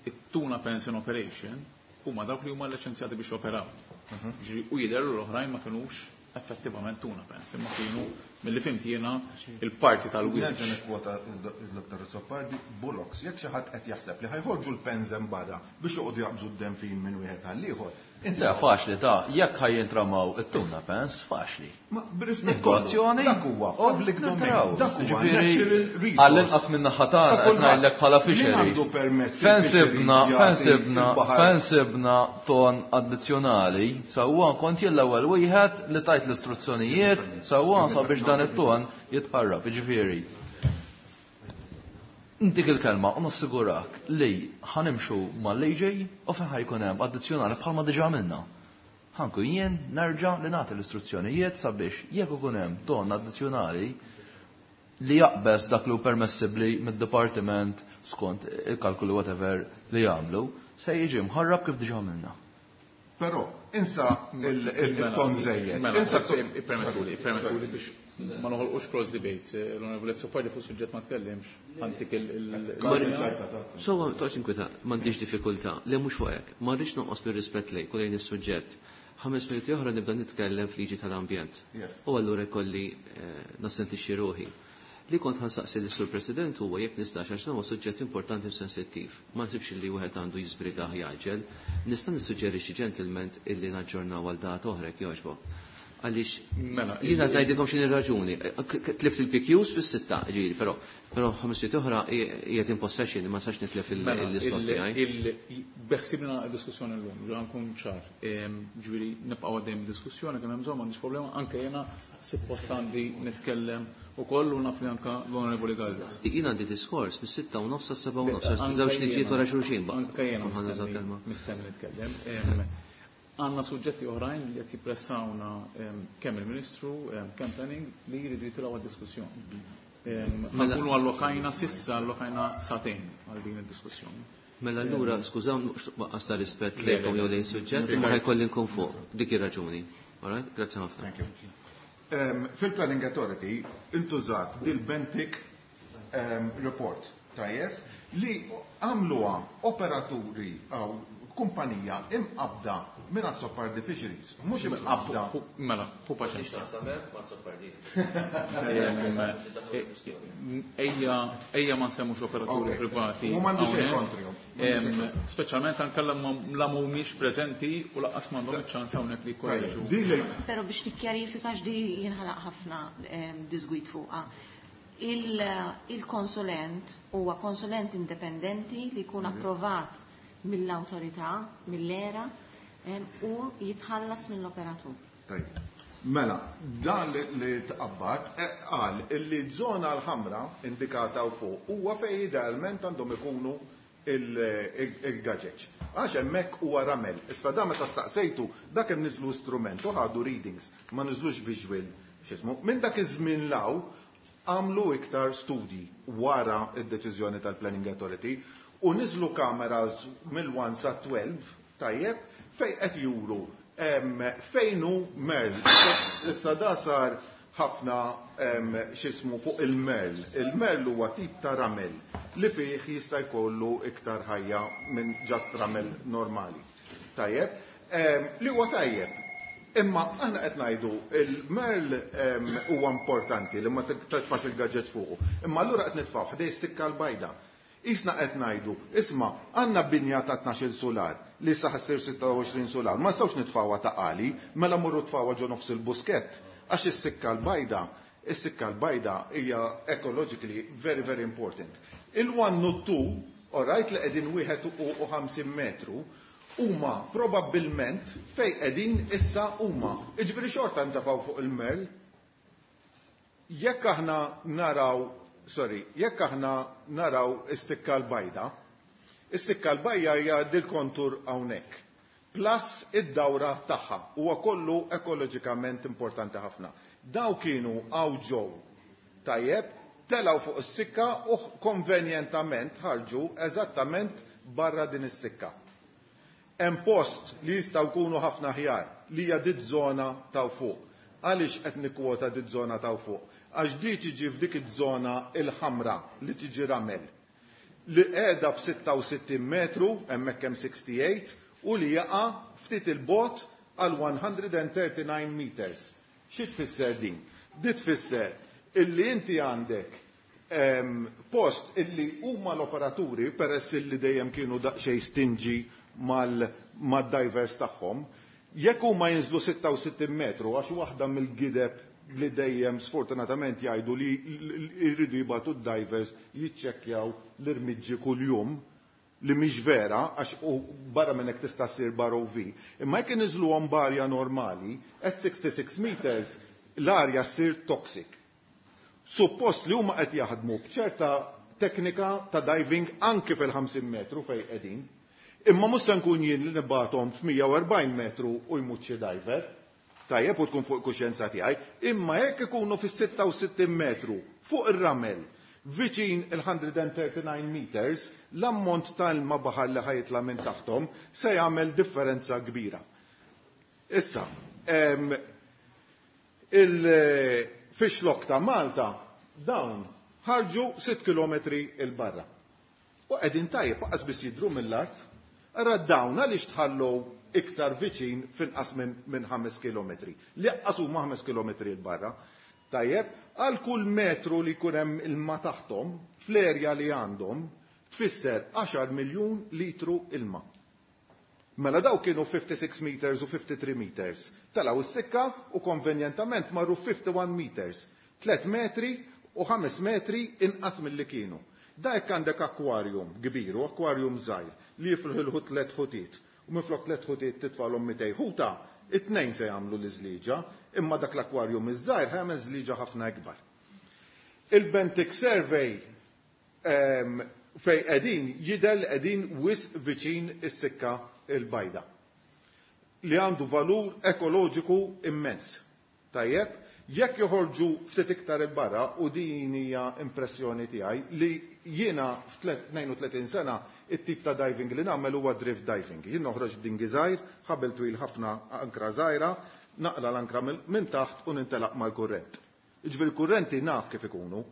Speaker 1: it-tuna pens in operation huma dawk li huma liċenzjati biex joperaw.
Speaker 12: Mhm.
Speaker 1: Ġifieri, u jidher li l-oħrajn ma kinux effettivament tuna pens, imma kienu milli fhimt jiena il-parti tal-wiċċ.
Speaker 12: Nerġa' nikkwota il-Dottor Azzopardi, Bullocks, jekk xi ħadd qed jaħseb li ħajħorġu l-pens hemm barra biex joqogħdu jaqbżu d-denfin minn wieħed għall-ieħor.
Speaker 6: Le, faċli ta' jekk ħajjintramaw it-tuna pens, faċli.
Speaker 12: Ma b'rispett
Speaker 6: Negozjoni,
Speaker 12: dak huwa
Speaker 6: u
Speaker 12: public domain,
Speaker 6: nirtiraw.
Speaker 12: dak huwa
Speaker 6: Ġifieri,
Speaker 12: natural resource.
Speaker 6: Għall-inqas minn naħa tagħna
Speaker 12: Dak
Speaker 6: qed
Speaker 12: kulħadd.
Speaker 6: ngħidlek bħala
Speaker 12: Min
Speaker 6: fisheries.
Speaker 12: għandu permess
Speaker 6: Fejn
Speaker 12: il-fisheries
Speaker 6: sibna,
Speaker 12: jagħti
Speaker 6: fejn sibna,
Speaker 12: il-baħar?
Speaker 6: fejn sibna ton addizzjonali, sewwa kont jien l-ewwel wieħed li tajt l-istruzzjonijiet, sewwa sabiex dan it-ton jitħarrab, jiġifieri. Intik il-kelma u nassigurak li ħanimxu mal-A J u fejn ħajkun hemm addizzjonali bħalma diġà għamilna. Ħankun jien nerġa' li nagħti l-istruzzjonijiet sabiex jekk ikun hemm ton addizzjonali li jaqbeż dak li hu permessibbli mid-dipartiment skont il-kalkulu whatever li jagħmlu, se jiġi mħarrab kif diġà għamilna.
Speaker 12: Però insa il-ton żejjed.
Speaker 1: Mela,
Speaker 12: Insa t-
Speaker 1: ippermettuli, ippermettuli biex ma noħolqux cross debate. L-Onorevoli Azzopardi fuq suġġett ma tkellimx. Antik il- il-
Speaker 3: il- Sowa, toqgħodx inkwita, m'għandix diffikultà. Le mhux fuq hekk. Ma rridx noqos bir-rispett lejk u lejn is-suġġett. Ħames minuti oħra nibda nitkellem f'liġi tal-ambjent.
Speaker 12: Yes.
Speaker 3: U allura jkolli, eh, nassentixxi ruħi. Li kont ħansaqsi lis-Sur President huwa jekk nistax għax dan huwa suġġett importanti u sensittiv. Ma nsibx li wieħed għandu jiżbriga jaġel. Nista' nissuġġerixxi gentleman illi naġġornaw għal data oħra jekk jogħġbok. Għaliex
Speaker 1: Mela,
Speaker 3: jiena
Speaker 1: il-
Speaker 3: ngħidilkom x'inhi r-raġuni. K-, k-, tlift il-P Qs fis-sitta, ġifieri, però, però ħames minuti oħra qiegħed in possession, ma nistax nitlef il-
Speaker 1: Mela,
Speaker 3: l-islot
Speaker 1: il-
Speaker 3: tiegħi.
Speaker 1: il-, beħsibna diskussjoni llum, ġifieri nkun ċar. Ehm, ġifieri nibqgħu għaddejjem diskussjoni kemm hemm bżonn, m'għandix problema, anke jiena suppost għandi nitkellem ukoll u naf li anke l-Onorevoli Galdes.
Speaker 3: Jien għandi diskors mis-sitta u nofs sas-seba' u nofs,
Speaker 1: Anke
Speaker 3: żewġ liġijiet
Speaker 1: jiena.
Speaker 3: wara xulxin baqa'.
Speaker 1: Anke jiena
Speaker 3: Ħa nuża
Speaker 1: mistenni
Speaker 3: kelma.
Speaker 1: mistenni nitkellem. Ehm, għandna suġġetti oħrajn li qed jippressawna, ehm, kemm il-Ministru, ehm, kemm planning li jridu jitilgħu għad-diskussjoni. Ehm,
Speaker 3: Mela-
Speaker 1: Nkunu allokajna sissa, allokajna satejn għal din id-diskussjoni.
Speaker 3: Mela allura, skużaw, mhux waqqas ta' rispett
Speaker 1: Le,
Speaker 3: lejkom
Speaker 1: le,
Speaker 3: jew
Speaker 1: le.
Speaker 3: lejn suġġett, imma ħajkolli nkun fuq. Dik ir-raġuni. All right? Grazzi ħafna.
Speaker 12: Thank you. Ehm, fil-Planning Authority intużat dil-Benthic, ehm, report tajjeb li għamluha operaturi għaw kumpanija imqabda minn Azzopardi Fisheries, mhux imqabda.
Speaker 1: Hu, mela, hu paċenzja. Ejja, ejja ma nsemmux operaturi
Speaker 12: Ok.
Speaker 1: privati.
Speaker 12: U m'għandu xejn
Speaker 1: hawnhekk.
Speaker 12: kontrihom. M'għandu xejn
Speaker 1: Em, Speċjalment anke la ma mhumiex preżenti u lanqas m'għandhom iċ-ċans hawnhekk li jkorreġu.
Speaker 12: Tajjeb, di li
Speaker 8: Però biex nikkjarifika x'di jinħalaq ħafna, em, disgwid fuqha. Il-, il-konsulent huwa konsulent indipendenti li jkun
Speaker 12: Mhm.
Speaker 8: approvat mill-awtorità, mill-era, em, u jitħallas mill-operatur.
Speaker 12: Tajjeb. Mela, dan li, li tqabbad, eh, qal li żona l-ħamra indikata u fuq huwa fejn idealment għandhom ikunu il-, il, il-gaġeġ. Għax hemmhekk huwa ramel. Issa da meta staqsejtu, dak hemm niżlu strument u ħadu readings, ma niżlux visual x'ismu. Minn dak iż-żmien law għamlu iktar studji wara id-deċiżjoni tal-Planning Authority u niżlu kameras mill-one sa twelve, tajjeb, fejn qed juru, em, fejn hu Merl. Issa da sar ħafna, em, x'ismu fuq il-Merl. Il-Merl huwa tip ta' ramel li fih jista' jkollu iktar ħajja minn ġast ramel normali. Tajjeb, em, li huwa tajjeb. Imma aħna qed ngħidu il-Merl, em, huwa importanti li ma titfax il-gadgets fuqu. Imma allura qed nitfgħu ħdej is-sikka l-bajda. Isna qed ngħidu, isma' għandna binja ta' tnax-il solar li issa ħassir sitta u għoxrin solar, ma nistgħux nitfgħuha ta' qali, mela mmorru tfgħuha ġo nofs il-buskett, għax is-sikka l-bajda, is-sikka l-bajda hija ecologically very, very important. Il-one u two, all right, li qegħdin wieħed u ħamsin metru, huma probabbilment fejn qegħdin issa huma. Jiġifieri xorta ntafgħu fuq il-Merl. Jekk aħna naraw, sorry, jekk aħna naraw is-sikka l-bajda, is-sikka l-bajja hija dil-kontur hawnhekk. Plus id-dawra tagħha huwa kollu ekoloġikament importanti ħafna. Daw kienu hawn ġew tajjeb, telgħu fuq is-sikka u konvenjentament ħarġu eżattament barra din is-sikka. Hemm post li jistgħu jkunu ħafna aħjar li hija dit żona ta' fuq. Għaliex qed nikkwota dit żona ta' fuq? Għax di tiġi f'dik iż-żona il-ħamra li tiġi ramel. Li qiegħda f'sitta u sittin metru, hemmhekk hemm sixty-eight, u li jaqa' ftit il-bot għal one hundred and thirty-nine meters. Xi tfisser din? Di tfisser illi inti għandek, ehm, post illi huma l-operaturi, peress illi dejjem kienu daqsxejn stinġi mal-, mad-divers tagħhom, jekk huma jinżlu sitta u sittin metru, għax waħda mill-gideb li dejjem sfortunatament jgħidu li jridu jibgħatu d-divers jiċċekkjaw l-irmiġġi kuljum, li mhix vera, għax u barra minn hekk tista' ssir bar O V. Imma jekk iniżluhom b'arja normali, at sixty-six meters l-arja ssir toxic. Suppost li huma qed jaħdmu b'ċerta teknika ta' diving anki fil-ħamsin metru fejn qegħdin, imma mhux se nkun jien li nibgħathom f'mija u erbgħin metru u jmut xi diver. Tajjeb u tkun fuq il-kuxjenza tiegħi, imma jekk ikunu fis-sitta u sittin metru fuq ir-ramel viċin il-hundred and thirty-nine meters, l-ammont tal-ilma baħar li ħajtla minn taħtom se jagħmel differenza kbira. Issa, em, il-fixlok ta' Malta dawn ħarġu sitt kilometri il-barra. U qegħdin tajjeb aqas biss jidhru mill-art, ara dawn għaliex tħallu iktar viċin finqas minn, minn ħames kilometri. Li aqas huma ħames kilometri il-barra. Tajjeb, għal kull metru li jkun hemm ilma taħtom, fl-erja li għandhom, tfisser għaxar miljun litru ilma. Mela daw kienu fifty-six meters u fifty-three meters. Telgħu s-sikka u konvenjentament marru fifty-one meters. Tliet metri u ħames metri inqas milli kienu. Da jekk għandek akwarjum kbir u akwarjum żgħir li jifilħu tliet ħutiet u minflok tliet ħutiet titfalhom mitej ħuta, it-tnejn se jagħmlu l-iżliġa, imma dak l-akwarjum iż-żgħir ħajamel żliġa ħafna ikbar. Il-Benthic Survey, ehm, fej qegħdin jidher li qegħdin wisq viċin is-sikka il-bajda li għandu valur ekoloġiku immens. Tajjeb, jekk joħorġu ftit iktar il-barra, u din hija impressjoni tiegħi li jiena f'tnejn u tletin sena it-tip ta' diving li nagħmel huwa drift diving. Jien noħroġ b'dingi żgħir, ħabel twil ħafna ankra żgħira, naqla l-ankra minn, minn taħt u nintelaq mal-kurrent. Jiġifieri l-kurrenti naf kif ikunu.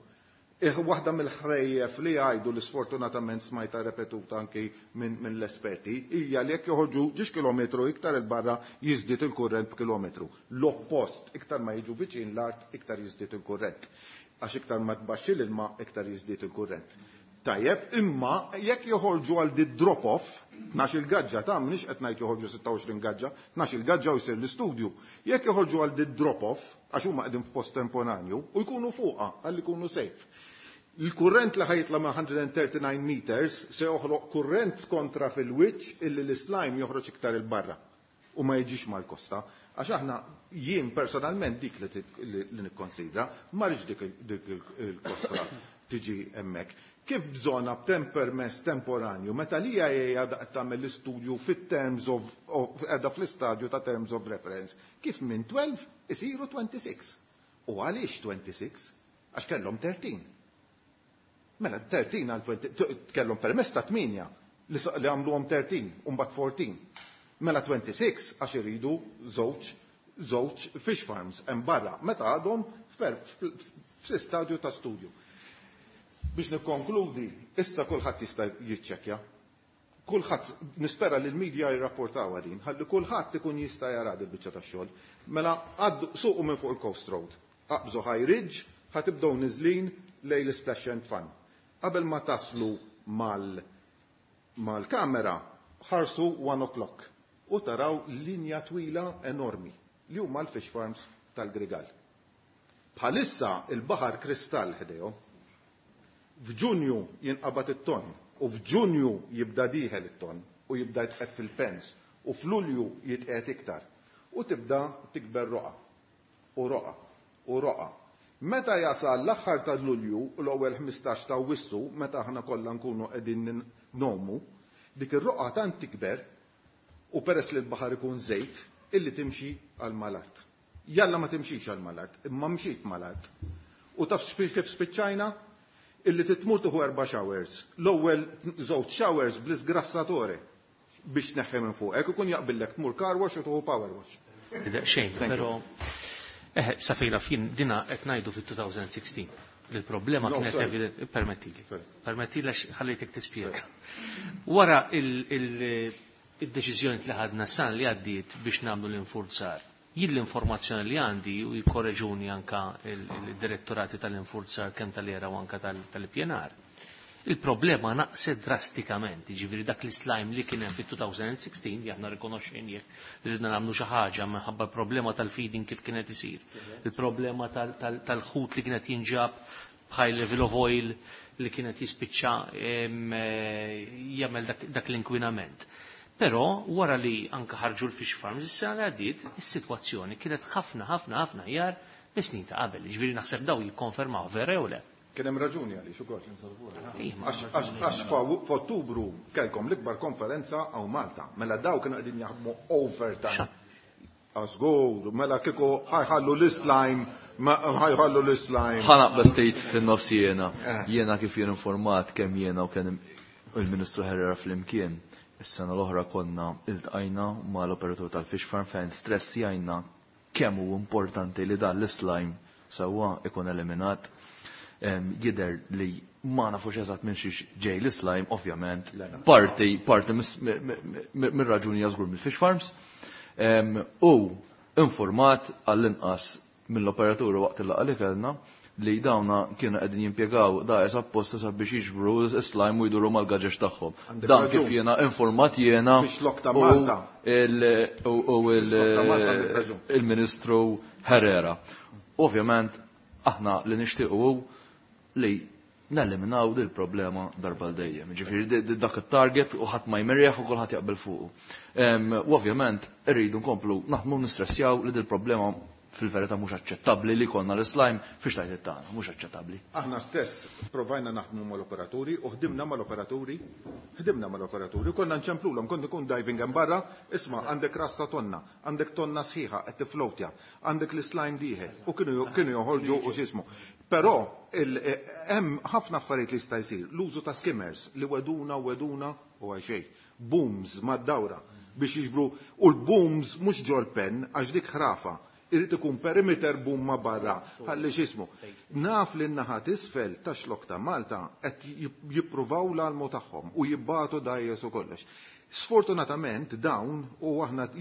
Speaker 12: Ih, waħda mill-ħrejjef li jgħidu li sfortunatament smajta repetuta anki minn, minn l-esperti hija li jekk joħorġu ġiex kilometru iktar il-barra jiżdied il-kurrent b'kilometru. L-oppost, iktar ma jiġu viċin l-art, iktar jiżdied il-kurrent. Għax iktar ma tbaxxi l-ilma, iktar jiżdied il-kurrent. Tajjeb, imma jekk joħorġu għal di drop-off, tnax il-gaġġa ta' mniex qed ngħid joħorġu sitta u għoxrin gaġġa, tnax il-gaġġa u jsir l-istudju. Jekk joħorġu għal di drop-off, għax huma qegħdin f'post temporanju, u jkunu fuqha għal ikunu safe. Il-kurrent li ħajtla ma' hundred and thirty-nine meters se joħloq kurrent kontra fil-wiċċ illi l-slime joħroġ iktar il-barra u ma jiġix mal-kosta. Għax aħna jien personalment dik li tit-, li, li nikkonsidra, ma rridx dik il-, dik il-, il-kosta tiġi hemmhekk. Kif bżonna b'tempermess temporanju, meta li hija qiegħda qed tagħmel l-istudju fit-terms of, of, qiegħda fl-istadju ta' terms of reference, kif minn twelve isiru twenty-six. U għaliex twenty-six? Għax kellhom thirteen. Mela thirteen għal twenty, t-, kellhom permess ta' tmienja li sa-, li għamluhom thirteen u mbagħad fourteen. Mela twenty-six għax iridu żewġ, żewġ fish farms hemm barra meta għadhom f'per-, f-, f'stadju ta' studju. Biex nikkonkludi, issa kulħadd jista' jiċċekkja. Kulħadd, nispera li l-medja jirrapportaw din, ħalli kulħadd ikun jista' jara din biċċa tax-xogħol. Mela għaddu suqu minn fuq il-Coast Road, aqbżu High Ridge, ħatibdew niżlin lejn l-Splash and Fun. Qabel ma taslu mal-, mal-kamera, ħarsu one o'clock u taraw linja twila enormi li huma l-fish farms tal-Grigal. Bħalissa il-baħar kristall ħdejhom. F'Ġunju jinqabad it-ton u f'Ġunju jibda dieħel it-ton u jibda jitqed fil-pens u f'Lulju jitqed iktar u tibda tikber roqa u roqa u roqa. Meta jasal l-aħħar ta' Lulju u l-ewwel ħmistax ta' Awwissu, meta aħna kollha nkunu qegħdin nomu, dik ir-roqgħa tant tikber u peress li l-baħar ikun żejt illi timxi għal mal-art. Jalla ma timxix għal mal-art, imma mxiet mal-art. U taf kif spiċċajna? Illi titmur tieħu erba' showers. L-ewwel żewġ showers bl-isgrassatore biex tneħħi minn fuqek, ikun jaqbillek tmur car wash u tieħu power wash.
Speaker 7: Xejn, però eh, sa fejn naf jien dina qed ngħidu fit-elfejn u sittax. Il-problema kienet evidenti, permettili. Permettili għax ħallejtek tispjega. Wara il-deċiżjoni li ħadna san li għaddiet biex nagħmlu l-infurzar, jien l-informazzjoni li għandi u jkorreġuni anka il-direttorati tal-infurzar kemm tal-ERA u anka tal-P N R. Il-problema naqset drastikament, ġifieri dak l-slime li kien hemm fit-elfejn u sittax li aħna rikonoxxejnieh li ridna nagħmlu xi ħaġa minħabba l-problema tal-feeding kif kienet isir, il-problema tal-ħut li kienet jinġab high level of oil li kienet jispiċċa jagħmel dak l-inkwinament. Però wara li anka ħarġu l-fish farms is-sena li għaddiet, is-sitwazzjoni kienet ħafna ħafna ħafna aħjar mis-snin ta' qabel. Ġifieri naħseb daw jikkonfermaw, vera jew le?
Speaker 12: Kien hemm raġuni għaliex ukoll. Għax f'Ottubru kellkom l-ikbar konferenza hawn Malta. Mela daw kienu qegħdin jaħdmu overtime. Żgur, mela kieku ħa jħallu l-slime, ħa jħallu l-slime.
Speaker 6: Ħa naqbeż ftit fin-nofs jiena. Jiena kif jien informat kemm jiena u kemm il-Ministru Herrera flimkien. Is-sena l-oħra konna iltqajna mal-operatur tal-fish farm fejn stressjajna kemm hu importanti li dan l-slime sewwa ikun eliminat. Jidher li ma nafux eżatt minn xiex ġej l-slime, ovvjament. Parti, parti mir-raġuni żgur mill-fish farms. U informat għall-inqas mill-operatur waqt il-laqgħa li kellna li dawna kienu qegħdin jimpjegaw dgħajjes apposta sabiex jiġbru slime u jduru mal-gaġeġ tagħhom. Dan kif jiena informat jiena u il-Ministru Herrera. Ovvjament aħna li nixtiequ li neliminaw dil problema darba dejjem. Ġifieri dak it-target u ħadd ma jmerjaħ u kulħadd jaqbel fuqu. U ovvjament irridu nkomplu naħdmu nistressjaw li dil problema fil-verità mhux aċċettabbli li konna l-slime fix tajt tagħna, mhux aċċettabbli.
Speaker 12: Aħna stess provajna naħdmu mal-operaturi u ħdimna mal-operaturi, ħdimna mal-operaturi, konna nċemplulhom, kont ikun diving hemm barra, isma' għandek rasta tonna, għandek tonna sħiħa qed tiflowtja, għandek l-slime dieħel u kienu kienu joħorġu u x'ismu. Però hemm ħafna affarijiet li jista' jsir, l-użu ta' skimmers li weduna weduna u għal xejn. Booms mad-dawra biex jiġbru u l-booms mhux ġol pen għax dik ħrafa, irid ikun perimeter boom ma' barra, ħalli x'ismu. Naf li n-naħa t'isfel ta' xlok ta' Malta qed jippruvaw l-almu tagħhom u jibbatu dgħajjes u kollox. Sfortunatament dawn u aħna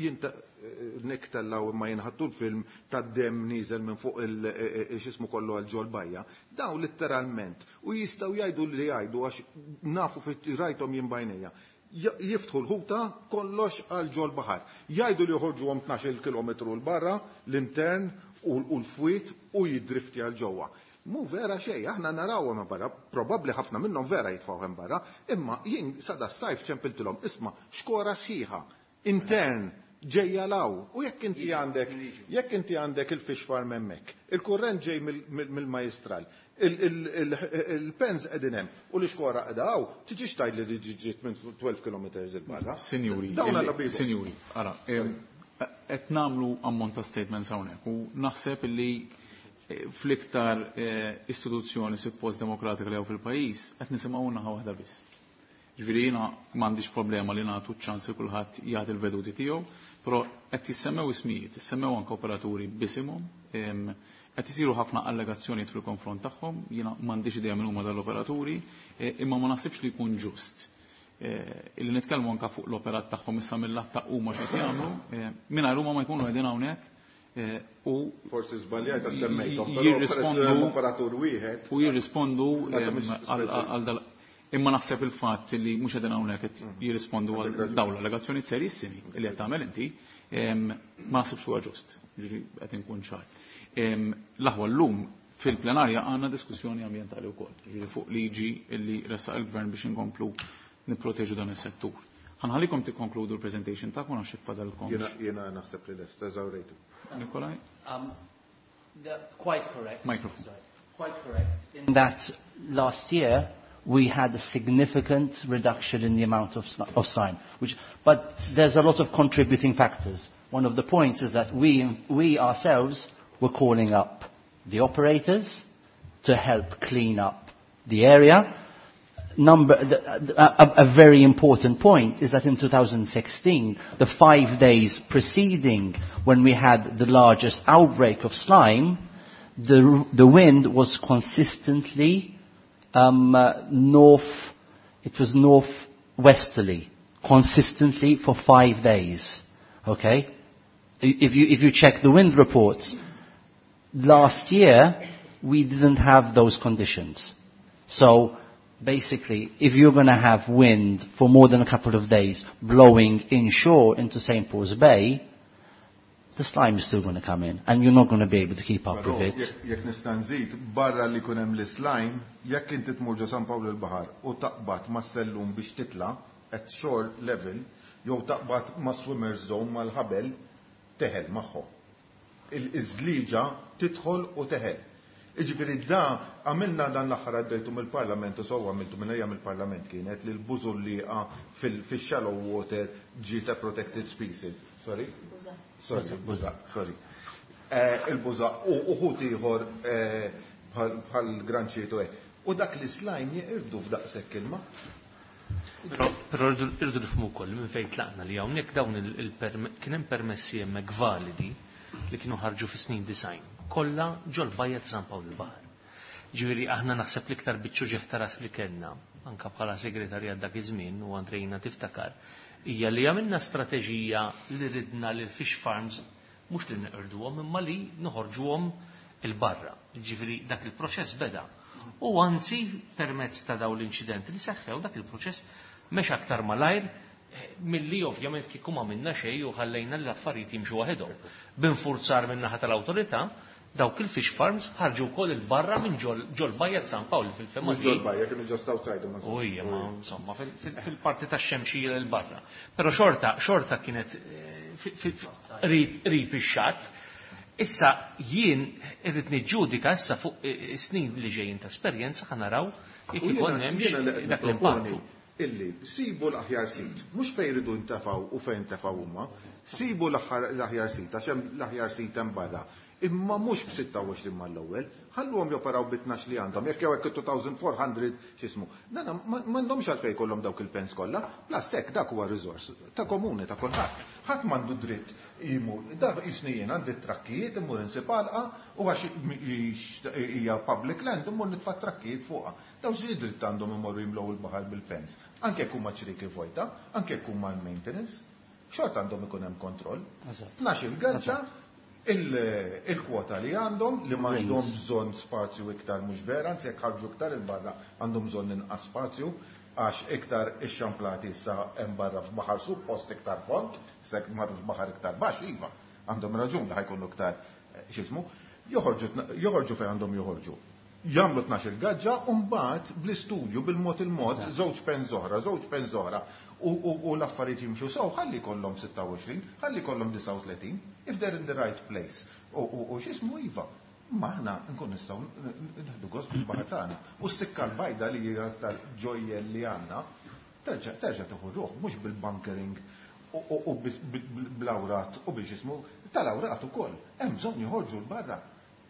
Speaker 12: niktellaw imma jinħattu l-film tad-dem nieżel minn fuq il-xismu kollu għal ġol bajja, dawn letteralment u jistgħu jgħidu li jgħidu għax nafu rajthom jien b'għajnejja, jiftħu l-ħuta kollox għal ġol baħar. Jgħidu li joħorġu għom tnax-il kilometru 'l barra, l-intern u l-fwiet u jidrifti għal ġewwa. Mu vera xej, aħna naraw hemm barra, probabbli ħafna minnhom vera jitfgħu hemm barra, imma jien sada s-sajf ċempiltilhom, isma' xkora sħiħa, intern, ġejja law. U jekk inti għandek, jekk inti għandek il-fish farm hemmhekk, il-kurrent ġej mill-majestral, il-pens qegħdin hemm u l-ixkora qiegħda hawn, tiġix tgħid li ġiet minn tnax-il kilometri 'il barra.
Speaker 1: Sinjuri, sinjuri, ara, qed nagħmlu ammont ta' statements hawnhekk u naħseb li fl-iktar istituzzjoni suppost demokratika li hawn fil-pajjiż qed nisimgħu naħa waħda biss. Ġifieri jiena m'għandix problema li nagħtu ċans li kulħadd jagħti l-veduti tiegħu, però qed jissemmew ismijiet, jissemmew anke operaturi b'isimhom, qed isiru ħafna allegazzjonijiet fil-konfront tagħhom, jiena m'għandix idea minn huma dal-operaturi, imma ma naħsibx li jkun ġust illi nitkellmu anke fuq l-operat tagħhom issa mill-lat ta' huma x'qed jagħmlu, mingħajr huma ma jkunu qegħdin hawnhekk u
Speaker 12: Forsi żbaljajt semmejthom, però
Speaker 1: jirrispondu
Speaker 12: operatur wieħed.
Speaker 1: U jirrispondu għal dal. Imma naħseb il-fatt li mhux qegħdin hawnhekk qed jirrispondu għal dawn l-allegazzjonijiet serissimi li qed tagħmel inti, ma naħsibx huwa ġust, ġifieri qed inkun ċar. L-aħwa llum fil-plenarja għandna diskussjoni ambjentali wkoll, ġifieri fuq liġi li ressaq il-gvern biex inkomplu nipproteġu dan is-settur. Ħa nħallikom tikkonkludu l-presentation tagħkom għax fadalkom.
Speaker 12: Jiena naħseb li lest, eżawrejtu.
Speaker 1: Nikolaj?
Speaker 11: Um, The, quite correct.
Speaker 1: Microphone.
Speaker 11: Sorry. Quite correct. In that last year, we had a significant reduction in the amount of, of slime. Which, but there's a lot of contributing factors. One of the points is that we, we ourselves were calling up the operators to help clean up the area. Number, the, a, a very important point is that in two thousand sixteen, the five days preceding when we had the largest outbreak of slime, the, the wind was consistently um, uh, north, it was northwesterly, consistently for five days. Okay? If you, if you check the wind reports, last year we didn't have those conditions. So basically, if you're gonna have wind for more than a couple of days blowing inshore into Saint Paul's Bay, the slime is still gonna come in, and you're not gonna be able to keep up
Speaker 12: Però,
Speaker 11: with it.
Speaker 12: jekk, jekk nista' nżid, barra li jkun hemm l-slime, jekk inti tmur ġo San Pawl il-Baħar u taqbad ma' sellum biex titla' at shore level, jew taqbad ma' swimmers zone mal-ħabel, teħel magħhom. Il-iżliġa tidħol u teħel. Iġifieri da għamilna dan l-aħħar għaddejtu mill-Parlament u sewwa għamiltu minn ejja mill-Parlament kienet li l-bużulliqa fil-shallow water ġiet a protected species. Sorry?
Speaker 8: Buża.
Speaker 12: Sorry, buża, sorry. Eh, il-buża u uħut ieħor, eh, bħal, bħal granċietu hekk. U dak li slime jeqirdu f'daqshekk ilma.
Speaker 7: Però, però rridu, rridu nifhmu wkoll minn fejn tlaqna li hawnhekk dawn il-, il-perme-, kien hemm permessi hemmhekk validi li kienu ħarġu fis-snin design, kollha ġol-bajja ta' San Pawl il-Baħar. Ġifieri aħna naħseb l-iktar biċċu ġieħ ta' ras li kellna, anka bħala segretarjat dak iż-żmien u Andrejna tiftakar, hija li għamilna strateġija li ridna li l-fish farms mhux li neqirduhom imma li noħorġuhom il-barra. Ġifieri dak il-proċess beda. U anzi permezz ta' dawn l-inċidenti li seħħew dak il-proċess mex aktar malajr milli ovvjament kieku ma minna xejn u ħallejna l-affarijiet jimxu waħedhom. B'infurzar minn naħa tal-awtorità, dawk il-fish farms ħarġu wkoll il-barra minn ġol, ġol bajja ta' San Pawl fil-fema
Speaker 12: Mhux ġol bajja, kienu just outside, ma
Speaker 7: U hija, ma insomma, fil-, fil-, fil-parti tax-xemxija l barra. Però xorta, xorta kienet, eh, fi-, fi-, qrib, qrib ix-xatt. Issa jien irrid niġġudika issa fuq, eh, snin li ġejjin ta' esperjenza ħa naraw jekk
Speaker 12: U jiena-
Speaker 7: ikun hemmx
Speaker 12: jiena li qed
Speaker 7: dak
Speaker 12: nipproponi
Speaker 7: l-impattu.
Speaker 12: Illi sibu l-aħjar sit, mhux fejn iridu ntefgħu u fejn ntefgħu huma, sibu l-aħħar, l-aħjar sit, għax hemm l-aħjar sit hemm barra. Imma mhux b'sitta u għoxrin mal-ewwel, ħalluhom joperaw bi tnax li għandhom, jekk jew hekk two thousand four hundred x'ismu. Nana, ma-, m'għandhomx għalfejn jkollhom dawk il-pens kollha, plus hekk dak huwa riżors ta' komuni ta' kulħadd. Ħadd m'għandu dritt jimur, dak jisni jien għandi trakkijiet immur insib għalqa u għax hija public land immur nitfa' trakkijiet fuqha. Daw xi dritt għandhom imorru jimlew il-baħar bil-pens. Anke jekk huma ċriki vojta, anke jekk huma l-maintenance, xorta għandhom ikun hemm kontroll.
Speaker 11: Eżatt.
Speaker 12: Tnax il-gaġġa, il-, il-kwota li għandhom, li m'għandhom
Speaker 11: Rings.
Speaker 12: bżonn spazju iktar mhux vera, anzi jekk ħarġu iktar il-barra għandhom bżonn inqas spazju, għax iktar ix-xamplati issa hemm barra f'baħar suppost iktar fond, se marru f'baħar iktar baxx, iva, għandhom raġun li ħajkunu iktar, eh, x'ismu, joħorġu tna-, joħorġu fejn għandhom joħorġu. Jagħmlu tnax il-gaġġa u mbagħad bl-istudju bil-mod il-mod żewġ pens oħra, żewġ pens oħra u, u, u l-affarijiet jimxu sew, ħalli jkollhom sitta u għoxrin, ħalli jkollhom disgħa u tletin, if they're in the right place. U, u, u x'ismu iva, ma aħna nkun nistgħu nieħdu gost bil-baħar tagħna. U s-sikka l-bajda li hija tal-ġojjel li għandna, terġa', terġa' tieħu ruħ, mhux bil-bunkering u, u, u bis-, bil-, bil-, bl-awrat u biex ismu tal-awrat ukoll. Hemm bżonn joħorġu l-barra.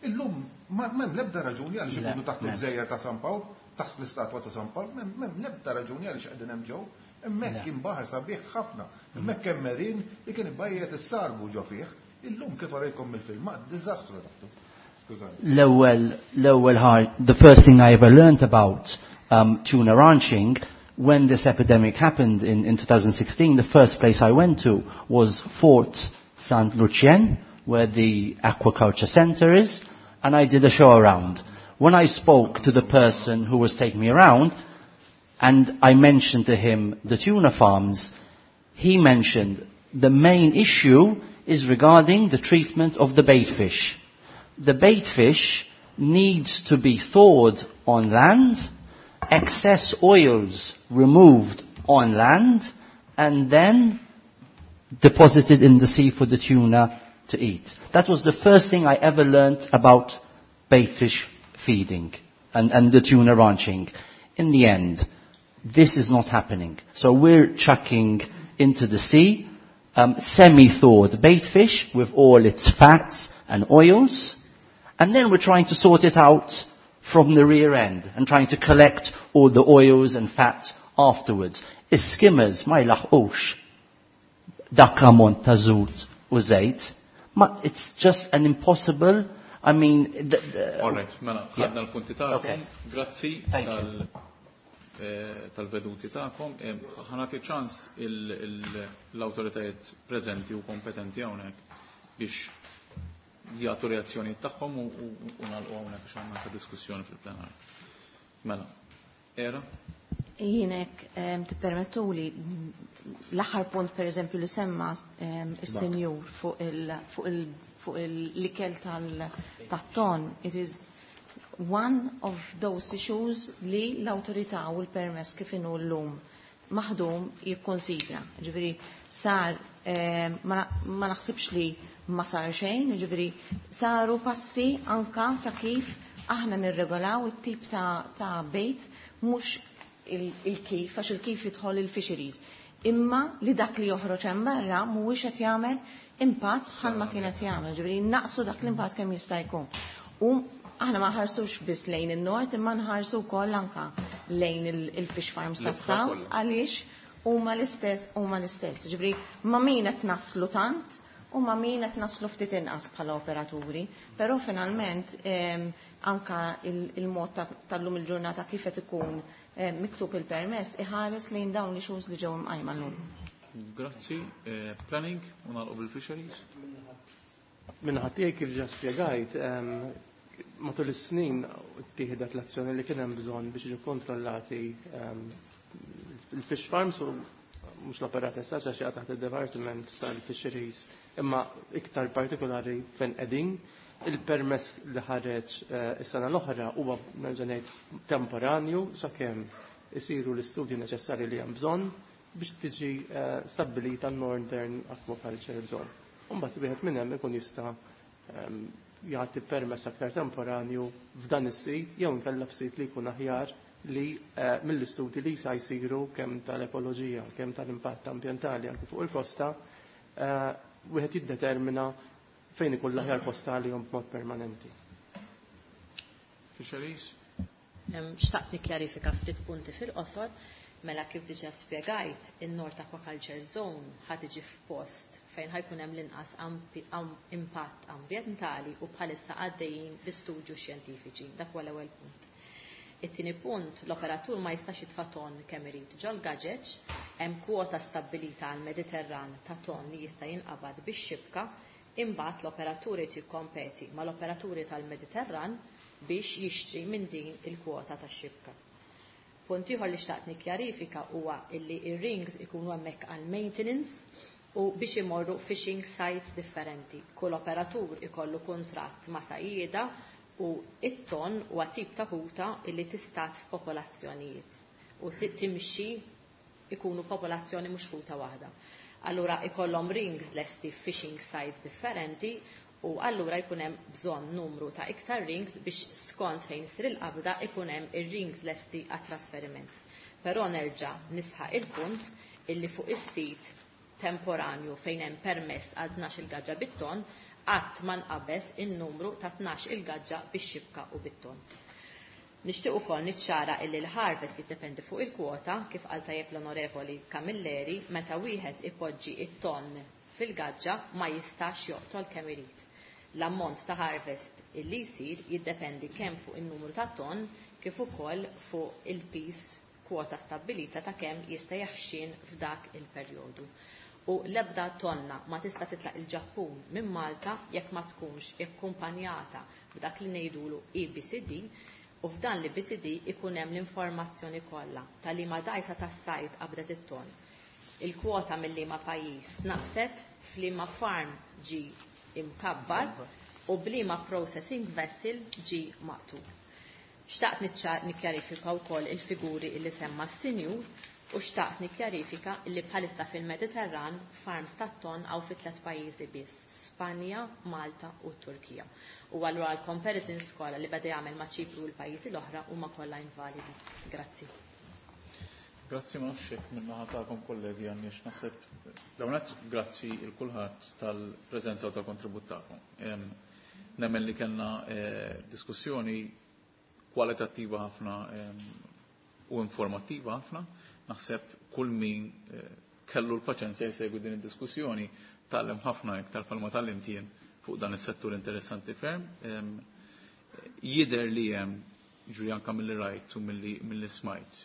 Speaker 12: Illum ma-, m'hemm l-ebda raġuni għaliex
Speaker 11: Le,
Speaker 12: ikunu taħt
Speaker 11: le.
Speaker 12: il-gżejjer ta' San Pawl, taħt l-istatwa ta' San Pawl, m'hemm, m'hemm l-ebda raġuni għaliex qegħdin hemm ġew. Hemmhekk
Speaker 11: Le.
Speaker 12: kien baħar sabiħ ħafna, hemmhekk hemm merin li kien ibajjet is-sargu ġo fih. Illum kif arejkom mill-filmat, diżastru taħtu. Skużani.
Speaker 11: L-ewwel, l-ewwel ħar, the first thing I ever learned about, um, tuna ranching, when this epidemic happened in, in two thousand sixteen, the first place I went to was Fort Saint Lucien, where the aquaculture center is, and I did a show around. When I spoke to the person who was taking me around, and I mentioned to him the tuna farms, he mentioned the main issue is regarding the treatment of the bait fish. The bait fish needs to be thawed on land, excess oils removed on land, and then deposited in the sea for the tuna to eat. That was the first thing I ever learnt about baitfish feeding and, and the tuna ranching. In the end, this is not happening. So we're chucking into the sea um, semi-thawed baitfish with all its fats and oils, and then we're trying to sort it out from the rear end and trying to collect all the oils and fats afterwards. Is-skimmers ma jlaħqux dak l-ammont ta' żut u żejt. Ma it's just an impossible, I mean... The, the,
Speaker 1: All right, mela, ħadna l-punti tagħkom. Grazzi tal eh, tal-veduti tagħkom. Eh, ħa nagħti ċans l-awtoritajiet preżenti u kompetenti hawnhekk biex jagħtu reazzjoni tagħhom u nagħlqu hawnhekk għax għandna ta' diskussjoni fil-plenar. Mela, era?
Speaker 8: Jinek tippermettuli l-aħħar punt per eżempju li semma is-senjur fuq il-ikel tat-ton, it is one of those issues li l-awtorità u l-permess kif inhu llum maħdum jikkonsidra. Ġifieri sar ma naħsibx li ma sar xejn, ġifieri saru passi anka ta' kif aħna nirregolaw it-tip ta' bejt mhux il-kif, għax il-kif jidħol il-fisheries. Imma li dak li joħroġ hemm barra mhuwiex qed jagħmel impatt bħalma kien qed jagħmel, ġifieri naqsu dak l-impatt kemm jista' jkun. U aħna ma ħarsux biss lejn in-nord imma nħarsu wkoll anka lejn il-fish farms tas-south għaliex huma l-istess huma l-istess. Ġifieri ma' min qed naslu tant u ma' min qed naslu ftit inqas bħala operaturi, però finalment anka il-mod tal-lum il-ġurnata kif qed ikun miktub il-permess iħares lejn dawn li issues li ġew imqajma llum.
Speaker 1: Grazzi. Planning u nagħlqu bil-fisheries.
Speaker 10: Minnaħa tiegħi kif ġa spjegajt, matul is-snin ttieħdet l-azzjoni li kien hemm bżonn biex jiġu kontrollati il-fish farms u mhux l-operat issa għax jaqa' taħt id-Department tal-Fisheries, imma iktar partikolari fejn qegħdin. Il-permess li ħareġ is-sena l-oħra huwa nerġa' ngħid temporanju sakemm isiru l-istudji neċessarji li hemm bżonn biex tiġi stabbilita n-Northern Aquaculture Zone. U mbagħad wieħed minn hemm ikun jista' jagħti permess aktar temporanju f'dan is-sit jew inkella f'sit li jkun aħjar li mill-istudji li sa jsiru kemm tal-ekoloġija, kemm tal-impatt ambjentali anke fuq il-kosta, wieħed jiddetermina fejn ikun l-aħjar posta għalihom b'mod permanenti.
Speaker 1: Fisheries?
Speaker 9: Xtaqt nikkjarifika ftit punti fil-qosor, mela kif diġà spjegajt, in-North Aquaculture Zone ħa tiġi f'post fejn ħajkun hemm l-inqas impatt ambjentali u bħalissa għaddejjin bi studju xjentifiċi. Dak huwa l-ewwel punt. It-tieni punt, l-operatur ma jistax jitfa' ton kemm irid ġol-gaġeġ, hemm kwota stabbilita għall-Mediterran ta' ton li jista' jinqabad bix-xibka, imbagħad l-operatur irid jikkompeti mal-operaturi tal-Mediterran biex jixtri minn din il-kwota tax-xibka. Punt ieħor li xtaqt nikkjarifika huwa illi ir-rings ikunu hemmhekk għal maintenance u biex imorru fishing sites differenti. Kull operatur ikollu kuntratt ma' sajjieda u it-ton huwa tip ta' ħuta illi tistat f'popolazzjonijiet u timxi ikunu popolazzjoni mhux ħuta waħda. Allura ikollhom rings lesti fishing sites differenti u allura jkun hemm bżonn numru ta' iktar rings biex skont fejn isir il-qabda ikun hemm ir-rings lesti għat-trasferiment. Però nerġa' nisħaq il-punt illi fuq is-sit temporanju fejn hemm permess għal tnax il-gaġġa bit-ton qatt ma nqabeż in-numru ta' tnax il-gaġġa bix-xibka u bit-ton. Nixtieq ukoll niċċara illi l-harvest jiddependi fuq il-kwota, kif qal tajjeb l-Onorevoli Camilleri, meta wieħed ipoġġi it-ton fil-gaġġa ma jistax joqtol kemm irid. L-ammont ta' harvest illi jsir jiddependi kemm fuq in-numru ta' ton kif ukoll fuq il-pis kwota stabbilita ta' kemm jista' jaħxin f'dak il-perjodu. U l-ebda tonna ma tista' titlaq il-Ġappun minn Malta jekk ma tkunx ikkumpanjata b'dak li ngħidulu E B C D, u f'dan l-E B C D ikun hemm l-informazzjoni kollha ta' liema dgħajsa tas-sajd qabdet it-ton. Il-kwota mill-liema pajjiż naqset, f'liema farm ġi imkabbar u b'liema processing vessel ġi maqtul. Xtaqt nikkjarifika wkoll il-figuri illi semma s-sinjur u xtaqt nikkjarifika illi bħalissa fil-Mediterran farms tat-ton għaw fi tliet pajjiżi biss, Spanja, Malta u Turkija. U allura l-comparisons kollha li beda jagħmel ma' Ċipru u l-pajjiżi l-oħra huma kollha invalidi. Grazzi.
Speaker 1: Grazzi, ma nafx hekk min-naħa tagħkom, kollegi, għandniex. Naħseb l-ewwel grazzi lil kulħadd tal-preżenza u tal-kontribut tagħkom. Nemmen li kellna eh, diskussjoni kwalitattiva ħafna u informattiva ħafna. Naħseb kull min eh, kellu l-paċenzja jsegwi din id-diskussjoni tgħallem ħafna iktar bħalma tgħallimt jien fuq dan is-settur interessanti ferm. Jidher li hemm, ġuri anka milli rajt u milli smajt,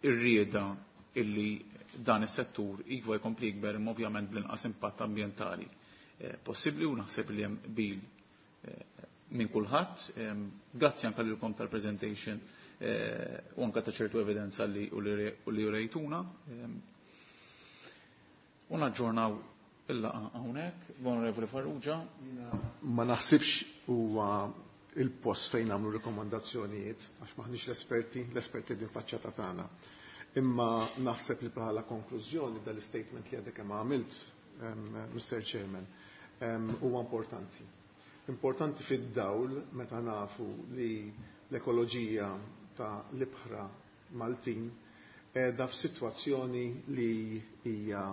Speaker 1: ir-rieda illi dan is-settur iva jkompli jikber, imma ovvjament bl-inqas impatt ambjentali eh, possibbli, u naħseb li hemm qbil eh, minn kulħadd. Grazzi anka lilkom tal-presentation eh, u anka ta' ċertu evidenza li u li urejtuna. U naġġornaw il-laqgħa hawnhekk. Onorevoli Farrugia.
Speaker 5: Ma naħsibx huwa il-post fejn nagħmlu rekomandazzjonijiet għax maħniex l-esperti, l-esperti din faċċata tagħna. Imma naħseb li bħala konklużjoni dal-statement li għadek kemm għamilt, Mister Chairman, huwa importanti. Importanti fid-dawl meta nafu li l-ekoloġija ta' l-ibħra Maltin qiegħda f'sitwazzjoni li hija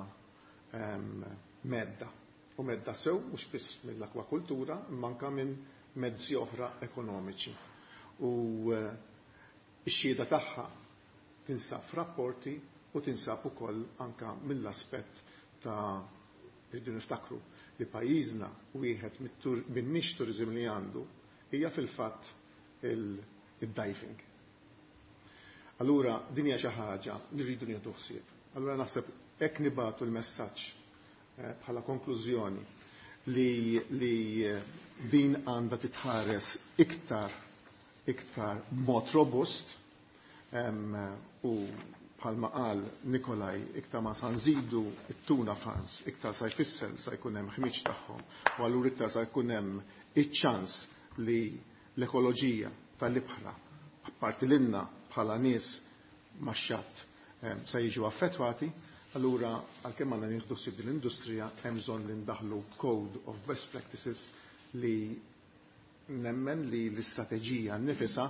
Speaker 5: medda. U medda sew mhux biss mill-akwakultura, imma anke minn mezzi oħra ekonomiċi. U x-xhieda tagħha tinsab f'rapporti u tinsab ukoll anka mill-aspett ta' rridu niftakru li pajjiżna wieħed minn niche tourism li għandu hija fil-fatt il-diving. Allura din hija xi ħaġa li rridu nieħdu ħsieb. Allura naħseb hekk nibatu l-messaġġ bħala konklużjoni li, li din għandha titħares iktar iktar mod robust um, u bħalma qal Nikolaj, iktar ma sa nżidu it-tuna farms, iktar sa jfisser sa jkun hemm ħmiġ tagħhom, u allura iktar sa jkun hemm iċ-ċans li l-ekoloġija tal-ibħra, apparti lilna bħala nies max-xatt, sa jiġu affettwati. Allura għalkemm għandna nieħdu ħsieb din l-industrija, hemm bżonn li ndaħlu code of best practices li nemmen li l-istrateġija nnifisha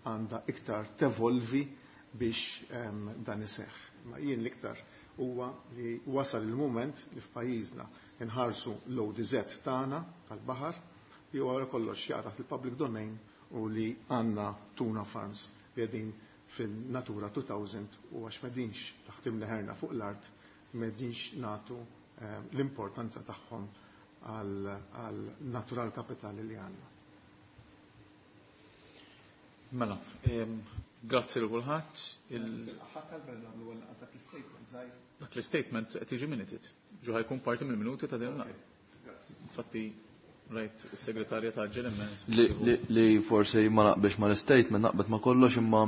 Speaker 5: għandha iktar tevolvi biex um, dan iseħħ. Ma jien l-iktar huwa li wasal il-moment li f'pajjiżna nħarsu l-O D Z tagħna tal-baħar li huwa kollox jaqa' fil-public domain u li għandna tuna farms li qegħdin fil-Natura elfejn, u għax m'qegħdinx taħt imneħerna fuq l-art m'qegħdinx nagħtu um, l-importanza tagħhom għal natural kapitali li għandna.
Speaker 1: Mela, grazzi lil kulħadd. Dak l-statement qed jiġi minuted. Ġu ħa jkun parti mill-minuti ta' din il. Infatti rajt is-segretarja taġġel immens.
Speaker 6: Li forsi ma naqbilx ma l-statement, naqbet ma kollox, imma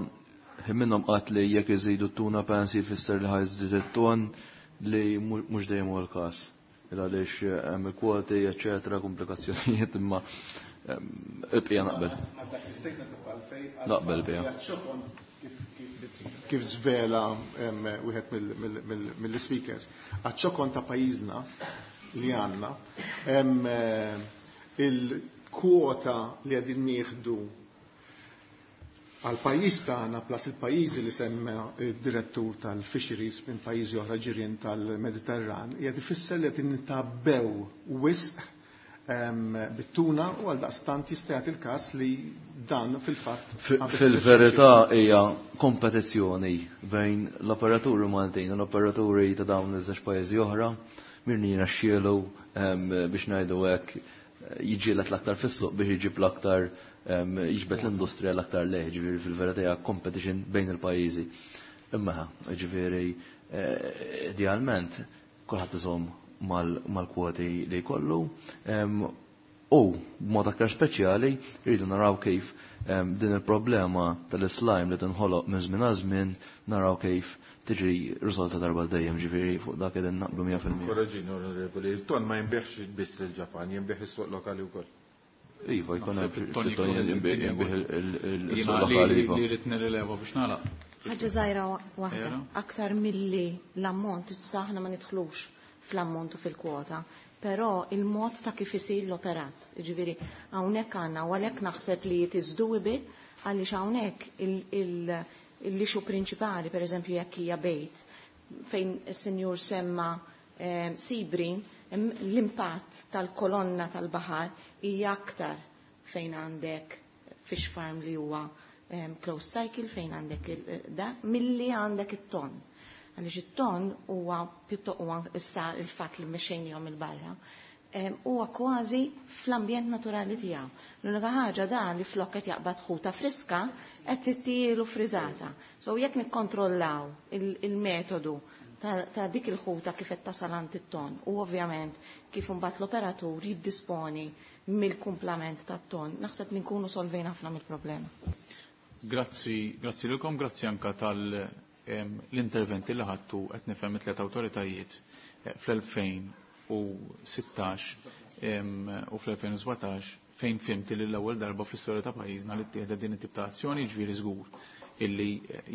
Speaker 6: minnhom qatt li jekk iżidu t-tuna pens jfisser li ħa jżid it-ton, li mhux dejjem huwa l-każ. Il għaliex hemm il-kwoti, eċetera, komplikazzjonijiet, imma ibqija naqbel. Naqbel bija.
Speaker 5: Kif zvela wieħed mill-speakers, għaċ-ċokon ta' pajjiżna li għandna, il-kwota li qegħdin nieħdu għal pajjiż tagħna plus il-pajjiżi li semma id-direttur tal-fisheries minn pajjiżi oħra ġirien tal-Mediterran, hija tifisser li qed nitgħabbew wisq bit-tuna, u għal daqstant jista' jagħti il-każ li dan fil-fatt
Speaker 6: Fil-verità hija kompetizzjoni bejn l-operaturi Maltin u l-operaturi ta' dawn iż-żewġ pajjiżi oħra, min jirnexxielu, biex ngħidu hekk, jiġġieled l-aktar fis-suq biex jiġib l-aktar, jiġbed l-industrija l-aktar lejh, ġifieri fil-verità hija competition bejn il-pajjiżi. Imma ġifieri eh, idealment kulħadd iżomm mal-kwoti li jkollu u b'mod aktar speċjali rridu naraw kif din il-problema tal-slime li tinħoloq minn żmien għal żmien naraw kif tiġi risolta darba dejjem, ġifieri fuq dak qegħdin naqblu mija fil-mija.
Speaker 12: Korreġini, onorevoli, il-ton ma jinbiegħx biss il-Ġapan, jinbiegħ is-suq lokali wkoll.
Speaker 6: Iva, jkun hemm jinbiegħ il-suq lokali.
Speaker 1: Iva. Li rrid nirrileva biex nagħlaq.
Speaker 8: Ħaġa żgħira waħda, aktar milli l-ammont, issa aħna ma nidħlux fl-ammont u fil-kwota. Però il-mod ta' kif isir l-operat. Ġifieri hawnhekk għandna u għalhekk naħseb li it is doable għaliex hawnhekk l-issue prinċipali, pereżempju jekk hija bejt, fejn is-sinjur semma eh, Sibri, l-impatt tal-kolonna tal-baħar hija aktar fejn għandek fish farm li huwa um, closed cycle, fejn għandek da, milli għandek it-ton. Għaliex it-ton huwa pjuttost huwa issa il-fatt li mexxejnihom il-barra, huwa kważi fl-ambjent naturali tiegħu. L-unika ħaġa dan li flok qed jaqbad ħuta friska qed tittielu friżata. So jekk nikkontrollaw il-metodu ta' dik il-ħuta kif qed tasal għand it-ton u ovvjament kif imbagħad l-operatur jiddisponi mill-kumplament tat-ton, naħseb li nkunu solvejna ħafna mill-problema.
Speaker 1: Grazzi, grazzi lilkom, grazzi anka tal-interventi li ħadtu qed nifhem it-tliet awtoritajiet fl-elfejn u sittax u fl-elfejn u sbatax fejn fimti li l-ewwel darba fl-istorja ta' pajjiżna li ttieħdet din it-tip ta' azzjoni, ġifieri żgur illi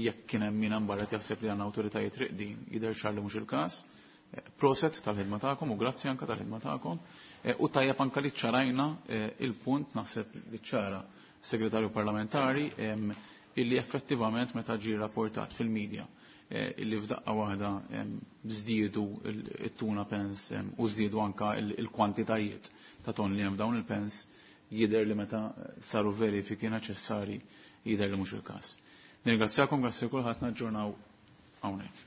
Speaker 1: jekk kien hemm min hemm barra jaħseb li għandna awtoritajiet riqdin jidher ċar li mhux il-każ. Proset tal-ħidma tagħkom u grazzi anka tal-ħidma tagħkom. U tajjeb anka li ċarajna il-punt, naħseb li ċara segretarju parlamentari, illi effettivament meta ġie rapportat fil-medja illi f'daqqa waħda żdiedu it-tuna pens u żdiedu anka il-kwantitajiet ta' ton li hemm dawn il-pens, jidher li meta saru verifiki neċessari jidher li mhux il-każ. Nirringrazzjakom, grazzi kulħadd, naġġornaw hawnhekk.